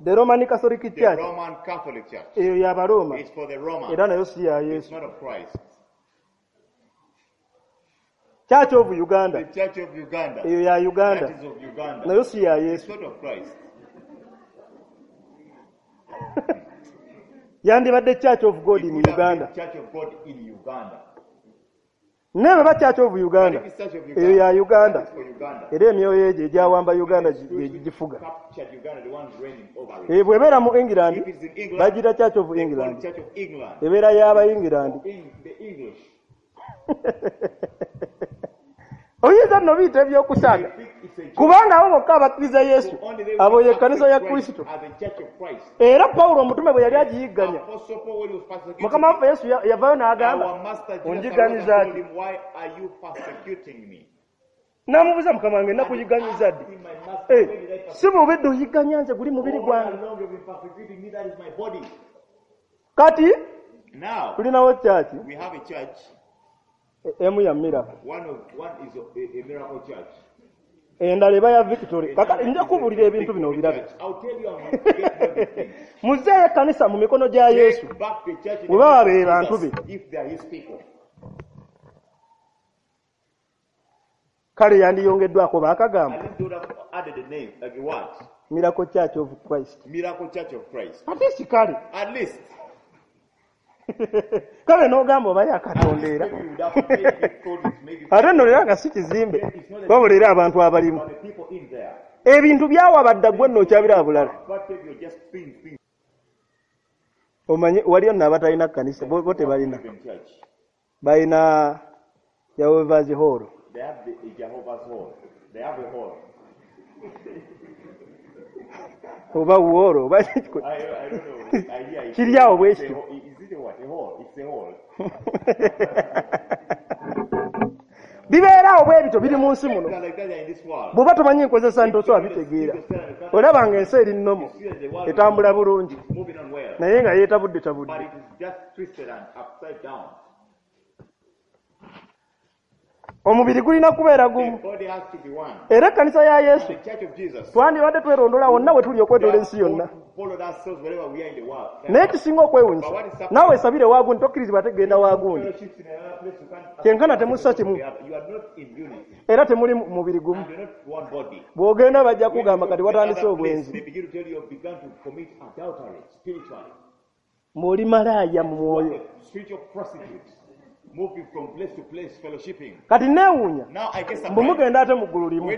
The Roman Catholic The Church Roman Catholic Church eyo y'Abarooma is for the Roman. era nayo si ya It's Yesu. not of Christ. Church of Uganda The Church of Uganda, eyo ya Uganda that is of Uganda. nayo si ya It's Yesu. not of Christ. Yandibadde Church of God It in would have Uganda. been Church of God in Uganda. Naye bwe ba Church of But Uganda if it's Church of eyo ya Uganda, Uganda that is for Uganda. era emyoyo egyo egyawamba Uganda Spirits which gigifuga. captured Uganda, the ones reigning over it. Eh, bw'ebeera mu England If it's in England, bagira Church of they call it England, Church of England. ebeera y'Abayingirandi. In the English. Oyinza nno biyita ebyokusaaga, kubanga abo bokka abakkiriza Yesu abo ye kkanisa ya Kristo. Era Pawulo omutume bwe yali agiyigganya, Mukama waffe Yesu yavaayo n'agamba, onjigganyiza ki? N'amubuuza, Mukama wange nakuyigganyiza ddi? Si bubidde oyigganya nze, guli mubiri gwange. Kati tulinawo kyaki emu ya miracle, endala eba ya victory. Kakati nja kubuulira ebintu bino obirabe. Muzzeeyo ekkanisa mu mikono gya Yesu bwe baba be bantu be. Kale yandiyongeddwako baakagamba Miracle Church of Christ. Ate si kale kale n'ogamba oba ya Katonda era ate nno era nga si kizimbe, wabula era abantu abalimu. Ebintu byawabadda ggwe nno okyabira bulala. Omanyi waliyo nno abatalina kkanisa, bo tebalina, balina Jehovah's Hall. Oba woro oba kiri awo bwe kityo. Bibeera awo bwe bityo, biri mu nsi muno. Bw'oba tomanyi nkozesa nti osobola bitegeera. Olaba nga ensi eri nnomo, etambula bulungi, naye nga yeetabudde tabudde. Omubiri gulina kubeera gumu. Era ekkanisa ya Yesu twandibadde twerondola wonna we tuli okwetoola ensi yonna. Naye kisinga okwewuunyisa, naawe esabire waagundi, tokkirizibwa ate genda waagundi. Kyenkana temussa kimu era temuli mubiri gumu. Bw'ogenda bajja kugamba kati watandise obwenzi, ng'oli malaaya mu mwoyo. Kati neewuunya mbu mugenda ate mu ggulu limu,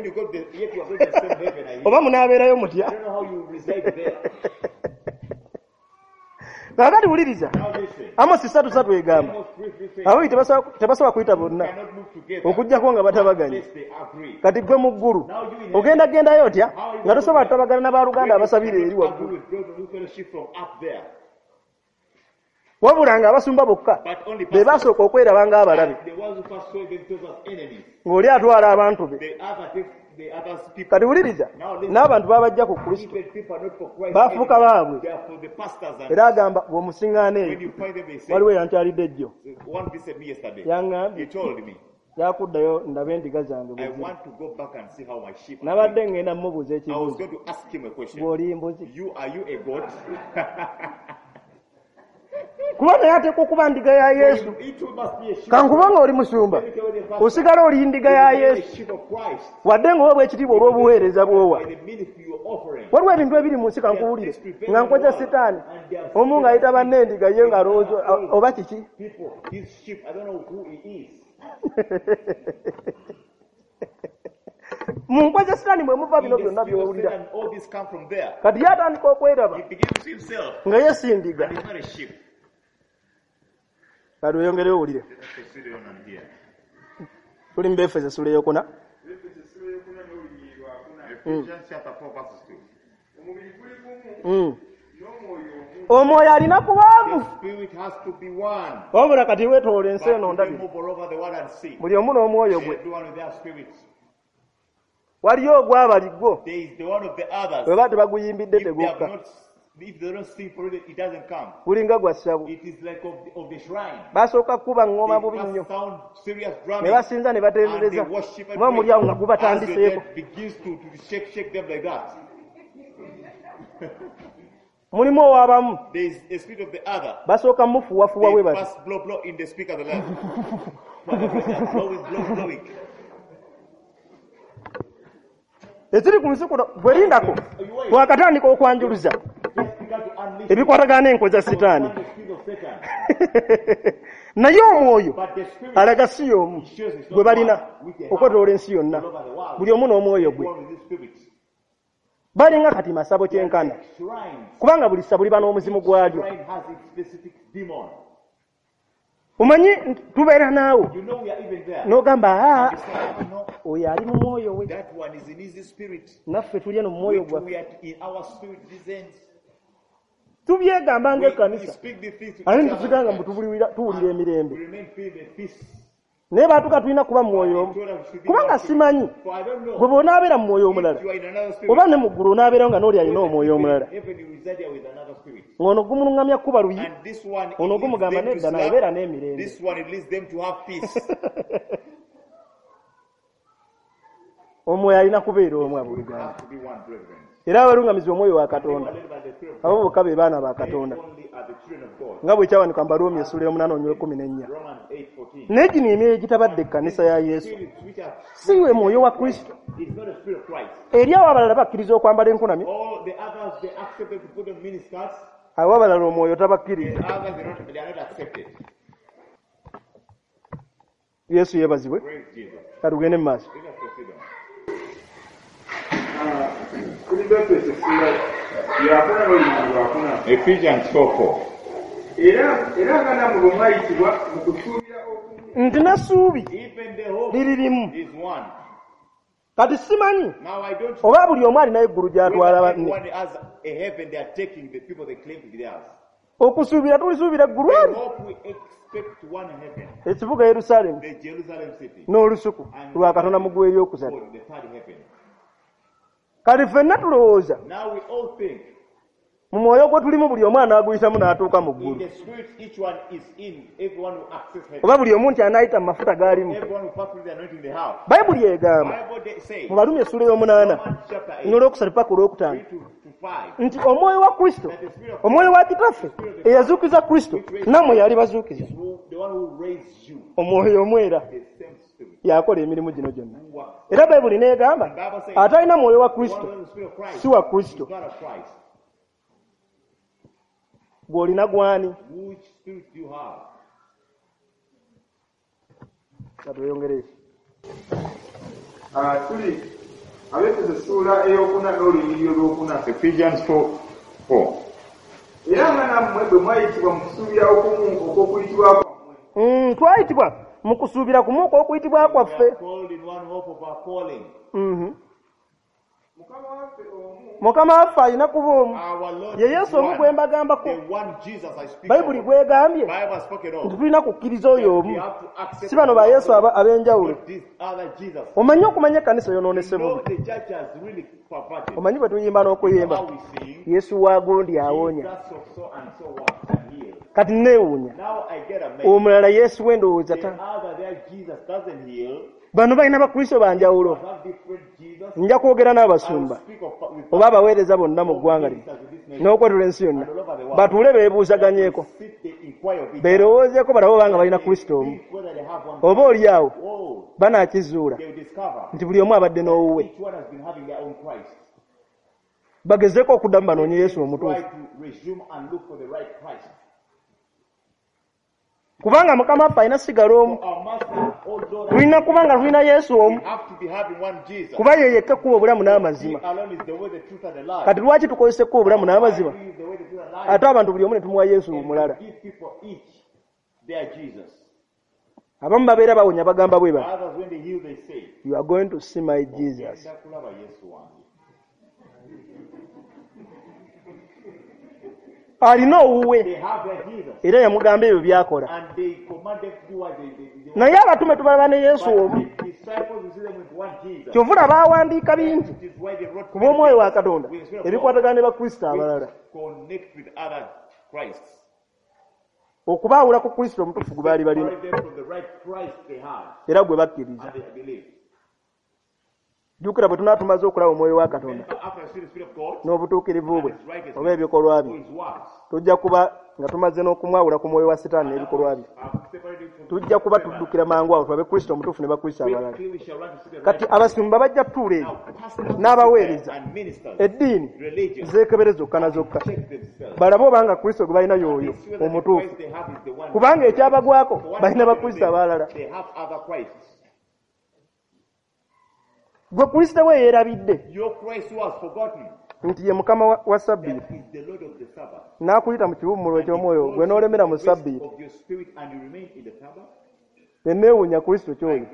oba munaabeerayo mutya? Kaakati wuliriza, Amosi 3:3 egamba ababiri tebasobola kuyita bonna okuggyako nga batabaganye. Kati ggwe mu ggulu ogenda gendayo otya nga tosobola kutabagana na baaluganda abasabira eri waggulu? Wabula nga abasumba bokka be basooka okweraba ng'abalabe, ng'oli atwala abantu be. Kati wuliriza, n'abantu babajja ku Kristo bafuuka baabwe. Era agamba bw'omusiŋŋaana eyo, waliwo eyankyalidde ejjo, yaŋŋambye yakuddayo ndabe endiga zange bwe ziri. Nabadde ŋŋenda mmubuuza ekibuuzo, bw'oli mbuzi? Kuba naye ateekwa okuba ndiga ya Yesu. Kankubanga oli musumba, osigala oli ndiga ya Yesu, wadde ng'oweebwa ekitiibwa olw'obuweereza bw'owa. Waliwo ebintu ebiri mu nsi kankuwulire nga nkoza Sitaani, omu ng'ayita banne endiga ye ng'alowooza oba kiki. Mu nkoza Sitaani mwe muva bino byonna by'owulira. Kati ye atandika okweraba nga ye si ndiga. Kati weyongere owulire. Tuli mu Befeso essula ey'okuna. Omwoyo alina kubaamu. Wabula kati weetoola ensi eno ndabye, buli omu n'omwoyo gwe. Waliyo ogwabali gwo bwe ba tebaguyimbidde tegukka, gulinga gwa ssabo. Basooka kukuba ŋŋoma bubi nnyo, ne basinza ne batendereza, muba muli awo nga gubatandiseeko. Mulimu ow'abamu basooka mufuwafuwa bwe bati, ekiri ku nsi kuno gwe lindako wakatandika okwanjuluza ebikwatagana n'enkwe za Sitaani. Naye omwoyo alaga si y'omu gwe balina okwetoloola ensi yonna, buli omu n'omwoyo gwe. Balinga kati masabo kyenkana, kubanga buli ssabo liba n'omuzimu gwalyo. Omanyi tubeera naawe You know we are even there. n'ogamba aa You say, "Oh, no, oyo ali mu mwoyo we that one is in his spirit. naffe tuli eno mu mwoyo We too, gwaffe we are in our spirit this end. Tubyegamba We ng'ekkanisa speak the things to ate each nitusigala nga other. mbu tuwulira emirembe We remain filled with peace. Naye baatuka tulina kuba mu mwoyo omu Told us we should be kubanga one spirit. simanyi For I don't know gwe bw'onaabeera mu mwoyo omulala if you are in another spirit. Oba ne mu ggulu onaabeerawo nga n'oli alina omwoyo omulala Heaven, you reside there with another spirit. Ng'ono gumuluŋŋamya kuba luyi And this one, it ono leads gumugamba them to nedda naye slap. beera n'emirembe This one, it leads them to have peace. Omwoyo alina kubeera omu We abooluganda have to be one, brethren. Era abalungamizi omwoyo wa They were Katonda led by the Spirit of abo God. bokka be baana ba They Katonda only are the children of God. Nga bwe kyawanika mu Baruumi essula y'omunaana onywa ekkumi n'ennya Romans 8:14. Naye gino emyoyo egitabadde ekkanisa ya Yesu Spirits which are si we mwoyo wa Kristo is not the spirit of Christ. Eri awo abalala bakkiriza okwambala enkunamyo All the others, they accepted to put on miniskirts. Abo abalala omwoyo The tabakkiriza others, they are not accepted. Yesu yeebazibwe Praise Jesus. Katugende mu maaso Let us proceed on. Tuli Befeso essula yakuna n'olunyiriri lwakuna Ephesians 4:4. Era era nga nammwe bwe mwayitibwa mu kusuubira okumu Nti n'essuubi Even the hope liri limu is one. Kati simanyi Now I don't oba buli omu alinayo eggulu gy'atwala whether banne everyone has a heaven they are taking the people they claim to be theirs. Okusuubira tulisuubira eggulu We eri hope we expect one heaven, ekibuga Yerusaalemi the Jerusalem city, n'olusuku lwa Katonda mu ggulu eryokusatu or the third heaven. Kati ffenna tulowooza Now we all think mu mwoyo gwe tulimu buli omu anaaguyitamu n'atuuka mu in ggulu the spirit each one is in, everyone will access heaven. Oba buli omu nti anaayita mu mafuta g'alimu Everyone will pass through the anointing they have. Bayibuli egamba Bible they say, mu Balumi essula ey'omunaana Romans chapter 8, n'olwokusatu paka olwokutaano 3 to 5, nti omwoyo wa Kristo that the spirit of omwoyo wa Kitaffe eyazuukiza Kristo nammwe yali bazuukiza is who, the one who raised you, omwoyo omwera the same spirit yakola emirimu gino gyonna who works. Era Bayibuli n'egamba Bible says, atalina mwoyo wa the one Kristo who has the spirit of Christ si wa Kristo is not of Christ. Gw'olina gwani Which spirit do you have? Katweyongereyo Ah, tuli Abefeso essuula eyokuna n'olunyiriri olwokuna Ephesians 4:4. Era nga nammwe bwe mwayitibwa mu kusuubira okumu okw'okuyitibwa kwammwe Twayitibwa mu kusuubira kumu okw'okuyitibwa We kwaffe are called in one hope of our calling. Mukama waffe omu Mukama waffe alina kuba omu Our Lord ye is Yesu omu one. gwe mbagambako The one Jesus I speak Bayibuli of. gwegambye Bible has spoken nti of. tulina kukkiriza oyo We omu have to accept si bano ba Yesu ab'enjawulo not this other Jesus. Omanyi okumanya ekkanisa yonoonese No, bubi the church has really perverted. Omanyi bwe tuyimba n'okuyimba How we sing, Yesu wa gundi awonya Jesus of so and so works and heals. Kati neewuunya Now I get amazed. Omulala Yesu we ndowooza The ta other there Jesus doesn't heal. Bano balina bakristo banjawulo Have different Jesus. Nja kwogera I will n'abasumba speak of with oba abaweereza bonna mu ggwanga lino ministers in this nation. n'okwetula ensi yonna batuule beebuuzaganyeeko Sit, they inquire of each other. beerowoozeeko balabe obanga balina Kristo omu Think whether they have one. oba oli awo Oh, banaakizuula they will discover nti buli omu abadde n'owuwe each one has been having their own Christ. Bagezeeko okuddamu banoonye Yesu Try omutuufu to resume and look for the right Christ. Kubanga Mukama waffe alina sigala omu Our Master, oh Lord, tulina kuba nga tulina Yesu we omu have to be having one Jesus. kuba ye yekka ekkuba obulamu He n'amazima alone is the way, the truth, and the life. Kati lwaki tukozesa ekkuba obulamu n'amazima He is the way, the truth, and life. ate abantu buli omu ne tumuwa Yesu And omulala we give people each their Jesus. Abamu babeera bawonya bagamba bwe bati Others, when they heal, they say, you are going to see my Jesus "Ogenda kulaba Yesu wange." Alina owuwe They have their Jesus. Era yamugamba ebyo byakola And they command them to do what they Naye abatume tubalaba ne Yesu But omu the disciples, we see them with one Jesus. Kyova olaba baawandiika bingi It is why they wrote kuba omwoyo wa Katonda with the Spirit of God, ebikwatagana ne bakristo abalala which connect with other Christs. Okubaawula ku Kristo omutuufu gwe baali balina Separate them from the right Christ they had era gwe bakkiriza and they believe. Jjukira bwe tunaa tumaze okulaba omwoyo wa Katonda Remember, after I see the Spirit of God n'obutuukirivu bwe and His righteousness, oba ebikolwa or bye His works, tujja kuba nga tumaze n'okumwawula ku mwoyo wa Sitaani n'ebikolwa bye I've separated from tujja kuba tuddukira mangu awo tulabe Kristo omutuufu ne bakristo abalala Quickly we shall run to see the right Kati abasumba bajja tutuula eyo Now, pastors n'abaweereza and ministers, eddiini religion, zeekebere zokka na zokka check themselves. balabe obanga Kristo gwe balina y'oyo They see whether the omutuufu Christ they have is the one. kubanga ekyabagwako For what balina happened to bakristo them, abalala they have other Christs. Gwe Kristo we yeerabidde Your Christ who has forgotten Nti ye mukama wa sabbiiti n'akuyita mu kiwummulo eky'omwoyo gwe n'olemera mu sabbiiti neneewuunya Kristo ky'oyo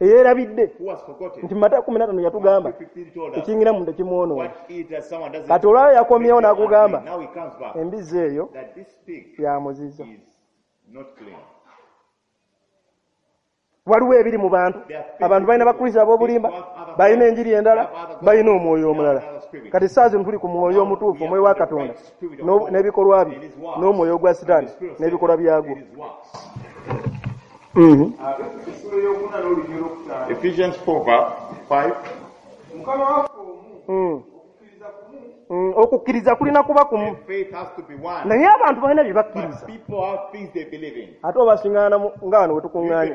eyeerabidde nti Matayo 15 yatugamba ekiyingira mu nda kimwonoona. Kati olwayo yakomyewo n'akugamba embizzi eyo ya muzizo. Waliwo ebiri mu bantu, abantu balina bakristo ab'obulimba, balina enjiri endala, balina omwoyo omulala. Kati saa zino tuli ku mwoyo omutuufu, omwoyo wa Katonda n'ebikolwa bye, n'omwoyo gwa Sitaani n'ebikolwa byagwo. Ephesians 4:5. Okukkiriza kulina kuba kumu, naye abantu balina bye bakkiriza. Ate obasiŋŋaana nga wano we tukuŋŋaanye,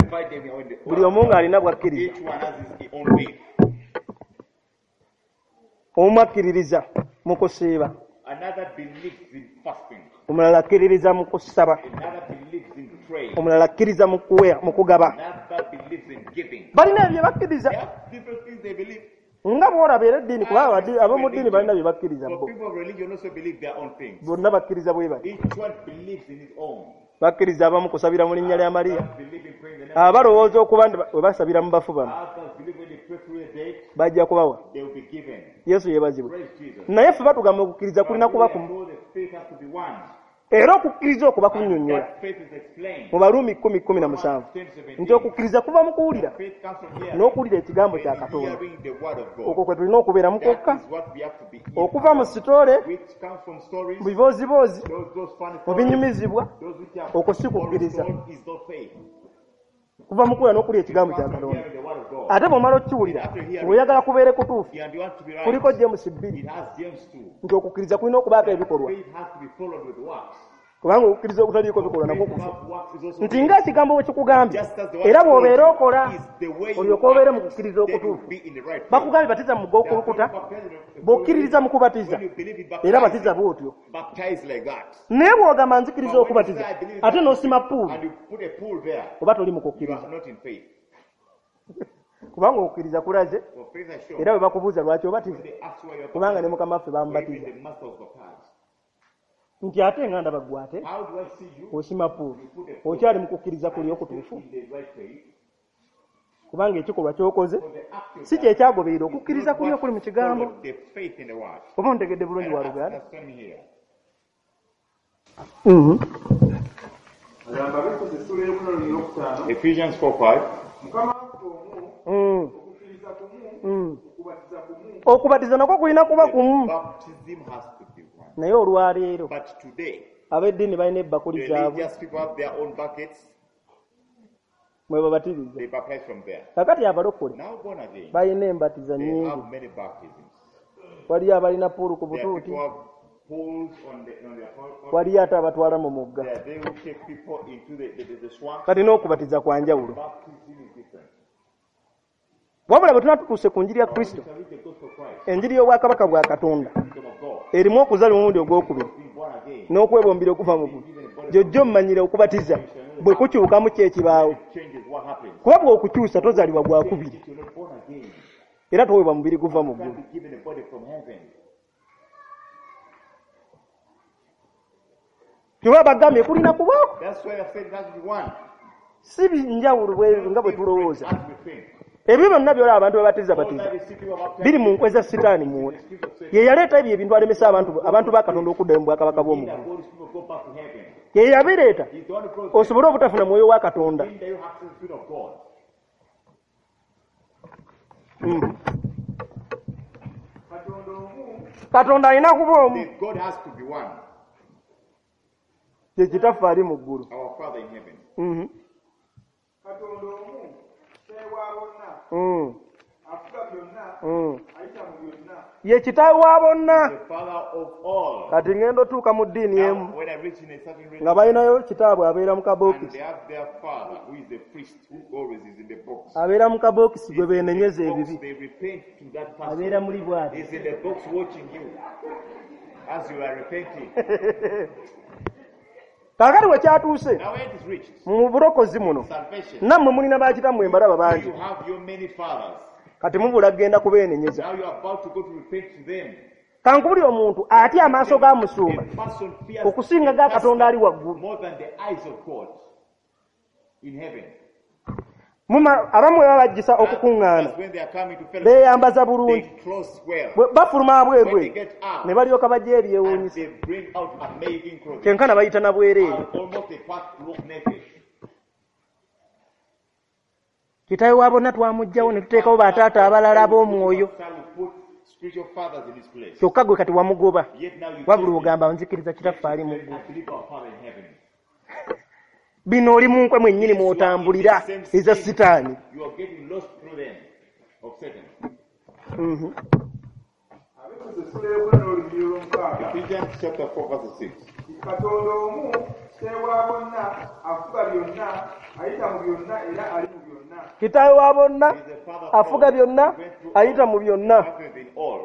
buli omu ng'alina bw'akkiriza. Omu akkiririza mu kusiiba, omulala akkiririza mu kusaba, omulala akkiriza mu kugaba. Balina ebyo bakkiriza nga bw'olaba era eddiini, kuba ab'omu ddiini balina bye bakkiriza bo. Bonna bakkiriza bwe bati. Bakkiriza abamu kusabira mu linnya lya Mariya, abalowooza okuba nti bwe basabira mu bafu bano bajja kubawa. Yesu yeebazibwe. Naye ffe batugamba okukkiriza kulina kuba kumu, era okukkiriza okwo bakunnyonnyola mu Baruumi 10:17 nti okukkiriza kuva mu kuwulira n'okuwulira ekigambo kya Katonda. Okwo kwe tulina okubeera mu kwokka, okuva mu sitole, mu bibooziboozi, mu binyumizibwa, okwo si kukkiriza. Kuva mu kuwulira n'okuwulira ekigambo kya Katonda. Ate bw'omala okukiwulira ng'oyagala kubeere kutuufu, kuliko James 2 nti okukkiriza kulina okubaako ebikolwa, kubanga okukkiriza okutaliiko bikolwa nakwo kufa. Nti ng'ekigambo bwe kikugambye, era bw'obeera okola olyoke obeere mu kukkiriza okutuufu. Bakugambye batiza mu mugga okulukuta, bw'okkiririza mu kubatiza era batiza bw'otyo. Naye bw'ogamba nzikiriza okubatiza ate n'osima puulu, oba toli mu kukkiriza, kubanga okukkiriza kulaze. Era bwe bakubuuza lwaki obatiza, kubanga ne Mukama waffe bamubatiza. Nti ate nga ndaba ggwe ate osima puulu, okyali mu kukkiriza kuli okutuufu, kubanga ekikolwa ky'okoze si kye kyagoberera okukkiriza kuli okuli mu kigambo. Oba ontegedde bulungi wa luganda? Ephesians 4:5. Okubatiza nakwo kulina kuba kumu. Naye olwaleero ab'eddiini balina ebbakuli zaabwe mwe babatiriza. Kakati abalokole balina embatiza nnyingi. Waliyo abalina puulu ku butuuti, waliyo ate abatwala mu mugga. Kati n'okubatiza kwa njawulo. Wabula bwe tunatutuuse ku njiri ya Kristo, enjiri y'obwakabaka bwa Katonda erimu okuzaalibwa omulundi ogwokubiri n'okwebombera okuva mu ggulu, gy'ojja omanyira okubatiza bwe kukyukamu ki ekibaawo. Kuba bw'okukyusa tozaalibwa gwakubiri, era toweebwa mubiri guva mu ggulu. Kyova bagambye kulina kubaako si binjawulo nga bwe tulowooza. Ebyo byonna byolaba abantu babatiza batiza biri mu nkwe za Sitaani munda. Ye yaleeta ebyo ebintu alemesa abantu ba Katonda okuddayo mu bwakabaka bw'omu ggulu. Ye yabireeta osobole obutafuna mwoyo wa Katonda. Katonda alina kuba omu. Ye Kitaffe ali mu ggulu. Ye kitaawe wa bonna. Kati ngenda otuuka mu ddiini emu nga balinayo kitaabwe abeera mu kabookisi, abeera mu kabookisi gwe beenenyeza ebibi, abeera muli bw'ati. Kaakati we kyatuuse mu bulokozi muno, nammwe mulina bakitammwe mbalaba bangi. Kati mubula kugenda kubeenenyeza. Now you are about to go to repent to them. Kankubulire omuntu atya amaaso ga musumba A person fears okusinga ga Katonda ali waggulu. more than the eyes of God in heaven. Abamu baba bajjisa okukuŋŋaana That's when they are coming to fellowship. beeyambaza bulungi. They close well. Bwe bafuluma abweru When they get out, ne balyoka bajja and ebyewuunyisa. they bring out amazing clothing. Kyenkana bayita na bwereere. And almost they pass walk naked. Kitaawe wa bonna twamuggyawo ne tuteekawo bataata abalala ab'omwoyo. We put spiritual fathers in his place. Kyokka gwe kati wamugoba. Yet now you Wabula take ogamba nzikiriza kitaffe ali mu ggulu. I believe our Father in heaven. Bino oli mu nkwe mwennyini mw'otambulira eza Sitaani. You are getting lost through them of Satan. Abefeso essula ey'okuna n'olunyiriri olw'omukaaga. Ephesians chapter 4 verse 6. Katonda omu kitaawe wa bonna afuga byonna ayita mu byonna era ali mu byonna. Kitaawe wa bonna He is the Father of afuga all. byonna He went through ayita all. mu byonna. Happens in all.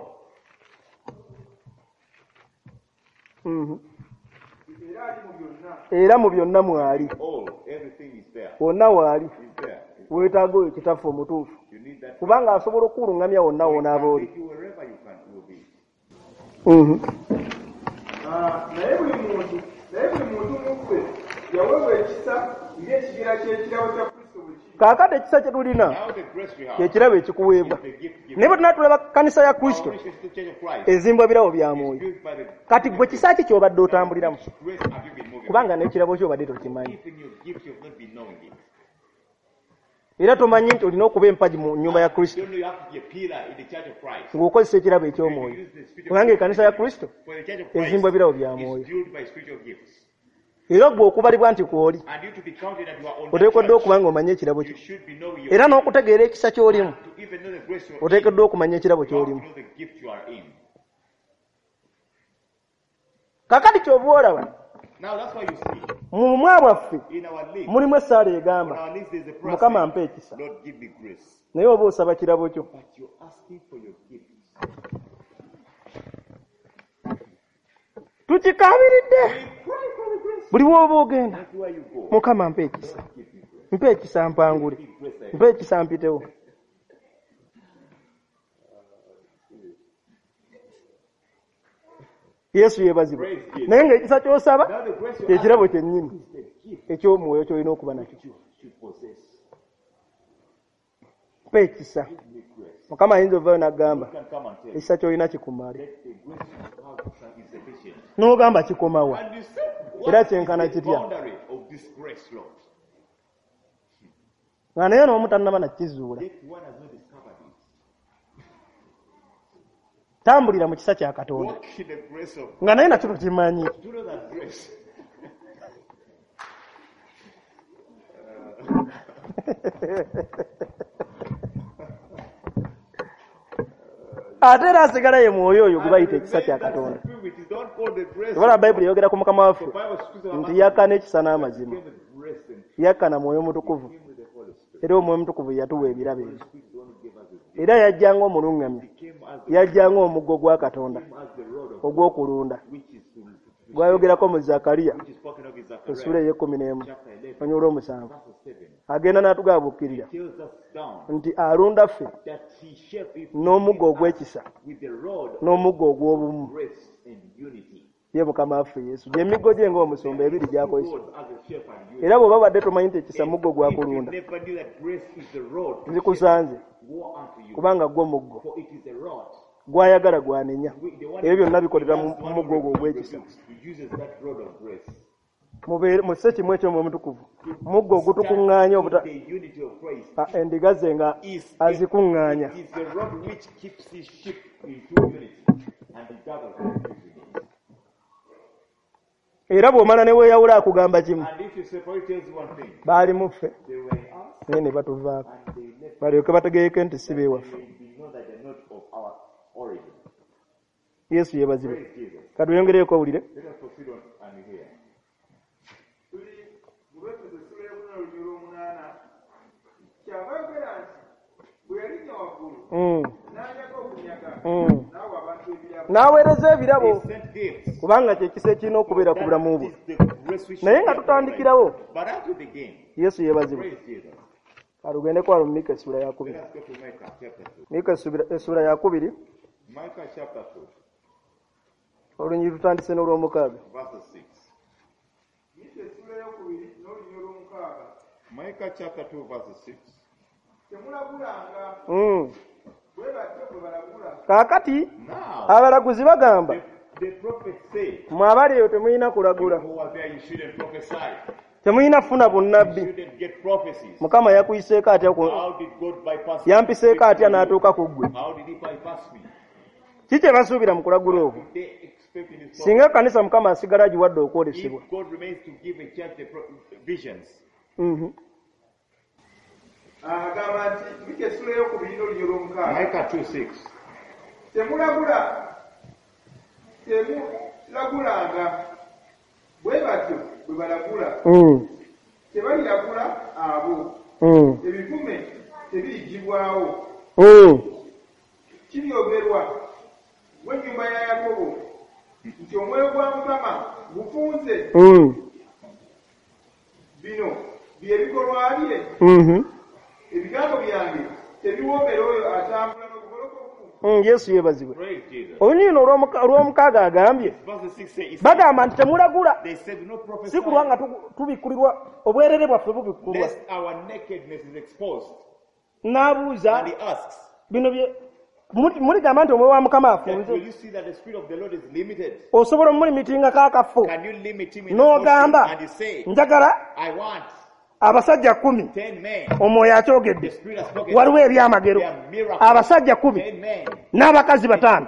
Era ali mu byonna. Era mu byonna mwali. All. Everything is there. Wonna waali. Is there. Weetaaga oyo kitaffe omutuufu. You need that. Kubanga asobola okukuluŋŋamya wonna w'onaaba oli. Take you wherever you can you will be. Naye buli muntu mu ffe yaweebwa ekisa ng'ekigera ky'ekirabo kya Kristo bwe kiri. Kaakati ekisa kye tulina Now the grace we have kyekirabo ekikuweebwa. is the gift given. Naye bwe tunaatulaba kkanisa ya Kristo Our mission is the Church of Christ. ezimbwa birabo bya Is mwoyo. built by the Kati gwe kisa ki ky'obadde otambuliramu? grace have you been moving? Kubanga n'ekirabo kyo obadde tokimanyi. Even your gift you have not been knowing it. Era tomanyi nti olina okuba empagi mu nnyumba ya Kristo You don't know you have to be a pillar in the Church of Christ. ng'okozesa ekirabo eky'omwoyo. You use the spiritual Kubanga ekkanisa ya Kristo For the Church of Christ ezimbwa birabo bya is mwoyo. built by spiritual gifts. Era gwe okubalibwa nti kw'oli And you to be counted that you are on that oteekeddwa church, okuba ng'omanyi ekirabo you kyo. should be knowing your Era n'okutegeera ekisa ky'olimu to even know the grace you are in, oteekeddwa okumanya ekirabo you have to ky'olimu. know the gift you are in. Kaakati ky'oba olaba Now that's why you see mu bumwa bwaffe in our league, mulimu essaala on egamba our list there's a prayer Mukama saying, ampa ekisa. Lord, give me grace. Naye oba osaba kirabo kyo. But you're asking for your gift. Tukikaabiridde We cry for the grace. buli w'oba ogenda. Everywhere you go, Mukama mpa ekisa. give me grace. Mpa ekisa mpangule. Give grace. I Mpa ekisa mpitewo. Yesu yeebazibwe. Praise Jesus. Naye ng'ekisa ky'osaba Now the grace you're kyekirabo asking kyennyini is the gift eky'omwoyo ky'olina okuba nakyo. you should possess. Mpa ekisa. Give me grace. Mukama ayinza ovaayo n'agamba You can come and tell ekisa ky'olina kikumale. that the grace you have is sufficient. N'ogamba kikomawa. And you say, what Era is kyenkana the kitya? boundary of this grace, Lord? Nga naye n'omu tannaba nakizuula. Yet one has not discovered it. Tambulira mu kisa kya Katonda. Walk in the grace of Nga naye nakyo tokimanyi. Do you know that grace? Ate era asigala ye mwoyo oyo gwe bayita And ekisa kya remain that Katonda. spirit is not called the grace. Ebala Bayibuli eyogera ku Mukama waffe The Bible speaks of nti yakka n'ekisa n'amazima. came with grace and Yakka na mwoyo mutukuvu. came with the Holy Spirit. Era omwoyo mutukuvu yatuwa ebirabo ebyo. Spirit is the one who gave us his gift. Era yajja ng'omuluŋŋamya. He came as the, Yajja ng'omuggo gwa Katonda came as the rod of ogw'okulunda. which is to Gwayogerako mu Zakariya which is spoken of in essuula Zechariah ey'ekkumi n'emu chapter 11 olunyiriri olw'omusanvu. verse 7. Agenda n'atugabuukirira Tells us down nti alunda ffe that he shall be n'omuggo ogw'ekisa with the rod of n'omuggo ogw'obumu. grace and unity. Ye Mukama waffe Yesu. Gy'emiggo gye ng'omusumba ebiri gy'akozesa. Rod as a shepherd you Era bw'oba badde tomanyi nti ekisa muggo If you gwakulunda never knew that grace is the rod to nzikusanze woe unto you, kubanga gwo muggo for it is a rod. gwayagala gwanenya. The one Ebyo byonna bikolera mu the one muggo ogwo who ogw'ekisa. rebukes, who uses that rod of grace. Mubeere musse kimu eky'omwoyo omutukuvu. Muggo ogutukuŋŋaanya obuta The unity of Christ endiga ze nga is azikuŋŋaanya. It is the rod which keeps his sheep in true unity and he gathers them into unity. Era bw'omala ne weeyawula akugamba kimu. And if you separate, tells you one thing. Baali mu ffe They were in us naye ne batuvaako. and they left. Balyoke bategeeke nti si beewaffe. They may know that they're not of our origin. Yesu yeebazibwe. Praise Jesus. Katweyongereyo owulire. Let us proceed on and hear. Tuli mu Befeso essula ey'okuna olunyiriri olw'omunaana. Kyava ayogera nti bwe yalinnya waggulu n'anyaga okunyaga n'awa abantu ebirabo. N'aweereza ebirabo He sent gifts. kubanga kye kisa ekirina okubeera ku bulamu bwo. That is the grace which Naye we nga have tutandikirawo But as we begin, Yesu yeebazibwe. praise Jesus. Kalugende kwa Mika essula ya 2. Let us go to Micah chapter 2. Mika essula ya 2. Micah chapter 2. Olunyiriri tutandise n'olwomukaaga. Verse 6. Mika essula ey'okubiri n'olunyiriri olw'omukaaga. Micah chapter 2 verse 6. Temulagulanga. Bwe batyo bwe balagula. Kaakati abalaguzi bagamba The prophets say, mwe abali eyo temulina kulagula. Who are there, you shouldn't prophesy. Temulina kufuna bunnabbi. You shouldn't get prophecies. Mukama yakuyiseeko atya How did God bypass me? yampiseeko atya n'atuuka ku ggwe? How did he bypass me? Ki kye basuubira mu kulagula okwo? They expect in his Singa ekkanisa Mukama asigala agiwadde okwolesebwa. If God remains to give a church the visions. Agamba nti Mika essula ey'okubiri n'olunyiriri olw'omukaaga. Micah 2:6. Temulagula. Temulagulanga. Bwe batyo bwe balagula. Tebaliragula abo. Ebivume tebirigibwawo. Kiryogerwa w'ennyumba ya Yakobo nti omwoyo gwa Mukama gufunze. Bino bye bikolwa bye. Ebigambo byange tebiwoomera oyo atambula n'obugolokofu. Yesu yeebazibwe. Olunyiriri olw'omukaaga agambye bagamba nti temulagula, si kulwa nga tubikkulirwa, obwerere bwaffe bubikkulwa. N'abuuza bino bye muligamba nti omwoyo wa Mukama afunze. Osobola omulimitingako akafo n'ogamba njagala abasajja 10, omwoyo akyogedde, waliwo ebyamagero, abasajja 10 n'abakazi 5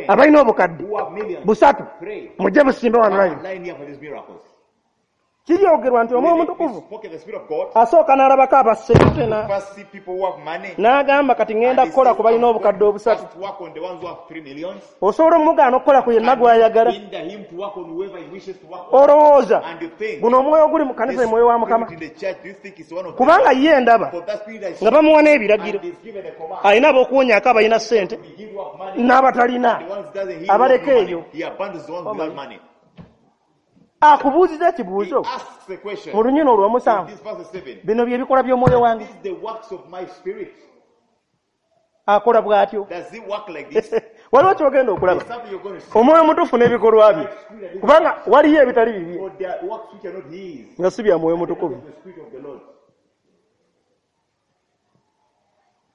abalina obukadde 3 mujje busimbe wano layini. Kiryogerwa nti omwoyo omutukuvu asooka n'alabako abasente n'agamba kati ŋŋenda kukola ku balina obukadde 3. Osobola omugaana okukola ku yenna gw'ayagala. Olowooza guno omwoyo oguli mu kkanisa ye mwoyo wa Mukama, kubanga ye ndaba nga bamuwa n'ebiragiro, alina ab'okuwonyaako abalina ssente n'abatalina abaleka eyo. Akubuuziza ekibuuzo mu lunyiriri olw'omusanvu, bino bye bikolwa by'omwoyo wange. Akola bw'atyo. Waliwo ky'ogenda okulaba omwoyo omutuufu n'ebikolwa bye, kubanga waliyo ebitali bibye nga si bya mwoyo mutukuvu.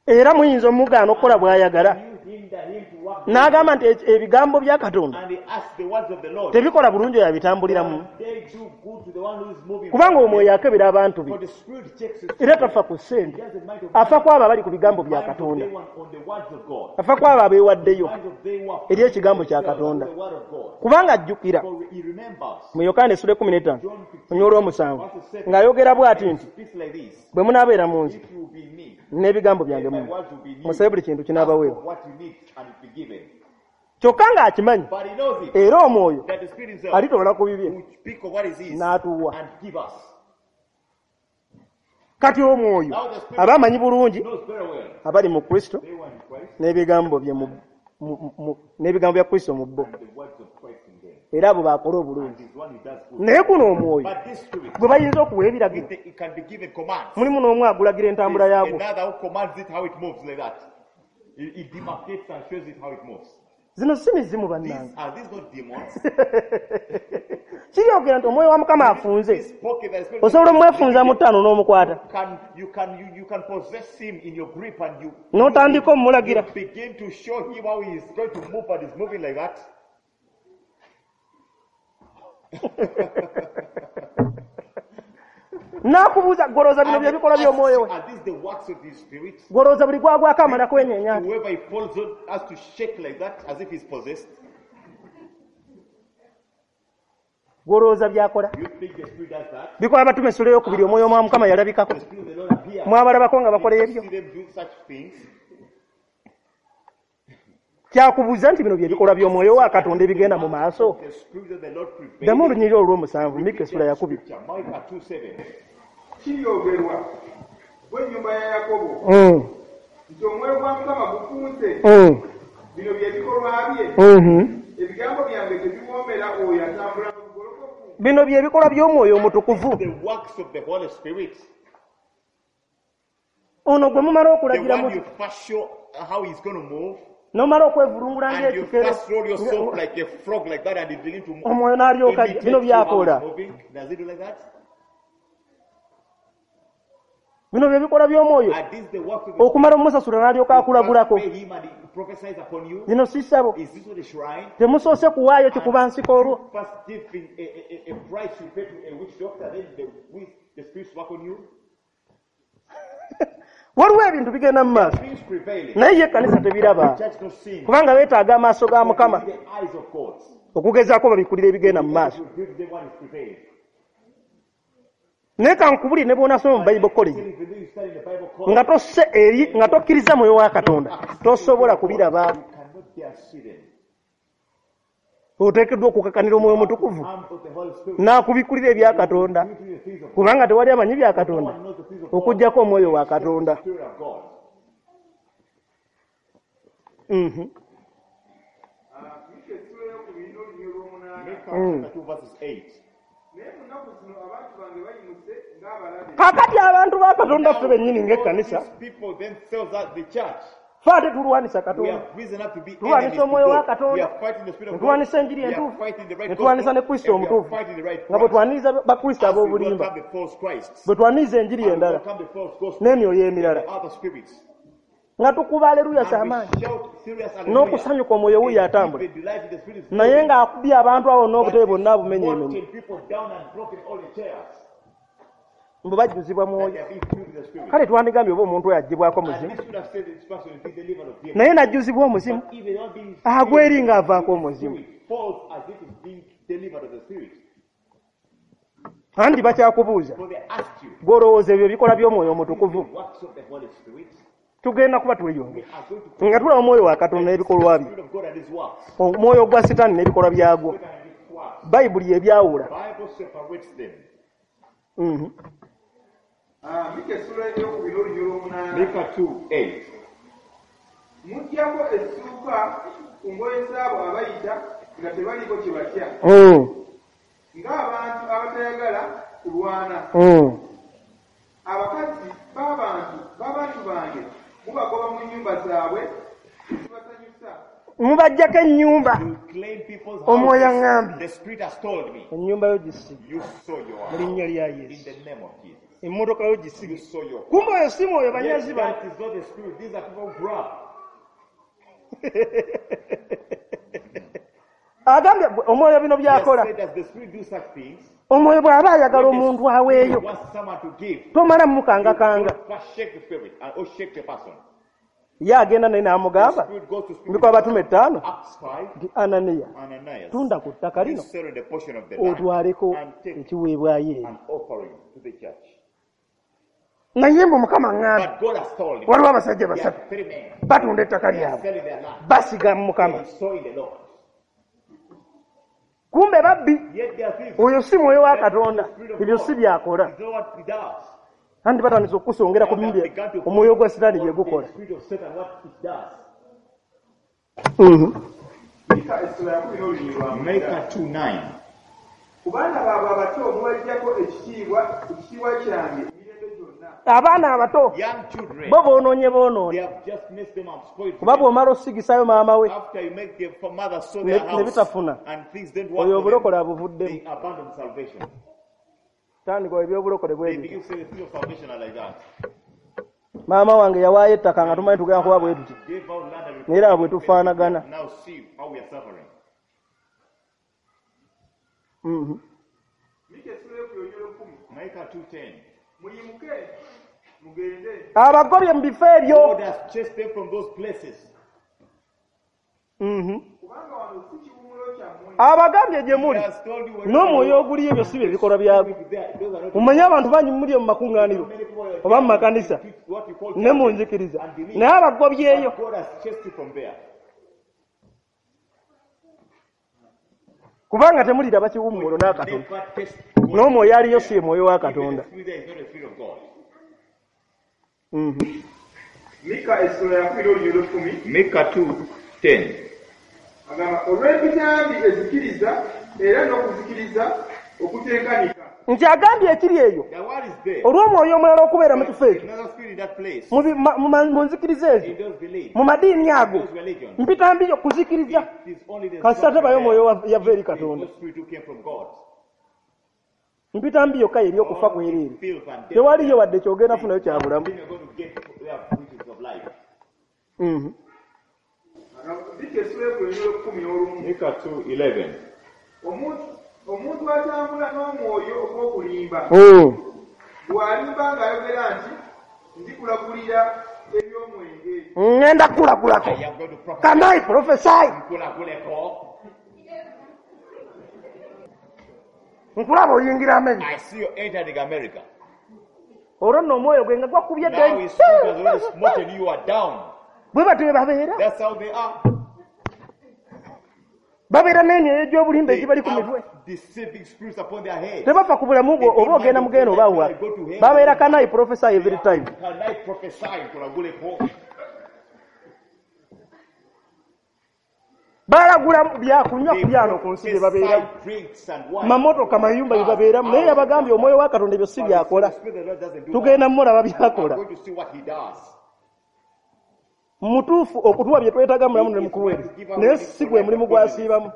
Era muyinza omugaana okukola bw'ayagala. N'agamba nti ebigambo bya Katonda tebikola bulungi oyo abitambuliramu, kubanga omwoyo akebera abantu be era tafa ku ssente, afa ku abo abali ku bigambo bya Katonda, afa ku abo abeewaddeyo eri ekigambo kya Katonda. Kubanga ajjukira mu Yokaana essula 15 olw'omusanvu ng'ayogera bw'ati nti bwe munaabeera mu nze n'ebigambo byange mu musabe buli kintu kinaabaweebwa. Kyokka ng'akimanyi era omwoyo alitoola ku bibye n'atuwa. Kati omwoyo aba amanyi bulungi abali mu Kristo n'ebigambo bye n'ebigambo bya Kristo mu bo, era abo bakola obulungi. Naye guno omwoyo gwe bayinza okuwa ebiragiro, mulimu n'omu agulagira entambula yaagwo. Zino si mizimu bannange. Kiryogera nti omwoyo wa Mukama afunze. Osobola omwefunza mu 5 n'omukwata n'otandika omulagira. N'akubuuza golooza bino bye bikolwa by'omwoyo we. Golooza buli gwagwako amala kwenyeenya. Golooza by'akola. Bikola Batume essula ey'okubiri omwoyo wa Mukama yalabikako. Mwabalabako nga bakola ebyo. Kyakubuuza nti bino bye bikolwa by'omwoyo wa Katonda ebigenda mu maaso. Ddamu olunyiriri olw'omusanvu, Mika essula ya 2. Kiryogerwa w'ennyumba ya Yakobo nti omwoyo gwa Mukama gufunze. Bino bye bikolwa bye. Ebigambo byange tebiwoomera oyo atambula n'obugolokofu. Bino bye bikolwa by'omwoyo omutukuvu. Ono gwe mumala The okulagira one mu you first show how he's going to move, n'omala okwevulungula and you ng'ekikere first roll yourself like a frog like that, and you begin to move. Omwoyo n'alyoka Imitate bino you how by'akola. he's moving. Does he do like that? Bino bye bikola by'omwoyo. Are these the works of the Okumala omusasula n'alyoka You akulagulako. first pay him and he prophesies upon you? Zino si ssabo. Is this not a shrine? Temusoose kuwaayo kikuba nsiko olwo. You first give him a price you pay to a witch doctor, then the spirits work on you. Waliwo ebintu bigenda mu maaso Things prevailing. naye ye ekkanisa tebiraba The church not seeing. kubanga beetaaga amaaso ga Mukama The eyes of God. okugezaako babikulira ebigenda mu maaso. Give them what is prevailing. Naye kankubulire ne bw'onaasoma mu Bible College Even though you study in the Bible college, nga tosse eri nga tokkiriza mwoyo wa Katonda tosobola kubiraba. you cannot dare see them. Oteekeddwa okukakanira omwoyo omutukuvu Armed with the Holy Spirit. n'akubikulira ebya Katonda You do the things of God. kubanga tewali amanyi bya Katonda No one knows the things of God. okuggyako omwoyo wa Katonda. Spirit of God. Mhm. Mika essula eyokubiri n'olunyiriri olw'omunaana. Micah chapter 2 verses 8. Naye mu nnaku zino abantu bange bayimuse ng'abalabe. Kaakati abantu ba Katonda ffe bennyini ng'ekkanisa These people themselves are the church. ffe ate tulwanisa We Katonda, have risen up to be enemies tulwanisa to omwoyo wa God. We Katonda, are fighting the spirit ne of God. tulwanisa enjiri We are entuufu, fighting the right ne tulwanisa gospel. ne Kristo And we are omutuufu fighting the right nga bwe Christ. twaniriza Bakristo As we ab'obulimba, welcome the false Christs. bwe twaniriza enjiri And we endala welcome the false gospel. n'emyoyo emirala The other spirits. nga tukuba aleluya And z'amaanyi we shout serious hallelujah. n'okusanyuka omwoyo wuuyo And atambula deep delight in the spirit is naye moving. ng'akubye abantu awo n'obutebe But bwonna abumenyeemenye smoking people down and broken all the chairs. mbu bajjuzibwa That mwoyo. they are being filled with the spirit. Kale twandigambye oba omuntu oyo aggyibwako And muzimu this would have said this person is being delivered of demons. naye n'ajjuzibwa omuzimu But even not being agwa eri ng'avaako omuzimu. spirit falls as if it's being delivered of the spirit. Anti bakyakubuuza For they ask you, gw'olowooza ebyo ebikola by'omwoyo omutukuvu. the works of the Holy Spirit, Tugenda kuba we tweyongera are going to nga tulaba omwoyo wa Katonda n'ebikolwa the bye, Spirit of God and His works. omwoyo gwa Sitaani n'ebikolwa byagwo. Satan and his works. Bayibuli ebyawula. Bible separates them. Mhm. Mika essula eyokubiri n'olunyiriri olw'omunaana. Micah 2 8. Muggyako essuuka ku ngoye zaabo abayita nga tebaliiko kye batya, ng'abantu abatayagala kulwana. Abakazi b'abantu bange mubagoba mu nnyumba zaabwe ezibasanyusa. Mubaggyako ennyumba. You claim people's Omwoyo houses. aŋŋambye. The Spirit has told me. Ennyumba yo gisige You saw your mu linnya house. lya In Yesu. the name of Jesus. Emmotoka yo You gisige. saw your Kumbe oyo si mwoyo Yes, banyazi bano. that is not the spirit. These are people who grab. Agambye omwoyo bino He has by'akola. said, does the spirit do such things? Omwoyo bw'aba ayagala When the omuntu spirit aweeyo wants someone to give, tomala you mukangakanga. don't first shake the spirit and or shake the person. Ye agenda naye The n'amugamba spirit goes to speak mbiko abatume 5 Acts 5, nti Ananiya Ananias, tunda ku ttaka you lino sell the portion of the land otwaleko and take ekiweebwayo eri. an offering to the church. Naye mbu Mukama aŋŋambye But God has told him, waliwo abasajja there basatu are three men batunda ettaka they are lyabwe selling their land. basiga mu Mukama. They saw in the Lord. Kumbe babbi. Yet they are thieves. Oyo si mwoyo wa That is Katonda the spirit of ebyo God. si byakola. It's not what he does. Anti batandise okukusongera ku Now they bindi have begun to omwoyo gwa Sitaani bye on the gukola. spirit of Satan, what it does. Mhm. Mika essula ya kumi n'olunyiriri lwa mwenda. Micah 2 9. Ku baana baabwe abato mubaggyako ekitiibwa kyange emirembe gyonna. Abaana abato Young children, bo boonoonye they boonoonye have just messed them up, spoiled kuba them. bw'omala osigisayo maama we After you make their mother sow ne their ne house bitafuna and things don't work oyo for them, obulokole abuvuddemu. they abandon salvation. Tandika ebyobulokole bwe They bityo. begin to say the things of salvation are like that. Maama wange yawaayo ettaka nga tumanyi tugenda kuba bwe tuti Gave out land and naye era bwe tufaanagana. Now see how we are suffering. Mhm. Mika essula eyokubiri olunyiriri olw'ekkumi. Micah 2:10. Muyimuke mugende Abagobye mu bifo ebyo. God has chased them from those places. Mhm. kubanga wano si kiwummulo kyammwe. Abagambye gye He muli has told you wherever n'omwoyo you are. oguliyo ebyo si bye bikolwa byagwo. There, those are not Mumanye abantu bangi muli mu makuŋŋaaniro many people are oba mu makanisa what you call ne mu churches nzikiriza and believe. naye abagobyeyo But God has chased you from there. kubanga temuliraba kiwummulo n'akatono. Never taste God. N'omwoyo aliyo si ye mwoyo wa Even the Katonda. spirit there is not the spirit of God. Mhm. Mika essula ya kumi n'olunyiriri olw'ekkumi Micah 2:10. agamba olw'empitambi ezikiriza era n'okuzikiriza okutenkanika. Nti agambye ekiri eyo The word is there. olw'omwoyo omulala okubeera mu kifo ekyo, Another spirit in that place. mu nzikiriza ezo, In those beliefs. mu madiini ago, Those religions. mpitambi kuzikiriza. It is only the Kasita tabayo there. mwoyo yava eri It is Katonda. no spirit who came from God. Mpitambi yokka eri okufa All kwereere. is filth and death. Tewaliyo wadde kyogenda funayo kya bulamu. Then you're going to get there which is of life. Mika essula ey'okubiri 11. Micah 2:11. Omuntu atambula n'omwoyo ogw'okulimba bw'alimba ng'ayogera nti ndikulagulira eby'omwenge. Ŋŋenda kukulagulako. I am going to prophesy. Can I prophesy? Nkulaguleko. Nkulaba oyingira America. I see you entering America. Olwo nno omwoyo gwe nga gwakubye Now his spirit has already smoten you, you are down. Bwe batyo bwe babeera. That's how they are. Babeera n'emyoyo gy'obulimba They egibali ku mitwe. have deceiving spirits upon their head. Tebafa ku bulamu bwo oba ogenda mugenda oba wa. Babeera can I prophesy every time. Can I prophesy? Nkulaguleko. Balagula byakunywa They ku byano ku nsi bye babeeramu. prophesy drinks and wine. Mamotoka, mayumba bye babeeramu. Naye yabagambye omwoyo wa Katonda ebyo si But byakola. the Spirit of the Lord doesn't do Tugenda that. mulaba I'm byakola. going to see what he does. Mutuufu okutuwa bye twetaaga mulamu ne mukuweereza, naye si gwe mulimu gw'asiibamu,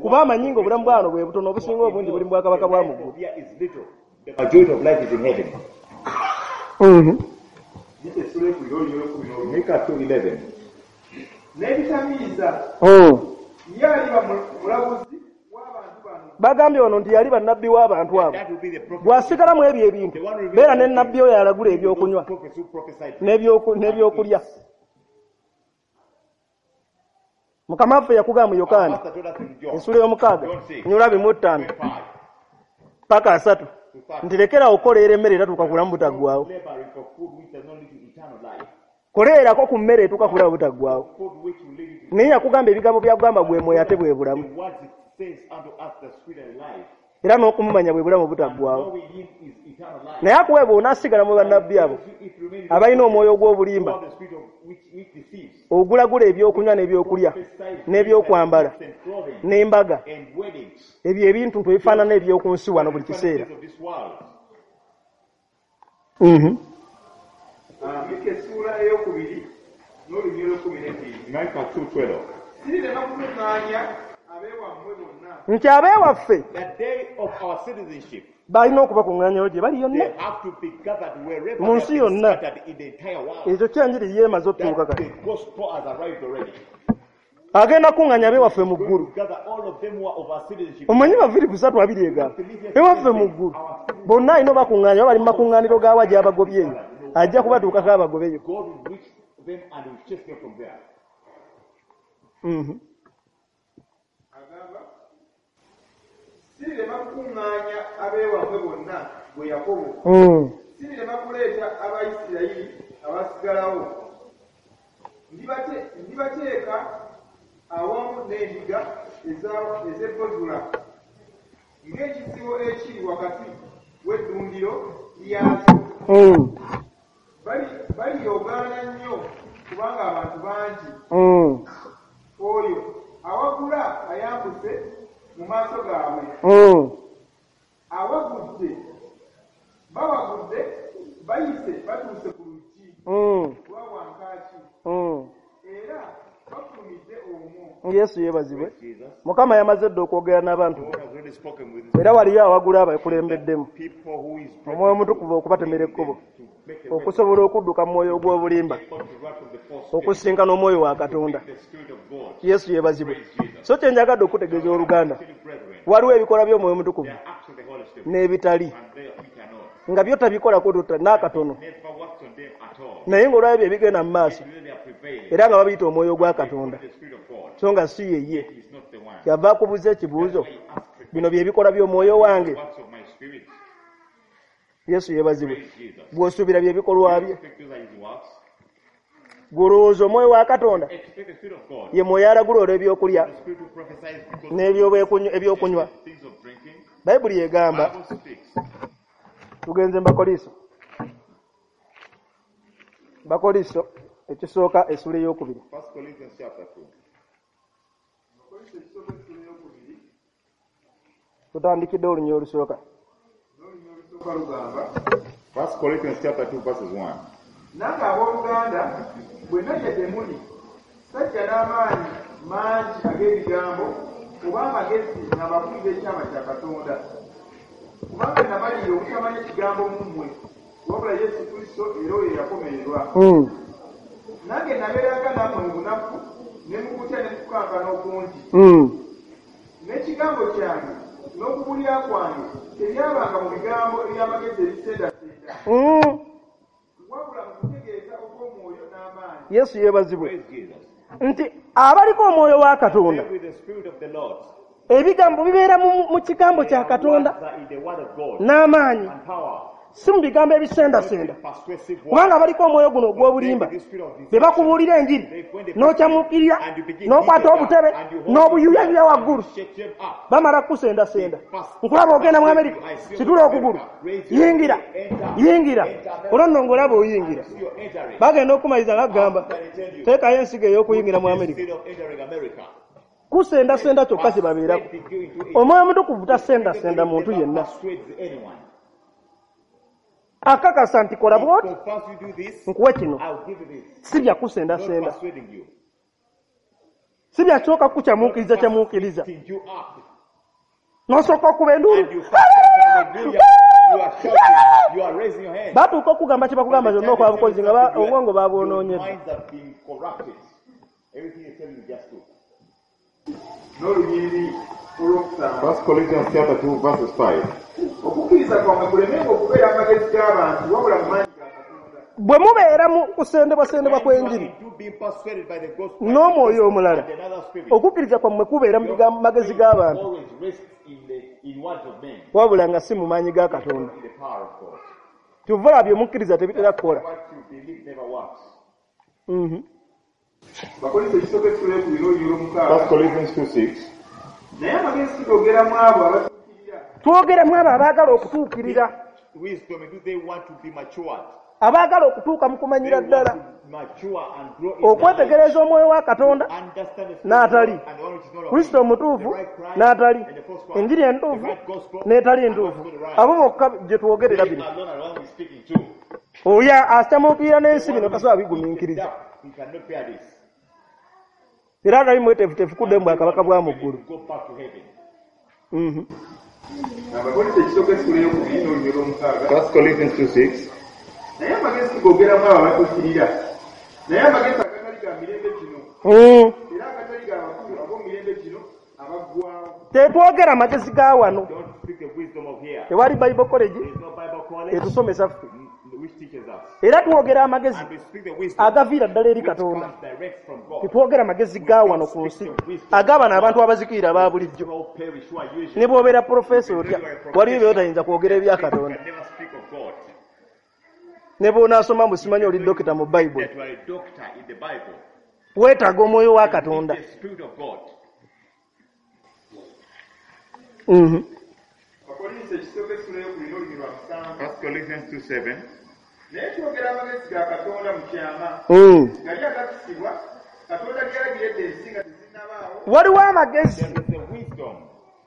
kuba amanyi ng'obulamu bwano bwe butono, obusinga obungi buli mu bwakabaka bwa mu ggulu. Here is little. The majority of life is in heaven. Mika essula ey'okubiri 11. Micah 2:11. N'ebitamiiza ye aliba mulaguzi w'abantu bano. Bagambye wano nti yali bannabbi w'abantu abo. That will be the prophet. Bw'asigala mu ebyo ebintu, beera ne nabbi oyo alagula ebyokunywa Prophets who prophesied. n'ebyokulya. Mukama waffe yakugamba mu Our Yokaana master told us in John ensula y'omukaaga nyula 5 25 paka 30 nti lekera okukoleera emmere etatuuka kulamu butaggwaawo. laboring for food which does not lead to eternal life. Koleerako ku mmere etuuka kulamu butaggwaawo. Food which will lead you to Naye yakugamba ebigambo byakugamba gwe mwoyo ate bwe bulamu, the words it says unto us, the spirit and life. era n'okumumanya bwe bulamu butaggwaawo. Knowing him is eternal life. Naye akuwe bw'onaasigala mu bannabbi abo If you remain in abalina omwoyo ogw'obulimba the spirit of which deceives, ogulagula ebyokunywa n'ebyokulya n'ebyokwambala and clothing n'embaga, and weddings, ebyo ebintu ebifaanana eby'oku nsi wano buli kiseera. of this world. Mika essula ey'okubiri 12. Micah 2:12. Sirirema kukuŋŋaanya abeewammwe bonna. Nti abeewaffe The day of our citizenship, balina okubakuŋŋaanyayo gye bali yonna they have to be gathered wherever Mu they nsi have been yonna. scattered in the entire world. Ekyo kyenjiri yeemaze otutuuka That kati. the gospel has arrived already. Agenda kuŋŋaanya abeewaffe mu Going ggulu. to gather all of them who are of our citizenship. Omanyi baviri 3:20 egamba ewaffe mu ggulu bonna alina obakuŋŋaanya oba bali mu makuŋŋaaniro gaawa gy'abagobyeyo, ajja kubatuukako abagobeyo. God will reach them and will chase them from there. Agamba sirirema kukuŋŋaanya abeewammwe bonna gwe Yakobo. Sirirema kuleeta Abayisirayiri abasigalawo. Ndibateeka awamu n'endiga ez'e Bozula ng'ekisibo ekiri wakati w'eddundiro lyakyo. Baliyogaana nnyo kubanga abantu bangi. Oyo awagula ayambuse mu maaso gaabwe. Awagudde bawagudde bayise batuuse ku luggi lwa wankaaki era bafulumidde omwo. Yesu yeebazibwe. Mukama yamaze dda okwogera n'abantu be. God has already spoken with Era waliyo awagula abakulembeddemu people who is omwoyo omutukuvu okubatemera ekkubo to make a way okusobola okudduka mu mwoyo ogw'obulimba to run from the false spirit, okusinkana omwoyo wa Katonda. the spirit of God. Yesu yeebazibwe. So kye njagadde okutegeeza oluganda, Brethren, waliwo ebikolwa by'omwoyo omutukuvu the acts of the Holy Spirit n'ebitali and they which are not. nga byo tabikolako tota n'akatono, Never works on them at all. naye ng'olwabyo bye bigenda mu maaso They are prevailing. era nga babiyita omwoyo gwa Katonda, The spirit of God so nga si yeye. is not the one. Kyava akubuuza ekibuuzo, He asked bino bye bikolwa by'omwoyo wange? works of my spirit. Yesu yeebazibwe. Praise Jesus. Bw'osuubira bye bikolwa bye, Expect those are his works. gw'olowooza omwoyo wa Katonda Expect the spirit of God. ye mwoyo alagula olw'ebyokulya The spirit who prophesies because n'ebyokunywa. things of drinking. Bayibuli egamba, Bible speaks. tugenze mu Bakoliso, Bakoliso ekisooka essula ey'okubiri. 1 Corinthians chapter 2. Abakolinso ekisooka essula ey'okubiri Tutandikidde olunya olusooka. Olusooka lugamba 1 Corinthians chapter 2 verses 1. Nange abooluganda bwe najja gye muli sajja n'amaanyi mangi ag'ebigambo oba amagezi nga mbabuulira ekyama kya Katonda, kubanga namalirira obutamanya ekigambo mu mmwe wabula Yesu Kristo era oyo eyakomererwa. Nange nabeeranga nammwe mu bunafu ne mu kutya ne mu kukankana okungi. N'ekigambo kyange n'okubuulira kwange tebyabanga mu bigambo eby'amagezi ebisendasenda, wabula mu kutegeeza okw'omwoyo n'amaanyi. Yesu yeebazibwe. Praise Jesus. Nti abaliko omwoyo wa Katonda, With the Spirit of the Lord, ebigambo bibeera mu kigambo kya Katonda words are in the word of God n'amaanyi, and power, si mu bigambo ebisendasenda. persuasive words. Kubanga baliko omwoyo guno ogw'obulimba, be bakubuulira enjiri n'okyamuukirira n'okwata obutebe n'obuyuyayuya waggulu, Shake them up. bamala kukusendasenda. Nkulaba ogenda mu Amerika, situla okugulu, yingira, yingira, olwo nno ng'olaba oyingira. See you're entering. Bagenda okumaliriza nga kugamba teekayo ensigo ey'okuyingira mu Amerika. Instead of entering America. Kusendasenda kyokka kye babeerako. Omwoyo omutukuvu tasendasenda muntu yenna, Persuades anyone. akakasa nti kola bw'oti Confess you do this, nkuwe kino, I'll give you this. si bya Not kusendasenda, persuading you. si bya kisooka kukyamuukiriza kyamuukiriza Lifting you up. n'osooka okuba enduulu. And you hallelujah. You are shouting. You are raising your hand. Batuuka okugamba kye bakugamba By the kyonna time okola they tell bukozi you nga something, obwongo your babwonoonyedde. minds have been corrupted. Everything is telling you just to. N'olunyiriri olwokusanga 1 Corinthians chapter 2 verses 5. okukkiriza kwammwe kulemenga okubeera amagezi g'abantu wabula mu maanyi ga Katonda. Bwe mubeera mu kusendebwasendebwa kw'enjiri When you are being persuaded by the gospel n'omwoyo omulala, and another spirit, okukkiriza kwammwe kubeera mu your magezi faith g'abantu always rests in words of men, wabula nga si mu maanyi ga Katonda. in the power of God. Kyova olaba bye mukkiriza tebitera kukola. What you believe never works. Bakolinso ekisooka essula ey'okubiri n'olunyiriri olwomukaaga. 1 Corinthians 2:6. Naye amagezi tugogera mu abo abatuukirira, Twogera mu abo abaagala okutuukirira, Wisdom, do they want to be matured? abaagala okutuuka mu They kumanyira want ddala, to mature and grow in okwetegereza omwoyo wa Katonda knowledge, understand the spirit n'atali of God and the one which is not of Kristo him. omutuufu The right Christ n'atali and the false Christ. enjiri The entuufu right gospel n'etali and entuufu, what's not right. abo bokka gye twogerera They bino. alone are the one we're speaking to. Oyo asitamuukirira n'ensi The bino one who tasobola is bigumiikiriza, up, he cannot bear this. era atali mweteefuteefu kudda mu bwakabaka bwa mu ggulu. Go back to heaven. Abakolinso ekisooka essula ey'okubiri n'olunyiriri olwomukaaga. 1 Corinthians 2:6. Naye amagezi tugogera mu abo abatuukirira, naye amagezi agatali ga mirembe gino era agatali ga bakulu ab'omu mirembe gino abaggwaawo. Tetwogera magezi ga wano. Don't speak the wisdom of here. Tewali Bible college There is no Bible college etusomesa ffe, which teaches us. era twogera amagezi And we speak the wisdom agaviira ddala eri which Katonda. comes direct from God. Tetwogera magezi ga wano ku nsi agabano abantu abazikirira aba bulijjo. All perish who are usually. Ne bw'obeera profesa otya, waliyo by'otayinza kwogera ebya Katonda. You can never speak of God. Ne bw'onaasoma mbu simanyi oli dokita mu Bayibuli, That you are a doctor in the Bible. weetaaga omwoyo wa You need Katonda. the Spirit of God. Abakolinso ekisooka essula ey'okubiri n'olunyiriri lwa musanvu. 1 Corinthians 2:7. Naye twogera amagezi ga Katonda mu kyama, gali agakisibwa Katonda ge yalagira edda ensi nga tezinnabaawo. Waliwo amagezi There is a wisdom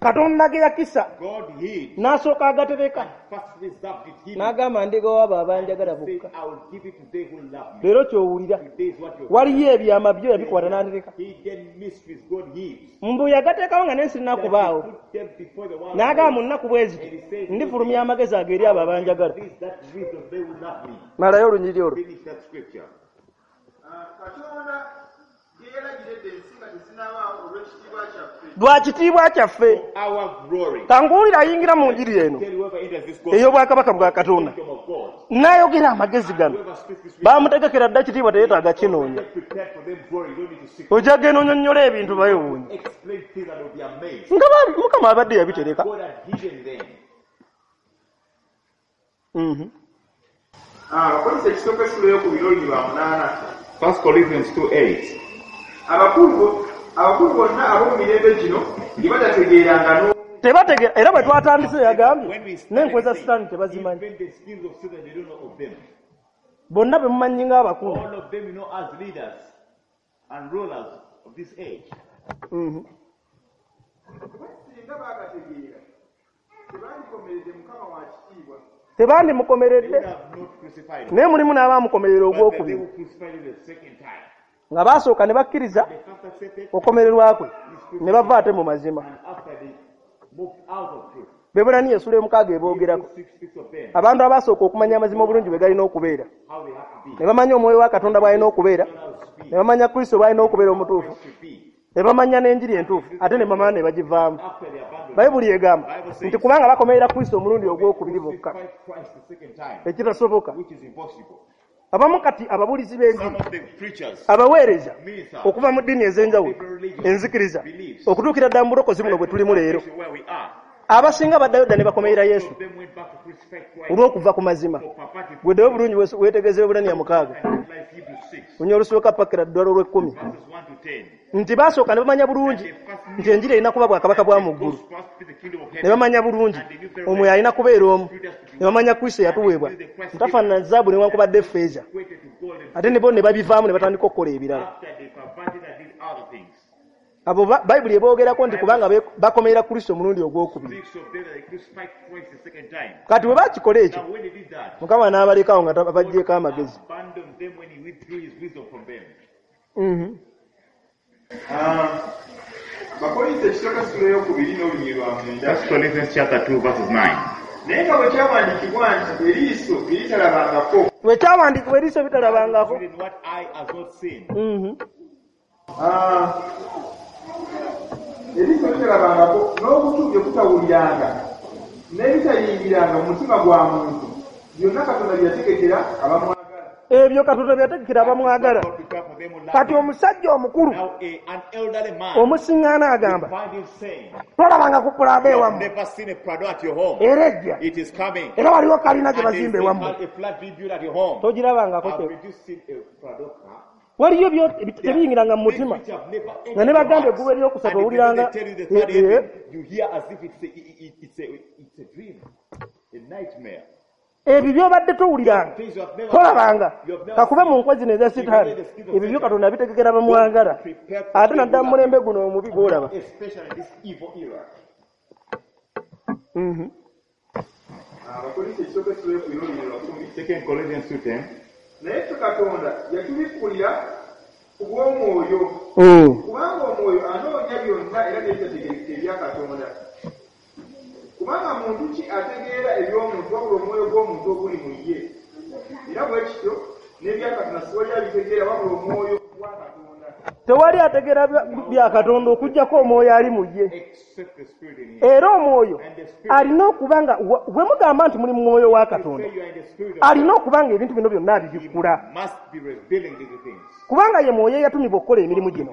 Katonda ge yakisa God hid n'asooka agatereka first reserved it hidden. n'agamba ndigawo abo abanjagala Said, bokka. I will give it to they who love me. Leero ky'owulira Today is what you're waliyo ebyama byo yabikwata n'atereka. Hidden mysteries God hides. Mbu yagateekawo nga n'ensi That he nakubaawo put them before the world. n'agamba mu nnaku bwe ziti ndifulumya amagezi ago eri abo abanjagala. This that wisdom they will love me. Malayo olunyiriri olwo. Finish that scripture. Katonda ge yalagira edda ensi nga tezinnabaawo olw'ekitiibwa kyaffe. Lwa kitiibwa kyaffe. Our glory. Kanguwulira ayingira mu njiri eno Tell whoever enters this gospel, ey'obwakabaka bwa Katonda kingdom of God. n'ayogera amagezi gano, Whoever speaks this wisdom, baamutegekera dda kitiibwa teyeetaaga kinoonya. prepared for them glory. You don't need to seek. Ojja genda onyonnyola ebintu bayewuunya Explain things and will be amazed. nga Mukama abadde yabitereka. God had hidden them. Abakolinso ekisooka essula ey'okubiri n'olunyiriri lwa munaana. 1 Corinthians 2:8. Abakulu bonna ab'omu mirembe gino gye batategeeranga n'omu. Tebategeera era bwe twatandise yagambye When we started n'enkwe za saying, Sitaani tebazimanyi. Even the schemes of Satan, they don't know of them. Bonna be mumanyi ng'abakulu. All of them you know as leaders and rulers of this age. Kuba singa baagategeera tebandikomeredde Mukama wa kitiibwa Tebandimukomeredde, naye mulimu n'abaamukomerera ogwokubiri, nga baasooka ne bakkiriza okukomererwa kwe ne bava ate mu mazima. Bebbulaniya essula 6 eboogerako abantu abasooka okumanya amazima obulungi bwe galina okubeera, ne bamanya omwoyo wa Katonda bw'alina okubeera, ne bamanya Kristo bw'alina okubeera omutuufu, ne bamanya n'enjiri entuufu, ate ne bamala ne bagivaamu. Bayibuli egamba nti kubanga bakomerera Kristo omulundi ogwokubiri bokka, ekitasoboka. Abamu kati ababuulizi b'enjiri, abaweereza okuva mu ddiini ez'enjawulo, enzikiriza, okutuukira ddala mu bulokozi buno bwe tulimu leero, abasinga baddayo dda ne bakomerera Yesu olw'okuva ku mazima. Gweddeyo bulungi weetegereze Bebbulaniya 6 lunya olusooka pakira ddala olw'ekkumi, nti baasooka ne bamanya bulungi nti enjiri erina kuba bwakabaka bwa mu ggulu, ne bamanya bulungi omwoyo alina kubeera omu, ne bamanya Kristo yatuweebwa ntafaanana zaabu newankubadde effeeza, ate ne bo ne babivaamu ne batandika okukola ebirala. Abo Bayibuli eboogerako nti kubanga bakomerera Kristo omulundi ogwokubiri. Kati bwe bakikola ekyo, Mukama n'abalekawo nga baggyeeko amagezi. Abakolinso ekisooka essula 2 n'olunyiriri 9. 1 Corinthians chapter 2 verses 9. Naye nga bwe kyawandiikibwa nti eriiso eritalabangako. Bwe kyawandiikibwa eriiso eritalabangako. What eye has not seen. Eriiso litalabangako n'okutu bye kutawuliranga n'ebitayingiranga mu mutima gwa muntu, byonna Katonda bye yategekera abamwagala. Ebyo Katonda bye yategekera abamwagala. Kati omusajja omukulu omusiŋŋaana agamba, tolabanga ku Prado ewammwe, era ejja, era waliwo kalina gye bazimba ewammwe, togirabangako. Waliyo tebiyingiranga mu mutima, nga ne bagamba eggulu eryokusatu owuliranga ebyo by'obadde towuliranga, tolabanga, kakube mu nkwe zino eza Sitaani, ebyo byo Katonda abitegekera bamwagala, ate naddala mu mulembe guno omubi gw'olaba. Abakolinso ekisooka essula 2 2 Corinthians 2:10. Naye ffe Katonda yatubikkulira ku bw'omwoyo, kubanga omwoyo anoonya byonna era n'ebitategeerekeka ebya Katonda. Kubanga muntu ki ategeera eby'omuntu wabula omwoyo gw'omuntu oguli mu ye? Era bwe kityo n'ebya Katonda siwali abitegeera wabula omwoyo gwa Katonda. Tewali ategeera bya Katonda okuggyako omwoyo ali mu ye. Era omwoyo alina okuba nga bwe mugamba nti muli mu mwoyo wa Katonda, alina okuba nga ebintu bino byonna abibikkula, kubanga ye mwoyo eyatumibwa okukola emirimu gino.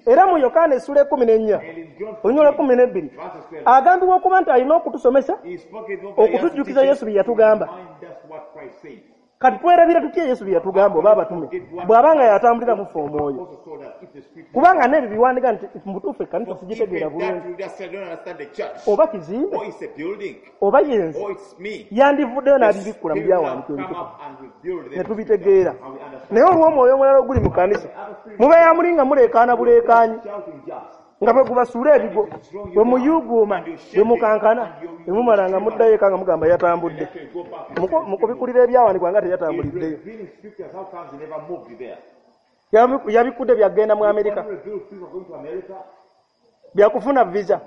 Era mu Yokaana essula 14 olunyiriri 12 agambibwa okuba nti alina okutusomesa, okutujjukiza Yesu bye yatugamba. Kati twerabira tutya Yesu bye yatugamba oba abatume bw'aba nga yatambulira mu ffe omwoyo? Kubanga n'ebyo biwandiika nti mu butuufu ekkanisa sigitegeera bulungi, oba kizimbe oba yenze, yandivuddeyo n'abibikkula mu byawandiikibwa ebitukuvu ne tubitegeera. Naye olw'omwoyo omulala oguli mu kkanisa, mubeera muli nga muleekaana buleekaanyi, nga bwe gubasuula ebigo, bwe muyuuguuma, bwe mukankana, bwe mumala nga muddayo eka nga mugamba yatambudde. Mukubikulira ebyawandiikibwa nga teyatambuliddeyo. Yabikudde byagenda mu Amerika, byakufuna visa.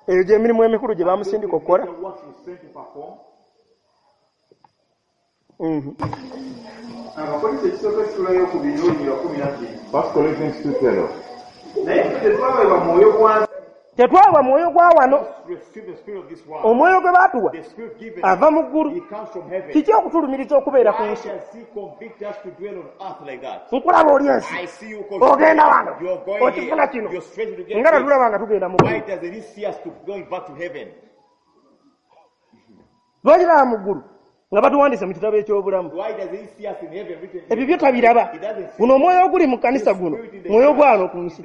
Eyo gy'emirimu emikulu gye bamusindika okukola. Abakolinso ekisooka essula 2 n'olunyiriri 12. 1 Corinthians 2:12. Naye tetwaweebwa mwoyo gwa nsi. Tetwaweebwa mwoyo gwa wano. Omwoyo gwe baatuwa ava mu ggulu. Kiki okutulumiriza okubeera ku nsi? Nkulaba oli ensi, ogenda wano, okifuna kino, nga tatulaba nga tugenda mu ggulu. Lwaki laba mu ggulu nga batuwandiise mu kitabo eky'obulamu? Ebyo byo tabiraba. Guno omwoyo oguli mu kkanisa guno mwoyo gwa wano ku nsi.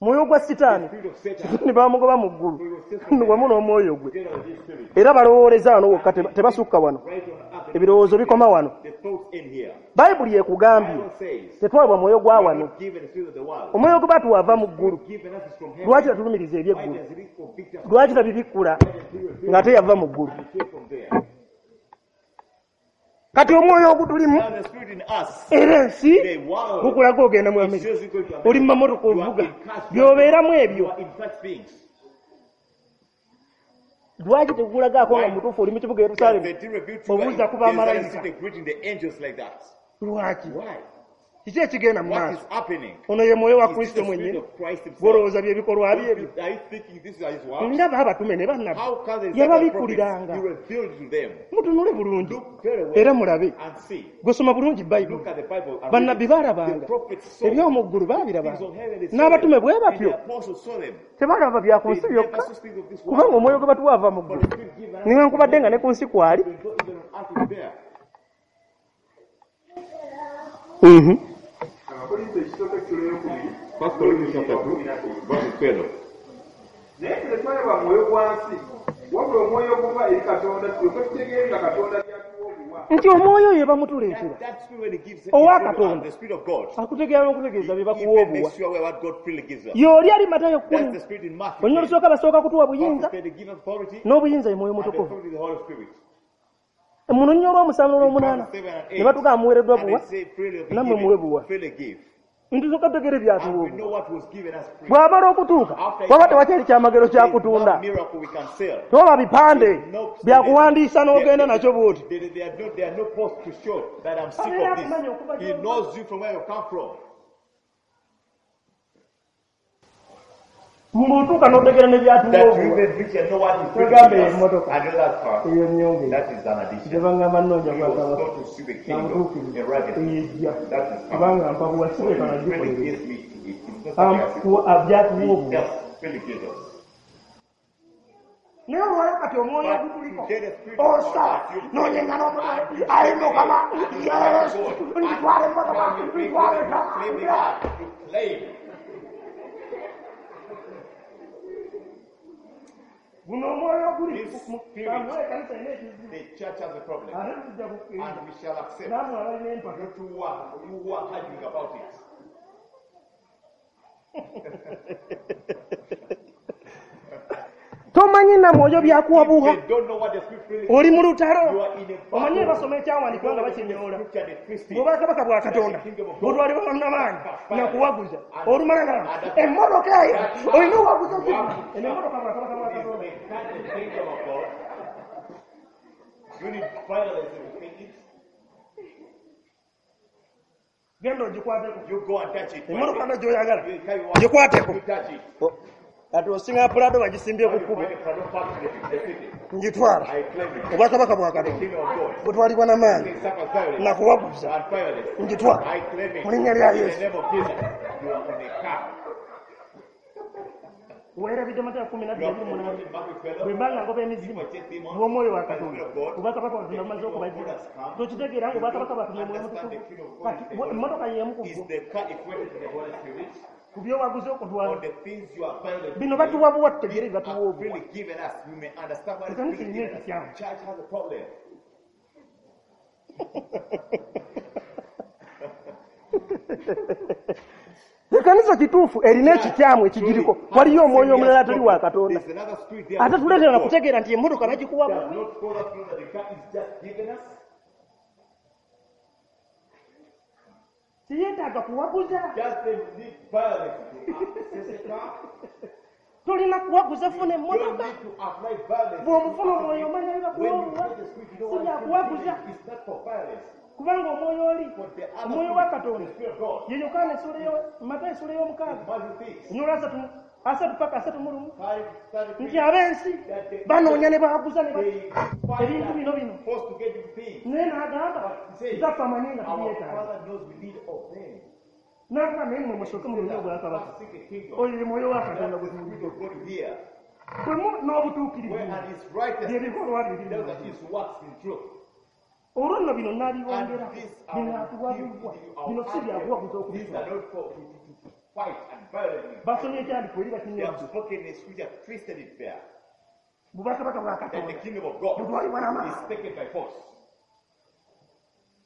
Mwoyo gwa Sitaani The spirit of Satan. ne bamugoba mu ggulu For he was sent from wamu n'omwoyo gwe. together with his spirit. Era balowooleza wano wokka, tebasukka wano, Right on earth. ebirowoozo bikoma wano. The thoughts end here. Bayibuli ekugambye Bible says, tetwalibwa mwoyo gwa we are wano, not given the spirit of the world. omwoyo gwe batuwava mu ggulu. Given us is from heaven. Lwaki tatulumiriza Why ebyeggulu? does it convict us? Lwaki tabibikkula ng'ate yava mu ggulu? And came from there. Kati omwoyo ogutulimu Now the spirit in us, era ensi the world, gukulaga ogenda mu Amerika, shows you going to America. oli mu mamotoka You are ovuga, in cars, by'obeeramu you ebyo are in such things. lwaki tegukulagaako nga mutuufu oli mu kibuga Yerusaalemi? They did reveal to Obuuza ku you bamalayika. Jerusalem city greeting the angels like that. Lwaki? Why? Kiki ekigenda mu What maaso? is happening? Ono ye mwoyo wa Is this Kristo the spirit mwennyini of Christ himself? gw'olowooza byebikolwa bye ebyo? Are you thinking this is his work? Ndaba abatume ne bannabbi How can the disciples yababikkuliranga. he revealed to them? Mutunule bulungi Look very well era mulabe, and see. gwesoma bulungi Bayibuli. Look at the Bible and read Bannabbi it. baalabanga The prophets saw eby'omu ggulu, things baabirabanga of heaven, they saw n'abatume them. bwe And batyo the apostles saw them. tebalaba bya ku They nsi never byokka, saw things of this kubanga world. omwoyo gwe batuwa ava mu But ggulu, the spirit given us newankubadde nga ne ku nsi kwali. even though even on earth is there. Abakolinso ekisooka essula ey'okubiri, First Corinthians chapter 2, verse 12. Naye ffe tetwalaba mwoyo gwa nsi, wabula omwoyo oguva eri Katonda, tulyoke tutegeere nga Katonda by'atuwa obuwa. Nti omwoyo oyo bamutuleetera That, that spirit when he gives Owa it to us, Katonda. the spirit of God, akutegeera n'okutegeeza bye he bakuwa even obuwa. makes sure what God freely gives us. Y'oli ali Matayo That's 10 the spirit in Matthew. olunya olusooka basooka kutuwa buyinza, Matthew, they give us authority, n'obuyinza ye mwoyo and the mutukuvu. authority is the Holy Spirit. Mu lunya olw'omusanvu n'olwomunaana Verse 7 and 8, ne batugaa muweereddwa and buwa, they say, freely have been nammwe given, muwe buwa. freely give. Ntusooka tutegeere byatuwa And we obuwa. know what was given us free. Bw'amala okutuuka After waba tewakyali kyamagero There is no kyakutunda, miracle we can sell. tewaba bipande No- byakuwandiisa n'ogenda nakyo bw'oti. There are no posts to show that I'm sick of this. He knows you from where you come from. Ng'otuuka n'otegeera ne byatuwa That you obuwa. even reach and know what is Togambe given us. emmotoka. And know that car. Eyo nnyonge That is an addition. gye bangamba nnoonya He was bwakabaka taught to see the kingdom nabutuukirivu in righteousness. eyejja, That is coming. kubanga mpa buwa So sibeeka he freely nagikolere gives me. It's not something I seek. byatuwa He obuwa. just freely gives us. Naye olwaleero kati omwoyo But ogutuliko today the spirit of osa God has you n'onyenga n'omwoyo ayi Mukama Yesu ntwala emmotoka ntwala ettaka. Claim the car. You claim. Guno omwoyo oguli This spirit. ekkanisa erina ekizibu, The church has a problem. ate tujja kukkiriza And we shall accept. nammwe abalina empaka. You who are arguing about it. Tomanyi na mwoyo byakuwa buwa, They don't know what the spirit really oli mu You lutalo. are in a battle. Omanyi basoma ekyawandiikibwa nga bakinyoola Scripture, they twist it. bw'obwakabaka bwa Katonda butwalibwa bannamaanyi nakuwaguza olumala nga emmotoka eyo olina owaguza ki eno emmotoka bwakabaka bwa Is Katonda. the kind of kingdom of God. You need violence to think it. Genda ogikwateko You go and touch it. emmotoka nga gy'oyagala You carry one. gikwateko. You touch it. Kati osinga Prado bagisimbye ku You kkubo, find a Prado parked in the city. ngitwala. I claim it. Obwakabaka bwa The Katonda kingdom of God. butwalibwa n'amaanyi They suffer violence nakuwaguza, and violence. ngitwala I claim it. mu linnya lya In the Yesu. name of Jesus. You are on a car. Weerabidde Matayo kumi na You are bbiri munaana forgotten Matthew 12. bwe mba nga ngoba emizimu lw'omwoyo wa Katonda, obwakabaka bwa Katonda bumaze okubajjira. Tokitegeera nga obwakabaka bwa Katonda omwoyo mutukuvu? Kati emmotoka y'emu ku Is bwo the car equated to the Holy Spirit? ku byowaguza Or okutwala the things you are violent bino batuwa buwa, tutegeere bye batuwa are obuwa. freely given us. We may understand what is Ekanisa freely erina given us. ekikyamu. Church has a problem. Ekkanisa kituufu erina ekikyamu ekigiriko, waliyo omwoyo omulala atali wa Katonda There's another spirit there. ate tuleetera nakutegeera nti emmotoka bagikuwa Does buwi. not cause us to know that the car is just given us. Teyeetaaga kuwaguza. Just they need violence to access the car. Tolina kuwaguza funa You don't emmotoka. need to apply violence. Bw'omufuna omwoyo omanya When you bibakuwa get the spirit, you know si what is byakuwaguza, given. It's not for violence. kubanga omwoyo oli But the other omwoyo wa spirit, Katonda the spirit of God, ye Yokaana essula Matayo essula y'omukaaga Matthew 6, enyola asatu paka 31 5, 33, nti ab'ensi banoonya ne bawaguza ne they find ebintu bino bino, us forced to get these things. naye n'agamba kitaffe amanyi nga Our tubyetaaga. Father knows we need of them. N'agamba naye mmwe musooke mulonye obwakabaka. Seek the kingdom. Oyo ye mwoyo wa Katonda That's gwe the spirit tuwulidde of God here. bwe mu n'obutuukirivu Where and his righteousness, byebikolwa bye biri those are his works in truth. Olwo nno bino n'abibongera And these bino are atuwabibwa bino si byakuwaguza These okubitwala. are not for Fight and violently. Basomye ekyandiko eri They have bakinywadde. spoken a scripture, twisted it there. Bubakabaka bwa That the Katonda kingdom of God butwalibwa n'amaanyi, is taken by force.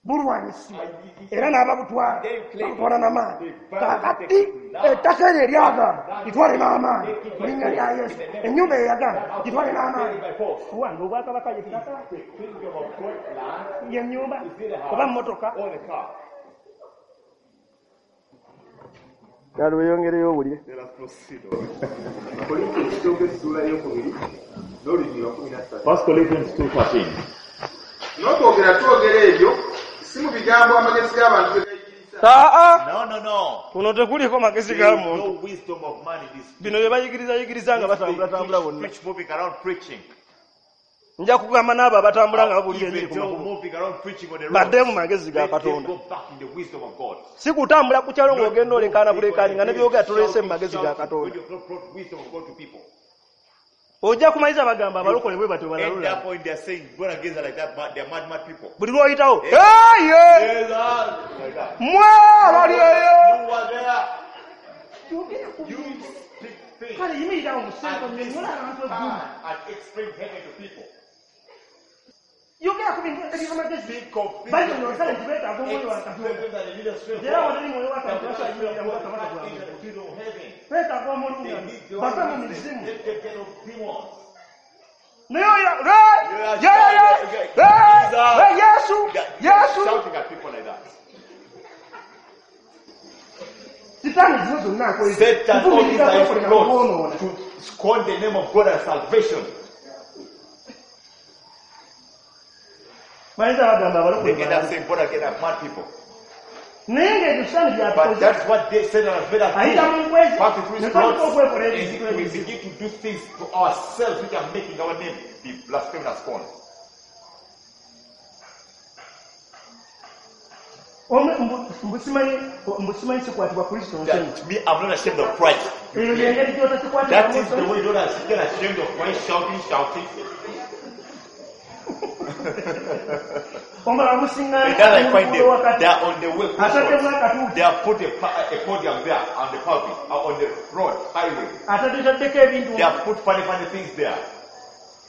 bulwanyisibwa era n'ababutwala babutwala n'amaanyi. Kaakati ettaka eryo eryagaana litwale n'amaanyi mu linnya lya Yesu. Ennyumba eyagaana gitwale n'amaanyi. Owange obwakabaka ye ttaka, The kingdom of God land ye nnyumba is it a oba house mmotoka? or the car? Kale weyongereyo owulire. Let us proceed on. Abakolinso ekisooka essuula ey'okubiri n'olunyiriri lwa 13. 1 Corinthians 2:13. N'okwogera twogera ebyo si mu bigambo amagezi g'abantu bye gayigiriza. Aa, No, no, no. kuno tekuliko magezi There ga is muntu. no wisdom of man in this. Bino bye bayigiriza nga They batambula preach, bonna. preach, moving around preaching. Nja kugamba n'abo abatambula nga babuulira enjiri Even ku though makubo moving around preaching on the badde mu roads, magezi ga let them Katonda. go back in the wisdom of God. Si kutambula ku kyalo Not ng'ogenda olekaana moving on bulekaani the nga ne village byogera toleese mu shouting, magezi ga shouting, when Katonda. you have not brought wisdom of God to people. Ojja kumaliza bagamba abalokole bwe batyo End balalula. up point they are saying, born again are like that, they are mad, mad people. Buli lw'oyitawo Eh. eye Yes, like that. mwe abali eyo. You are there. You speak things. Kale yimirirawo mu ssente And this onyonyola abantu eggulu. time and explain heaven to people. Yogera ku bintu eby'amagezi. Speak of things. Bayonyola kale nti beetaaga omwoyo wa Explain Katonda. them that they need the strength of Era God. watali mwoyo wa That Katonda without the tebasobola strength of kuyingira mu God, they bwakabaka can't bwa enter Katonda. the kingdom of heaven. Beetaaga They omulungamya need the bave mu Holy mizimu. Spirit. Let them get of demons. Naye oyo Yesu Yesu Shouting at people like that. Sitaani zino zonna akozesa Satan all these kuvumirira are kwekolera kwonoona. plots to scorn the name of God and salvation. Bayinza bagamba abalokole They end up balalu. saying born again are mad people. Naye ng'ebyo Sitaani But by'atukoze. that's what they Satan has made us Ayita do. mu nkwezi Pass through ne his tutandika plots, okwekola and ebintu we ebizibu. begin to do things to ourselves which are making our name be blasphemed and scorned. Mbu simanyi sikwatibwa Kristo nsonyi. That me, I'm not ashamed of Christ. Eyo y'engeri That gy'otakikwatiramu is the nsonyi. way you don't get ashamed of Christ, shouting, shouting. Omulala And musiŋŋaana then I mu find luguudo them, wakati they are on the way. ataddemu akatuuti They have put a podium there on the pulpit, on the road, highway. ataddetaddeko ebintu They have put funny, funny things there.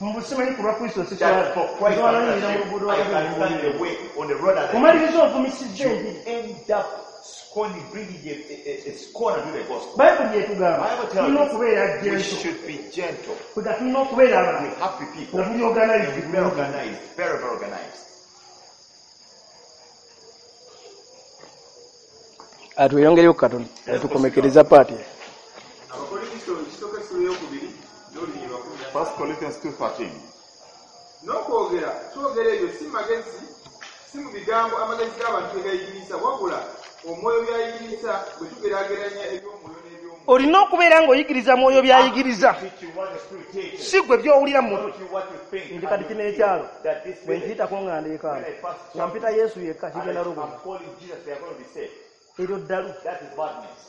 mbu simanyi ku lwa Kristo siswala. That for Christ, Nsobola I'm not n'oyingira mu ashamed. luguudo I wakati can stand the way on the road and omaliriza ovumisizza enjiri. end up scorning, bringing a scorn to the gospel. Bayibuli etugamba Bible tells tulina us okubeera we gentle, should be gentle, kwega tulina okubeera abantu happy people, nga tuli organized very organized, very, very organized. Atweyongereyo katono tukomekereza paati. Abakolinso ekisooka essuula ey'okubiri n'olunyiriri lwa 13. 1 Corinthians 2:13. N'okwogera twogera ebyo si magezi si mu bigambo amagezi g'abantu bye gayigiriza wabula omwoyo by'ayigiriza bwe tugeraageranya eby'omwoyo n'eby'omwoyo. Olina okubeera ng'oyigiriza mwoyo by'ayigiriza, Teach you what the Spirit teaches. si gwe by'owulira mu Not mutwe. you what you think. Nti kati and kino you ekyalo feel that this bwe village, nkiyitako nga ndeekaana when I pass nga mpita Yesu yekka and kigenda I'm luguma. calling Jesus, they are going to be saved. Eryo ddalu. That is madness.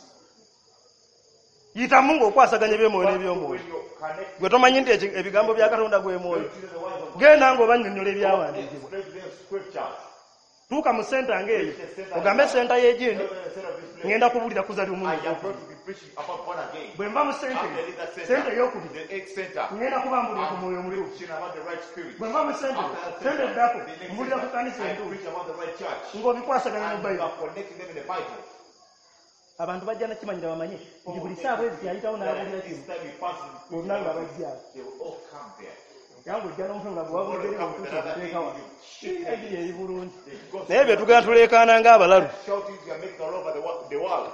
Yitamu ng'okwasaganya eby'omwoyo But n'eby'omwoyo. when you connect Gwe tomanyi nti ebigambo bya Katonda gwe mwoyo. to the words of God, Genda ng'obannyonnyola ebyawandiikibwa. explain to them scriptures. Tuuka mu senta ng'eyo ogambe senta y'egindi Tell them the center of this place. ŋŋenda kubuulira kuza I ly'omulundi. am going to be preaching about born again. Bwe nva mu senta After eyo, leave that senta center, ey'okubiri the eighth center, ŋŋenda kuba mbulira ku I'm mwoyo omutuufu. preaching about the right spirit. Bwe nva mu senta eyo, After that senta center, eddako the next mbulira ku center, kanisa I entuufu preach about the right church. ng'obikwasaganya mu And you Bayibuli. are connecting them in the Bible. Abantu bajja nakimanyira bamanye nti buli ssaawa ezi ayitawo n'abuulira This kino time he passes, bonna nga bajja awo. they will all come there. Era ng'ojja n'omutwe nga gwe wabulidde eri otuusa okuteeka wano. Enjiri eri bulungi. The gospel Naye bye tugenda tuleekaana ng'abalalu. shouting you are making all over the world.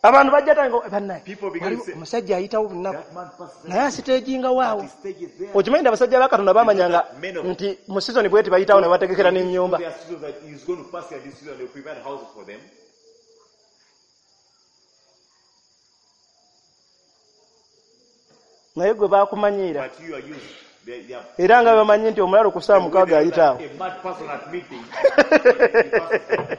Abantu bajja tanga bannaye. People begin to say, Omusajja ayitawo bunaku that man passes naye asiteeginga waawo. the stage is there. Okimanyi nti abasajja ba Katonda baamanyanga nti mu sizoni bweti bayitawo ne bategekera n'ennyumba. There are seasons that he's going to pass here this season, they'll prepare houses for them. Naye gwe baakumanyiira But you are used. They are era nga bamanyi nti omulalu ku ssaawa mukaaga ayitaawo. A mad person at meeting. He passes there.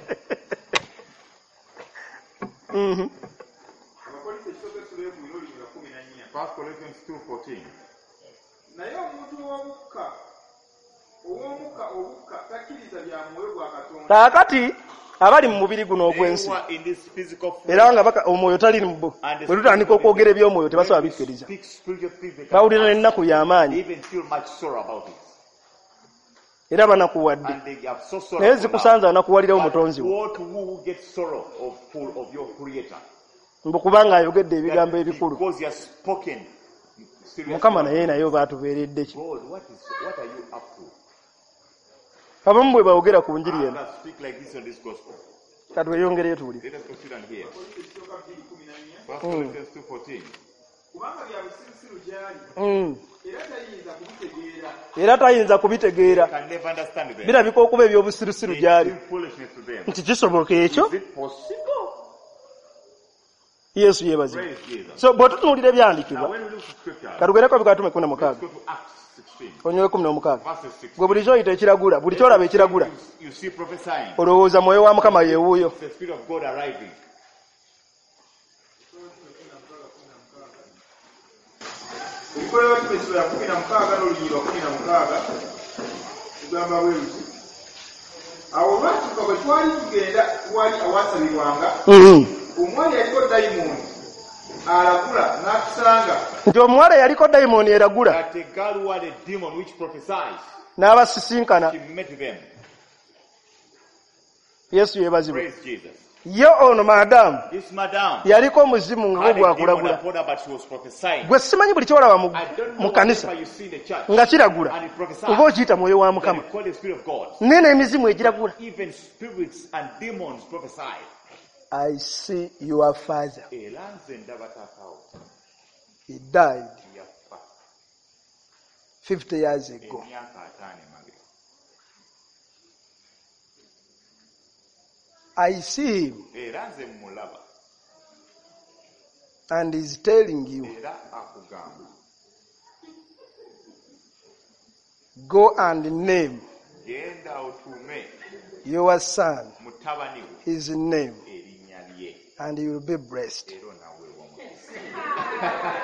Abakolinso ekisooka essuula ey'okubiri n'olunyiriri lwa 14. 1 Corinthians 2:14. Naye omuntu ow'omukka obukka takkiriza bya mwoyo gwa Katonda. Kaakati Abali mu mubiri guno They ogw'ensi who are in this physical flesh. era nga omwoyo tali mu bo. And the Bwe tutandika spirit okwogera eby'omwoyo tebasobola When we bikkiriza. speak spiritual things, they Bawulira cannot n'ennaku y'amaanyi even feel much sorrow about it. era banakuwadde. And they are so Naye sorrowful now. zikusanze anakuwalirawo But mutonzi wo. woe to who gets sorrow of full of your creator. Mbu kubanga ayogedde ebigambo That ebikulu. because he has spoken serious Mukama words. naye naye baatubeeredde ki? God, what are you up to? Abamu bwe bawogera ku njiri eno. Others speak like this on this gospel. Katweyongereyo tuwulire. Let us proceed and hear. 1 Corinthians 2:14. Kubanga bya busirusiru gy'ali era tayinza kubitegeera. Era tayinza kubitegeera. Can never understand them. Birabika okuba eby'obusirusiru They gy'ali. seem foolishness to them. Nti kisoboka ekyo? Is it possible? Yesu yeebazibwe. Praise Jesus. So bw'otutunuulira Now ebyawandiikibwa, when we look to scripture, katugereko Ebikatume kumi na let's mukaaga go to Acts 16, onyowe 16. verses 16. Gwe buli ky'oyita ekiragula, buli ky'olaba ekiragula, You see prophesying. olowooza mwoyo wa Mukama yeewuuyo. It's the Spirit of God arriving. Ebikolwa by'Abatume essula ya 16 n'olunyiriri lwa 16 tugamba bwe luti. Awo olwatuuka bwe twali tugenda wali awasabirwanga, omuwala yaliko dayimooni alagula n'atusanga. Nti omuwala yaliko dayimooni eragula That a girl who had a demon which prophesies, n'abasisinkana. she met them. Yesu yeebazibwe. Praise Jesus. Ye ono maadamu This madam yaliko omuzimu nga had a demon gwakulagula. upon her, but she was prophesying. Gwe simanyi buli kyolaba I don't mu know kanisa whatever you see in the church nga kiragula and it prophesies. oba okiyita mwoyo wa Then Mukama. you call the Spirit of God. Naye n'emizimu egiragula. Even spirits and demons prophesy. I see your father. Era nze ndaba taata wo He died yafa 50 years ago. emyaka 50 emabega. I see him Era nze mmulaba and he's telling you, era akugamba go and name genda otuume your son mutabani wo his name erinnya lye and you will be blessed. era onaaweebwa omukisa.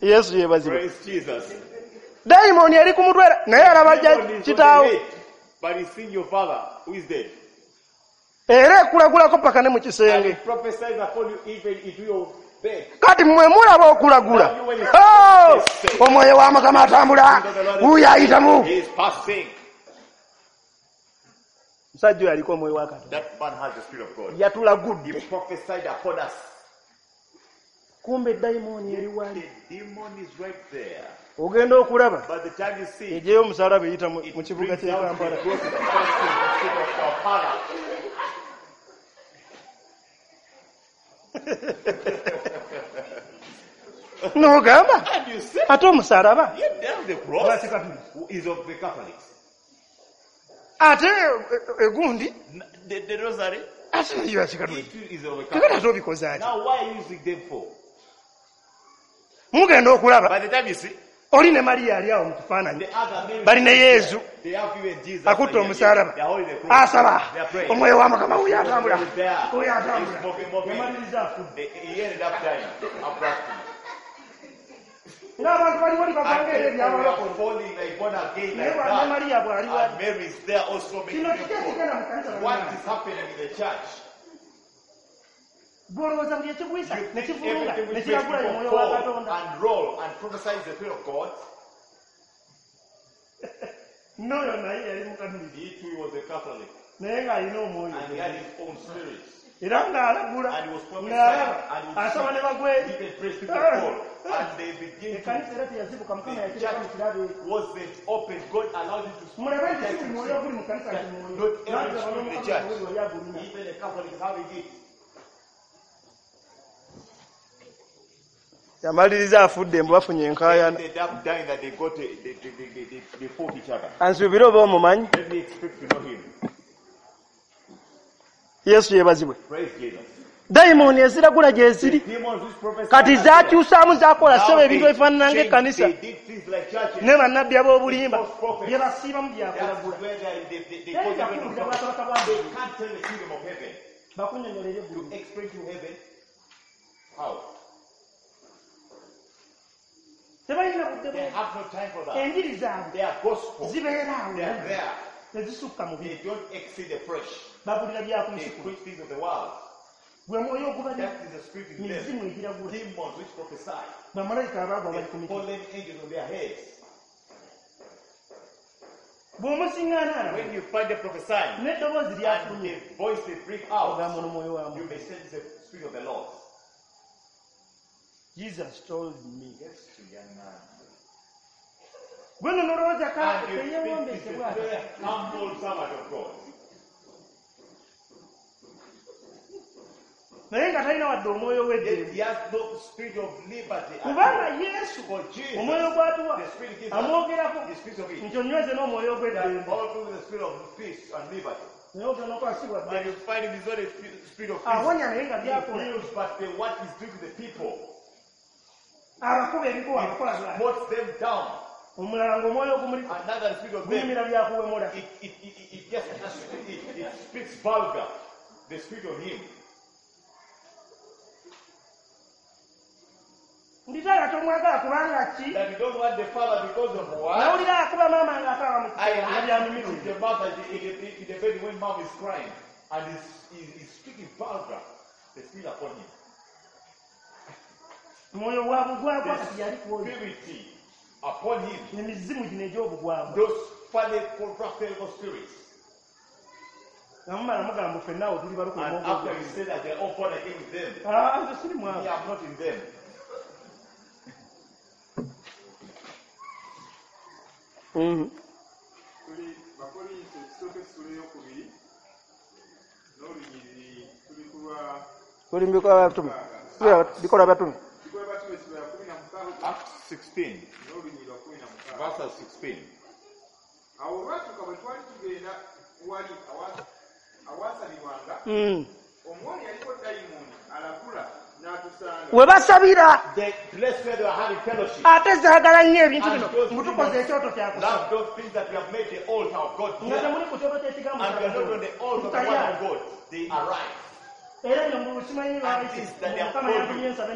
Yesu yeebazibwe. Praise Jesus. Dayimooni eri ku mutwe naye alaba Demon is on the kitaawo head, but he's seeing your father who is dead. era ekulagulako paka ne mu And kisenge. he prophesies upon you even into your bed. Kati mmwe mulaba okulagula. Oh! Omwoyo wa Mukama atambula wuuyo ayitamu. He is passing. Musajja oyo aliko omwoyo wa Katonda. That man has the Spirit of God. Yatulagudde. He prophesied upon us. Kumbe dayimooni eri wali. The demon is right there. Ogenda okulaba By the time you see it, egyeyo omusalaba eyita mu it mu kibuga brings ky'e out the Kampala. growth of Christ in the city of Kampala. N'ogamba And you see, ate omusalaba yet down the cross is of the Catholics. ate egundi The rosary, ate nayo yakikatuliki. it too is of the Kakati Catholics. ate obikoze ati Now, why are you using them for? mugenda okulaba By the time you see, oli ne Mariya ali awo mu kifaananyi the other Mary, bali ne Yesu they have even Jesus. akutte They omusalaba are holding the cross. asaba They are praying. omwoyo wa Mukama wuyo atambula Is there. wuyo He's atambula moving, moving. yamaliriza afudde He ended up dying abruptly. ng'abantu bali wali And baganga era people were ebyabalokole falling like born again naye like bwa ne that. Mariya bw'ali wali And Mary is there also making kino them kiki fall. ekigenda mu kanisa What bannange? is happening in the church? Gw'olowooza buli ekigwisa You ne think kivulunga everything ne which makes kiragula ye people mwoyo wa fall Katonda and roll and prophesy is the Spirit of God? n'oyo naye yali mukatuliki He too was a Catholic naye ng'alina omwoyo and he had his own spirit. era ng'alagula And he was prophesying ng'alaba and he would asaba see. ne bagweri Even praise people fall and they begin to ekkanisa era teyazibuka Mukama The yakireka mu church kirabo ekyo wasn't open. God allowed him to speak. mulabe nti si buli mwoyo oguli mu kanisa nti mwoyo Not every Nange spirit in the Mukama church. wali wali agulina Even the Catholic is having it. Yamaliriza afudde mbu bafunye enkaayana. They ended up dying that they got they fought each other. Ansuubire oba omumanyi. Let me expect to know him. Yesu yeebazibwe. Praise Jesus. Dayimooni eziragula gye ziri The demons which prophesy kati zakyusaamu zakola now ssebo ebintu they ebifaanana changed, ng'ekkanisa They did things like churches. ne bannabbi ab'obulimba False prophets. bye basiibamu That's byakulagula. where they Teri call them byakuwulira bwakabaka bwa They Ggulu. can't tell the kingdom of heaven. Bakunnyonnyola eby'eggulu. To explain to heaven how? budde They have no time for that. Enjiri zaabwe Their gospel, zibeera awo they are there. tezisukka mu They bintu don't exceed the fresh. Babulira bya ku They nsi kuno. preach things of the world. Gwe mwoyo ogubalira That is the spirit in mizimu them. egiragula Demons which prophesy. bamalayika abaagwa bali ku The miti fallen angels on their heads. Bw'omusiŋŋaana alaba When you find them prophesying, n'eddoboozi and lyafulumye the voice they bring out, ogamba ono mwoyo wa you Mukama. may sense the spirit of the Lord. Jesus told me. Yesu yaŋŋamba. Gwe nno nolowooza ka And you think teyeewombeese he's a bw'atyo. very humble servant of God. Naye nga talina wadde omwoyo Yet w'eddembe he has no spirit of liberty at kubanga all. Yesu For Jesus, omwoyo gw'atuwa the spirit gives us, amwogerako he speaks of it. nti onyweze n'omwoyo That ogw'eddembe all through the spirit of peace and liberty. naye ogenda okwasibwa And ddala you find him is not a spirit of peace. Awonya naye nga He byakola heals, but what he's doing to the people, abakuba ebikuwa abakola he bw'atyo. smotes them down. Omulala ng'omwoyo ogumuliko Another spirit of them, guyimira byakuwemula it just it speaks vulgar. The spirit of him. Nditaala tomwagala kubanga ki That you don't want the father because of what? Nawulira akuba maama ng'akaaba mu I kisenge nga had byanyumirwa the mother in the bed when mom is crying and he's speaking vulgar. The spirit upon him. Mwoyo wa bugwagwa The kati yali ku oyo spirit upon him. Emizimu gino egy'obugwagwa Those funny corrupted spirits. Nga mumala mugamba ffenna awo tuli balokole And after you say that they're all born again with them, Ah, nze siri me, mwavu I'm not in them. Tuli Bakolinso ekisooka essula eyokubiri n'olunyiriri tuli ku lwa Tuli mu bikolwa by'abatume. Bikolwa by'abatume. Bikolwa by'Abatume essula ya 16 Acts 16, n'olunyiriri lwa 16. Verse 16. Awo olwatuuka bwe twali tugenda wali awasabirwanga omwoyo yaliko dayimooni alagula n'atusanga We basabira The place where they were having fellowship. Ate zaagala nnyo ebintu bino And those mbu tukoze demons ekyoto kyakusaba love those things that we have made the altar of God nga here. temuli ku kyoto ky'ekigambo And we are not on the altar of the word of God. They arise. Era bino mu simanyi And this that they have Mukama called yantumye you, nsabe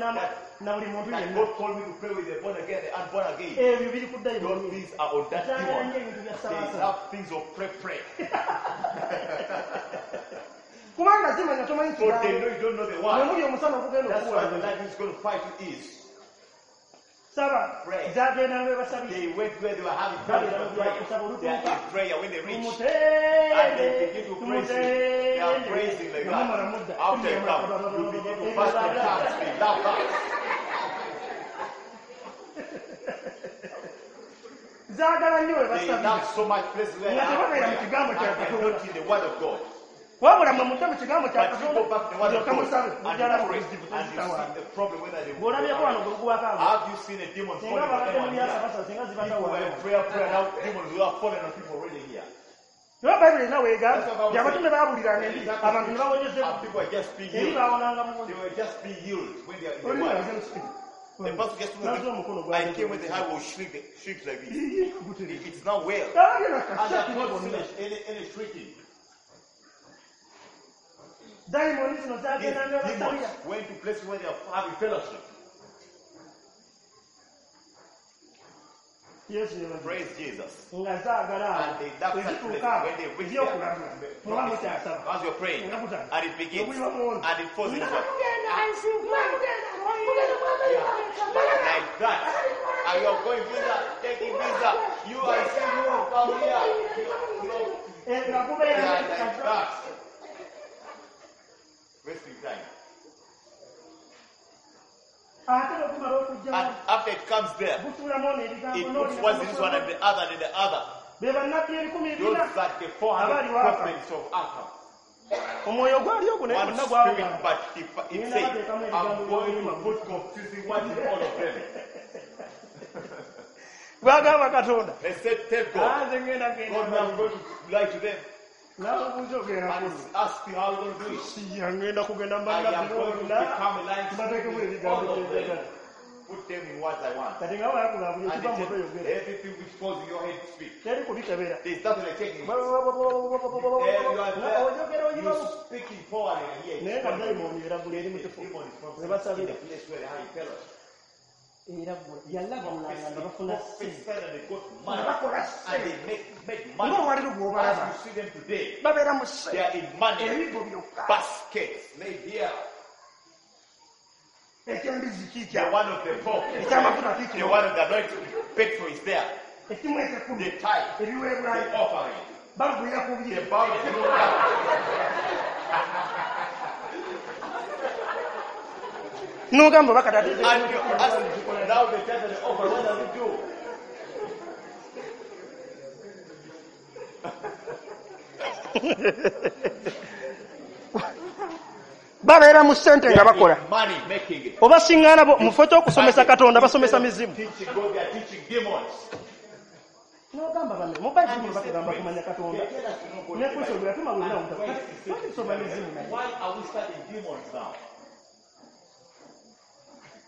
na buli muntu that yenna God called me to pray with the born again, the unborn again. Ebyo biri ku Those dayimooni things are on that Zaagala demon. nnyo ebintu bya They sabaasa love things of pray, pray. Kubanga zimanya tomanyi So they kigambo know you don't know the mwe word. muli omusana ogugenda That's why the okuwula light is going to fight you is. Saba Pray. zagenda lwe basabira They went where they were having fellowship and prayer. They are in prayer when they reach. And they begin to praise him. They are praising like that. After you come, you begin to fast in tongues. They love that. Zaagala nnyo we They basabira love so much places where they Nga have tebabeera mu prayer. kigambo kya And they are Katonda. not in the word of God. Wabula mwe mudde mu kigambo kya But you Katonda go back to the word of mulyoke God musabe and mujjala you mu pray buzibu and you tezitawaana see the problem whether they Bw'olabyeko wano gwe guwako abo Have you seen a demon singa falling on babadde mu anyone here? byasabasa singa People were in zibatawaana prayer, prayer, now demons who are falling on people already here. Naye Bayibuli erina weegamba That's what nti abatume baabuliranga says. eri abantu ne bawonyezebwa And people were just being eri healed. baawonanga muwonyo They were just being healed when they are in the Oli word. agenda The pastor gets to Nazo omukono the gwa I came with the high will shrink, shrink like this. It's not well. Abagenda And I've not kasha seen any shrieking. Dayimooni zino These zagenda ne demons basabira went to places where they are having fellowship. Yesu yeebazibwe. Praise Jesus. Nga zaagala And they love such places ezituuka when they reach ebyokulabula there. muba mukyasaba As you're praying, Nga kutandika. and it begins, Obuliba muwono. and it falls into Nga one. mugenda, Like that. And you're going visa, taking visa. You are seeing you come here. You know, Eh, nga gubeera they are like that. Wasting time. Ate bwe gumala okujja And after it comes there, gusuulamu ono ebigambo it n'oli puts one in this one and the other and the other. Be bannabbi 40,000 Those are the 400 Abali waka. prophets of Ahab. Omwoyo gwali ogwo naye One gwonna spirit, gwawugamba but it said, I'm going to put confusing words in all of them. Gwagamba Katonda They said, tell God, Ah, nze ngenda God, genda I'm going to lie to them. Nabuuza ogenda And kulwa ask me how we're going to do it. Siya ngenda kugenda mu I am bannabbi going to bonna become a lying mbateekemu spirit with ebigambo all of them. byenjagala Put them in words I want. Kati nga bayakuga buli And ekiva they mu said, mutwe yogera everything which falls in your head, speak. Teri kubikebera There's nothing like checking it. There you are there. Oyogera You oyibamu speaking forward and here. Naye nga dayimooni eragula eri mu The kifo demon is we from in basabira the place where they have fellowship. Era yalagulanga nga bafuna Prophesied and they got Nga money. bakola And ssente they make money. Ng'olwaliro bw'obalaba As you see them today, babeera mu they ssente are in money. Ebigo byokka Baskets laid here. Ekyembizi The kiikya one of the pork, Ekyamafuta the kiikyo one of the anointed petrol is there. Ekimu ekyekumi The tithe, Ebiweebwayo the offering, Bagwira ku the bye bow to God. N'ogamba bakata And you ask, now the tithe and the offering, what does it do? Babeera mu ssente nga bakola In money making it. Oba siŋŋaana bo mu kifo ky'okusomesa Katonda basomesa mizimu Teaching God, they are teaching demons. N'ogamba bano mu Bayibuli batugamba kumanya Katonda They tell us to know God ne in the Kristo Bible. gwe yatuma And bwonna Christ is teaching tusoma mizimu naye Why are we studying demons now?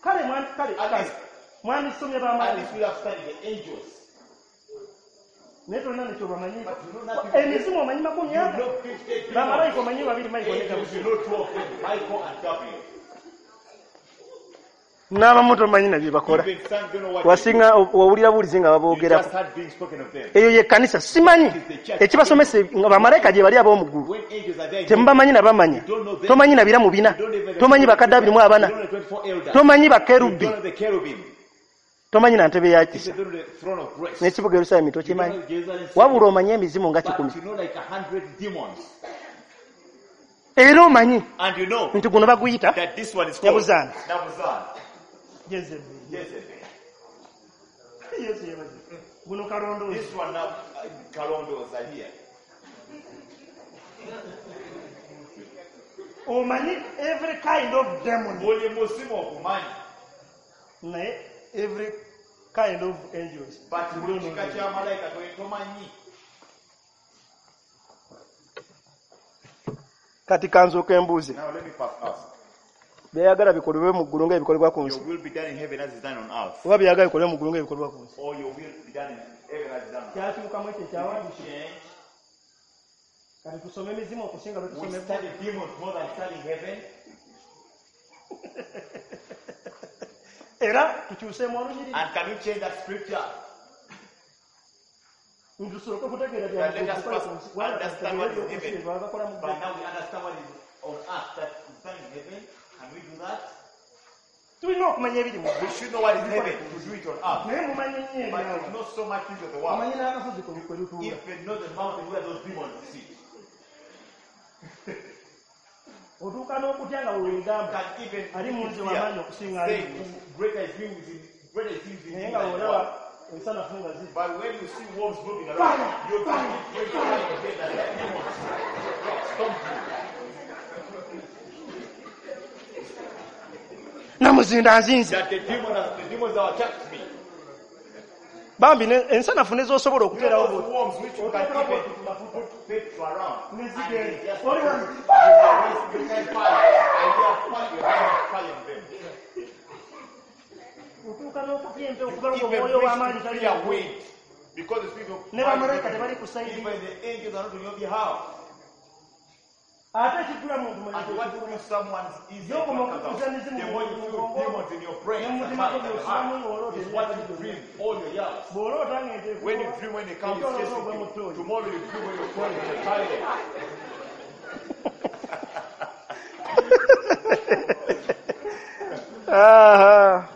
Kale kale At kale least- mwandisomye At bamalayika least we have studied the angels. Naye tolina nekyobamanyi But you know nothing. Emizimu omanyi makumi You ana know 50 Bamalayika demons. omanyi babiri Michael ne Angels, Gabriel you know two of them, Michael and Gabriel. N'abamu tomanyi na bye bakola Even some don't know what they do. Wasinga owulira buwulizi nga You baboogerako just heard being spoken of them. Eyo yekkanisa simanyi ekibasomesa nga bamalayika gye bali ab'omu ggulu When angels are there, in heaven, Temubamanyi na bamanya tomanyi na biramu bina you don't even tomanyi bakadde abiri mu abana You don't know the 24 elders. Tomanyi You bakerubi don't know the cherubim. Tomanyi na ntebe ya You kisa don't know the throne of grace. N'ekibuga Yerusaalemi You don't tokimanyi know Jerusalem city. Wabula omanyi emizimu nga kikumi But you know like 100 demons. Era omanyi And you know nti guno baguyita that this one is called Nabuzan. Nabuzan. Jezebeli. Jezebel. Yesu yebaze. Guno kalondoozi This one now, Kalondos are here. Omanyi every kind of demon Buli muzimu ogumanyi. Naye every kind of angels But you buli don't know kika them. kya malayika tomanyi. Kati kanzooka embuuze Now let me first ask. Byayagala bikolebwe mu ggulu ng'ebikolebwa ku nsi Your will be done in heaven as is done on earth. Oba byayagala bikolebwe mu ggulu ng'ebikolebwa ku nsi Or your will be done in heaven as is done on earth. Kyakyukamu ekyo ekyawandiikibwa Change. Kati tusome emizimu okusinga lwe We tusome study demons more than studying heaven. Era tukyuseemu olunyiriri And can we change that scripture? Ntusooke kutegeera That let us byamukola first ku nsi Wala understand what is tutegeere heaven. ebyokusi bakola mu But ggulu now we understand what is on earth that is done in heaven. Can we do that? Tulina okumanya ebiri mu We ggulu should know what is heaven to do it on earth. Naye mumanyi nnyo But ebyawo it's not so much into the world. Omanyi n'akasozi kwe lutuula If you know the mountain where those demons sit, Otuuka n'okutya nga weweegamba can even Ali mu nze fear, w'amaanyi okusinga ali say, mu nsi. greater is he who is in, greater is he who is in Naye you nga than the bw'olaba world. ensanafu nga ziri But when you see worms moving around, you can pray to God again that the demons stomp you. Namuzinda nzinze That the demons have attacked me. Bambi ensanafu nezosobola You know okuteerawo those bw'oti. worms which you can Oteekawo even bw'oti ku mafuta. put petrol around. Ne And zigenda. they just Oli wano. you can fire. And you are fire, you are fire on them. Otuuka n'okutya empewo kubanga Even omwoyo w'amaanyi brings tali fear wind. Because the spirit of Ne bamalayika tebali ku sayidi even the angels are not on your behalf. Ate ekijjula muntu And what you someone's easy Yoko what comes out. mokukuza mizimu The more you mu feel bwongo, demons in your brain ne and mu mutima mind gwo and heart by'osulamu ng'oloota is what you ebintu dream all your years. Bw'oloota ng'ente When you dream when they come, it's Ekyoloota chasing ogwa mu you. ttooyi. Tomorrow you dream when you're crawling in the toilet. Aha.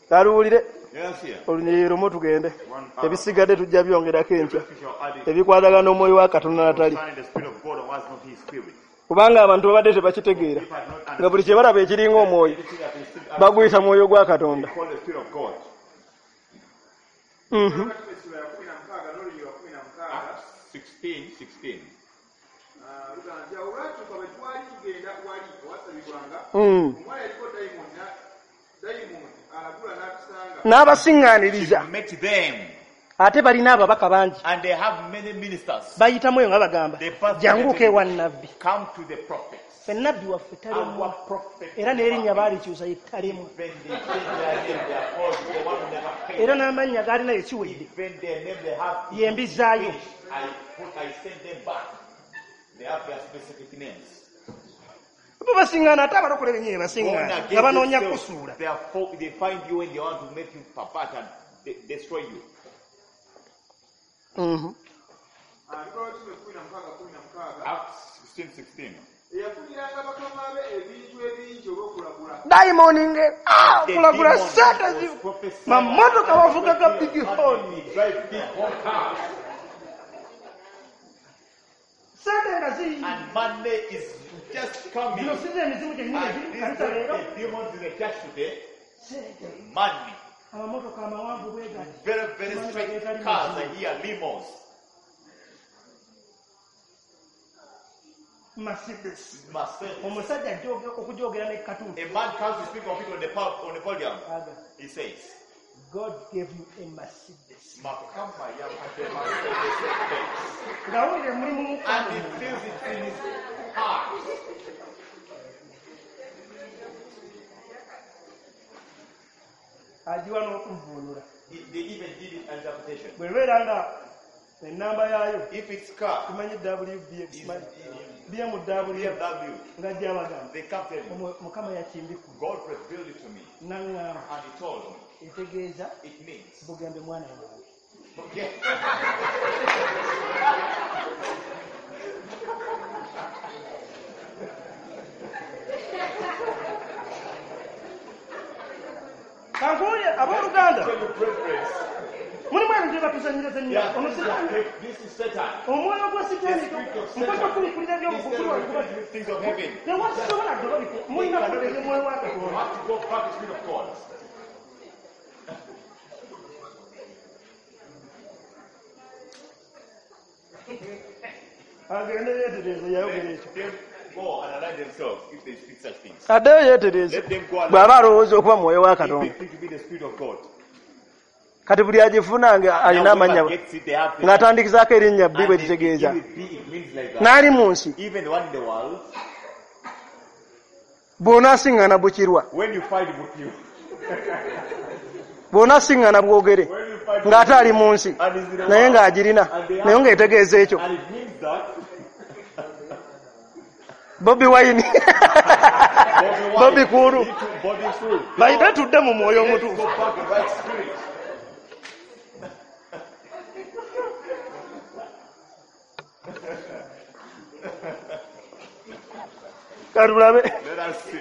Kaluwulire Yes, here. olunyiriri lumu tugende One hour. Ebisigadde tujja byongerako enkya We shall add it. Ebikwatagana n'omwoyo wa Katonda natali Concerning the spirit of God and what's not his spirit. Kubanga abantu babadde tebakitegeera If I not nga buli kye balaba ekiringa omwoyo anything that is still baguyita mwoyo gwa Katonda call the spirit of God. Essula ya 16 n'olunyiriri lwa 16 Acts 16, 16. Ah, lugamba nti awo olwatuuka bwe twali tugenda wali owasabibwanga omuwala yaliko dayimooni alagula n'atusanga N'abasiŋŋaaniriza Met them, Ate balina ababaka bangi and they have many ministers. Bayitamu eyo nga bagamba They pass janguuka ewa nnabbi Come to the prophets. Ffe nabbi waffe talemwa Our prophet. Era n'erinnya baalikyusa ye talemwa Even they change their name, they are called the one who never fails. Era n'amannya gaalina ekiwedde Even their name they have. Ye mbizaayo I send them back. They have their specific names. Bo basingana ate abalokole bennyini Born basingana again nga banoonya themselves, kusuula. Therefore, they find you when they want to make you pervert and destroy you. Acts 16:16. Dayimoni nge kulagula sente mamotoka bavuga ga big horn. Drive big horn cars. Sente nga ziyingi. And money is just coming. Zino si ze emizimu gyennyini And egiri mu these kanisa leero. the demons in the church today, Sente. money. Amamotoka amawanvu bwe gati. Very, very straight cars are here, limos. Mercedes. Mercedes. Omusajja ajja okujogera ne katuuti. A man comes to speak of it on the podium. He says, God gave you a Mercedes. Makama yampadde Mercedes Benz. Ng'awulira mulimu mu And he feels it in his heart. Agiwa n'okuvvuunula. They even give it interpretation. Bw'ebeera nga ennamba yaayo If it's car, tumanyi WBX, is BMW, BMW, nga gy'abagamba. they come tell you, Mukama yakimbikula. God revealed it to me. N'aŋŋamba. And he told me. Etegeeza It means. bugembe mwana wange. Okay. Kankuwulire abooluganda. Tell your brethren. Mulimu ebintu bye batuzannyira Yeah, ono Sitaani. this is Satan. Omwoyo gwa Sitaani The spirit of nkwata Satan. okubikulira eby'obukulu Instead of the things of heaven. Tewasobola gwe mulina kubeera omwoyo wa You Katonda. have to go back to the spirit of God. Agende yeetereeze yayogera ekyo. Let them go and align themselves if they speak such things. Addeyo yeetereeze Let them go and bw'aba alowooza okuba mwoyo wa if they Katonda. think to be the spirit of God. Kati buli agifuna nga alina Now, amannya whoever gets it, they have the ng'atandikizaako erinnya bbi bwe And they litegeeza. begin with B, it means like that. N'ali mu nsi Even the one in the world, bw'onaasiŋŋana bukirwa when you find with you, bw'onaasiŋŋana bwogere when you find ng'ate ali mu nsi and is in the naye world, ng'agirina naye ng'etegeeza ekyo. and it means that Bobi Wine Bobby Bobby Kulu Bobby Kulu. bayite tudde mu mwoyo Let's omutuufu. go back the right spirit. Katulabe. Let us see.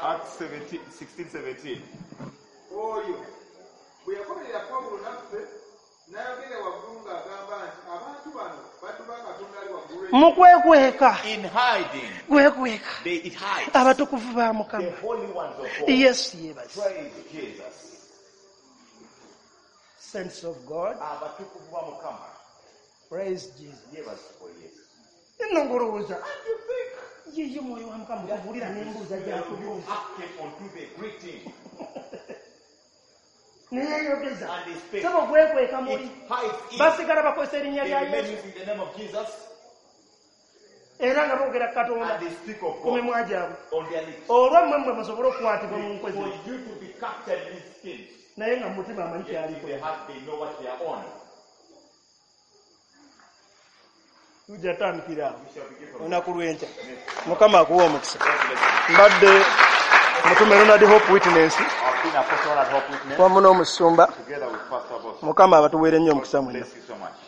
Acts 17, 16, 17. Oyo bwe yakomerera Pawulo naffe n'ayogera waggulu ng'agamba nti abantu bano baddu ba Katonda ali waggulu Mu kwekweka In hiding, kwekweka they it hides. abatukuvu ba Mukama. The holy ones of God. Yesu yeebase. Praise Jesus. Saints of God, Abatukuvu ba Mukama. praise Jesus. Yeebazibwe Yesu. Nno ng'olowooza ye ye mwoyo wa Mukama okubuulira n'embuuza You gy'akubuuza. acted unto the greeting. Neyeeyogeza. And they spake. Sebo gwekweka muli. It hides in. Basigala bakozesa erinnya They lya remain Yesu using the name of Jesus era nga boogera ku Katonda and they speak of ku God mimwa gyabwe. on their lips. Olwo mmwe mmwe musobole okukwatibwa mu nkwe For zino. you to be captured in these schemes. Naye nga mu mutima amanyi Yet in ky'aliko. their heart they know what they are on. Tujja tandikira awo We shall begin from olunaku lw'enkya. Mukama akuwe omukisa. God bless you. Mbadde mutume Ronald Hope Witness I've been Apostle Ronald Hope Witness wamu n'omusumba. together with Pastor Boss. Mukama abatuweere nnyo omukisa God mwenna. bless you so much.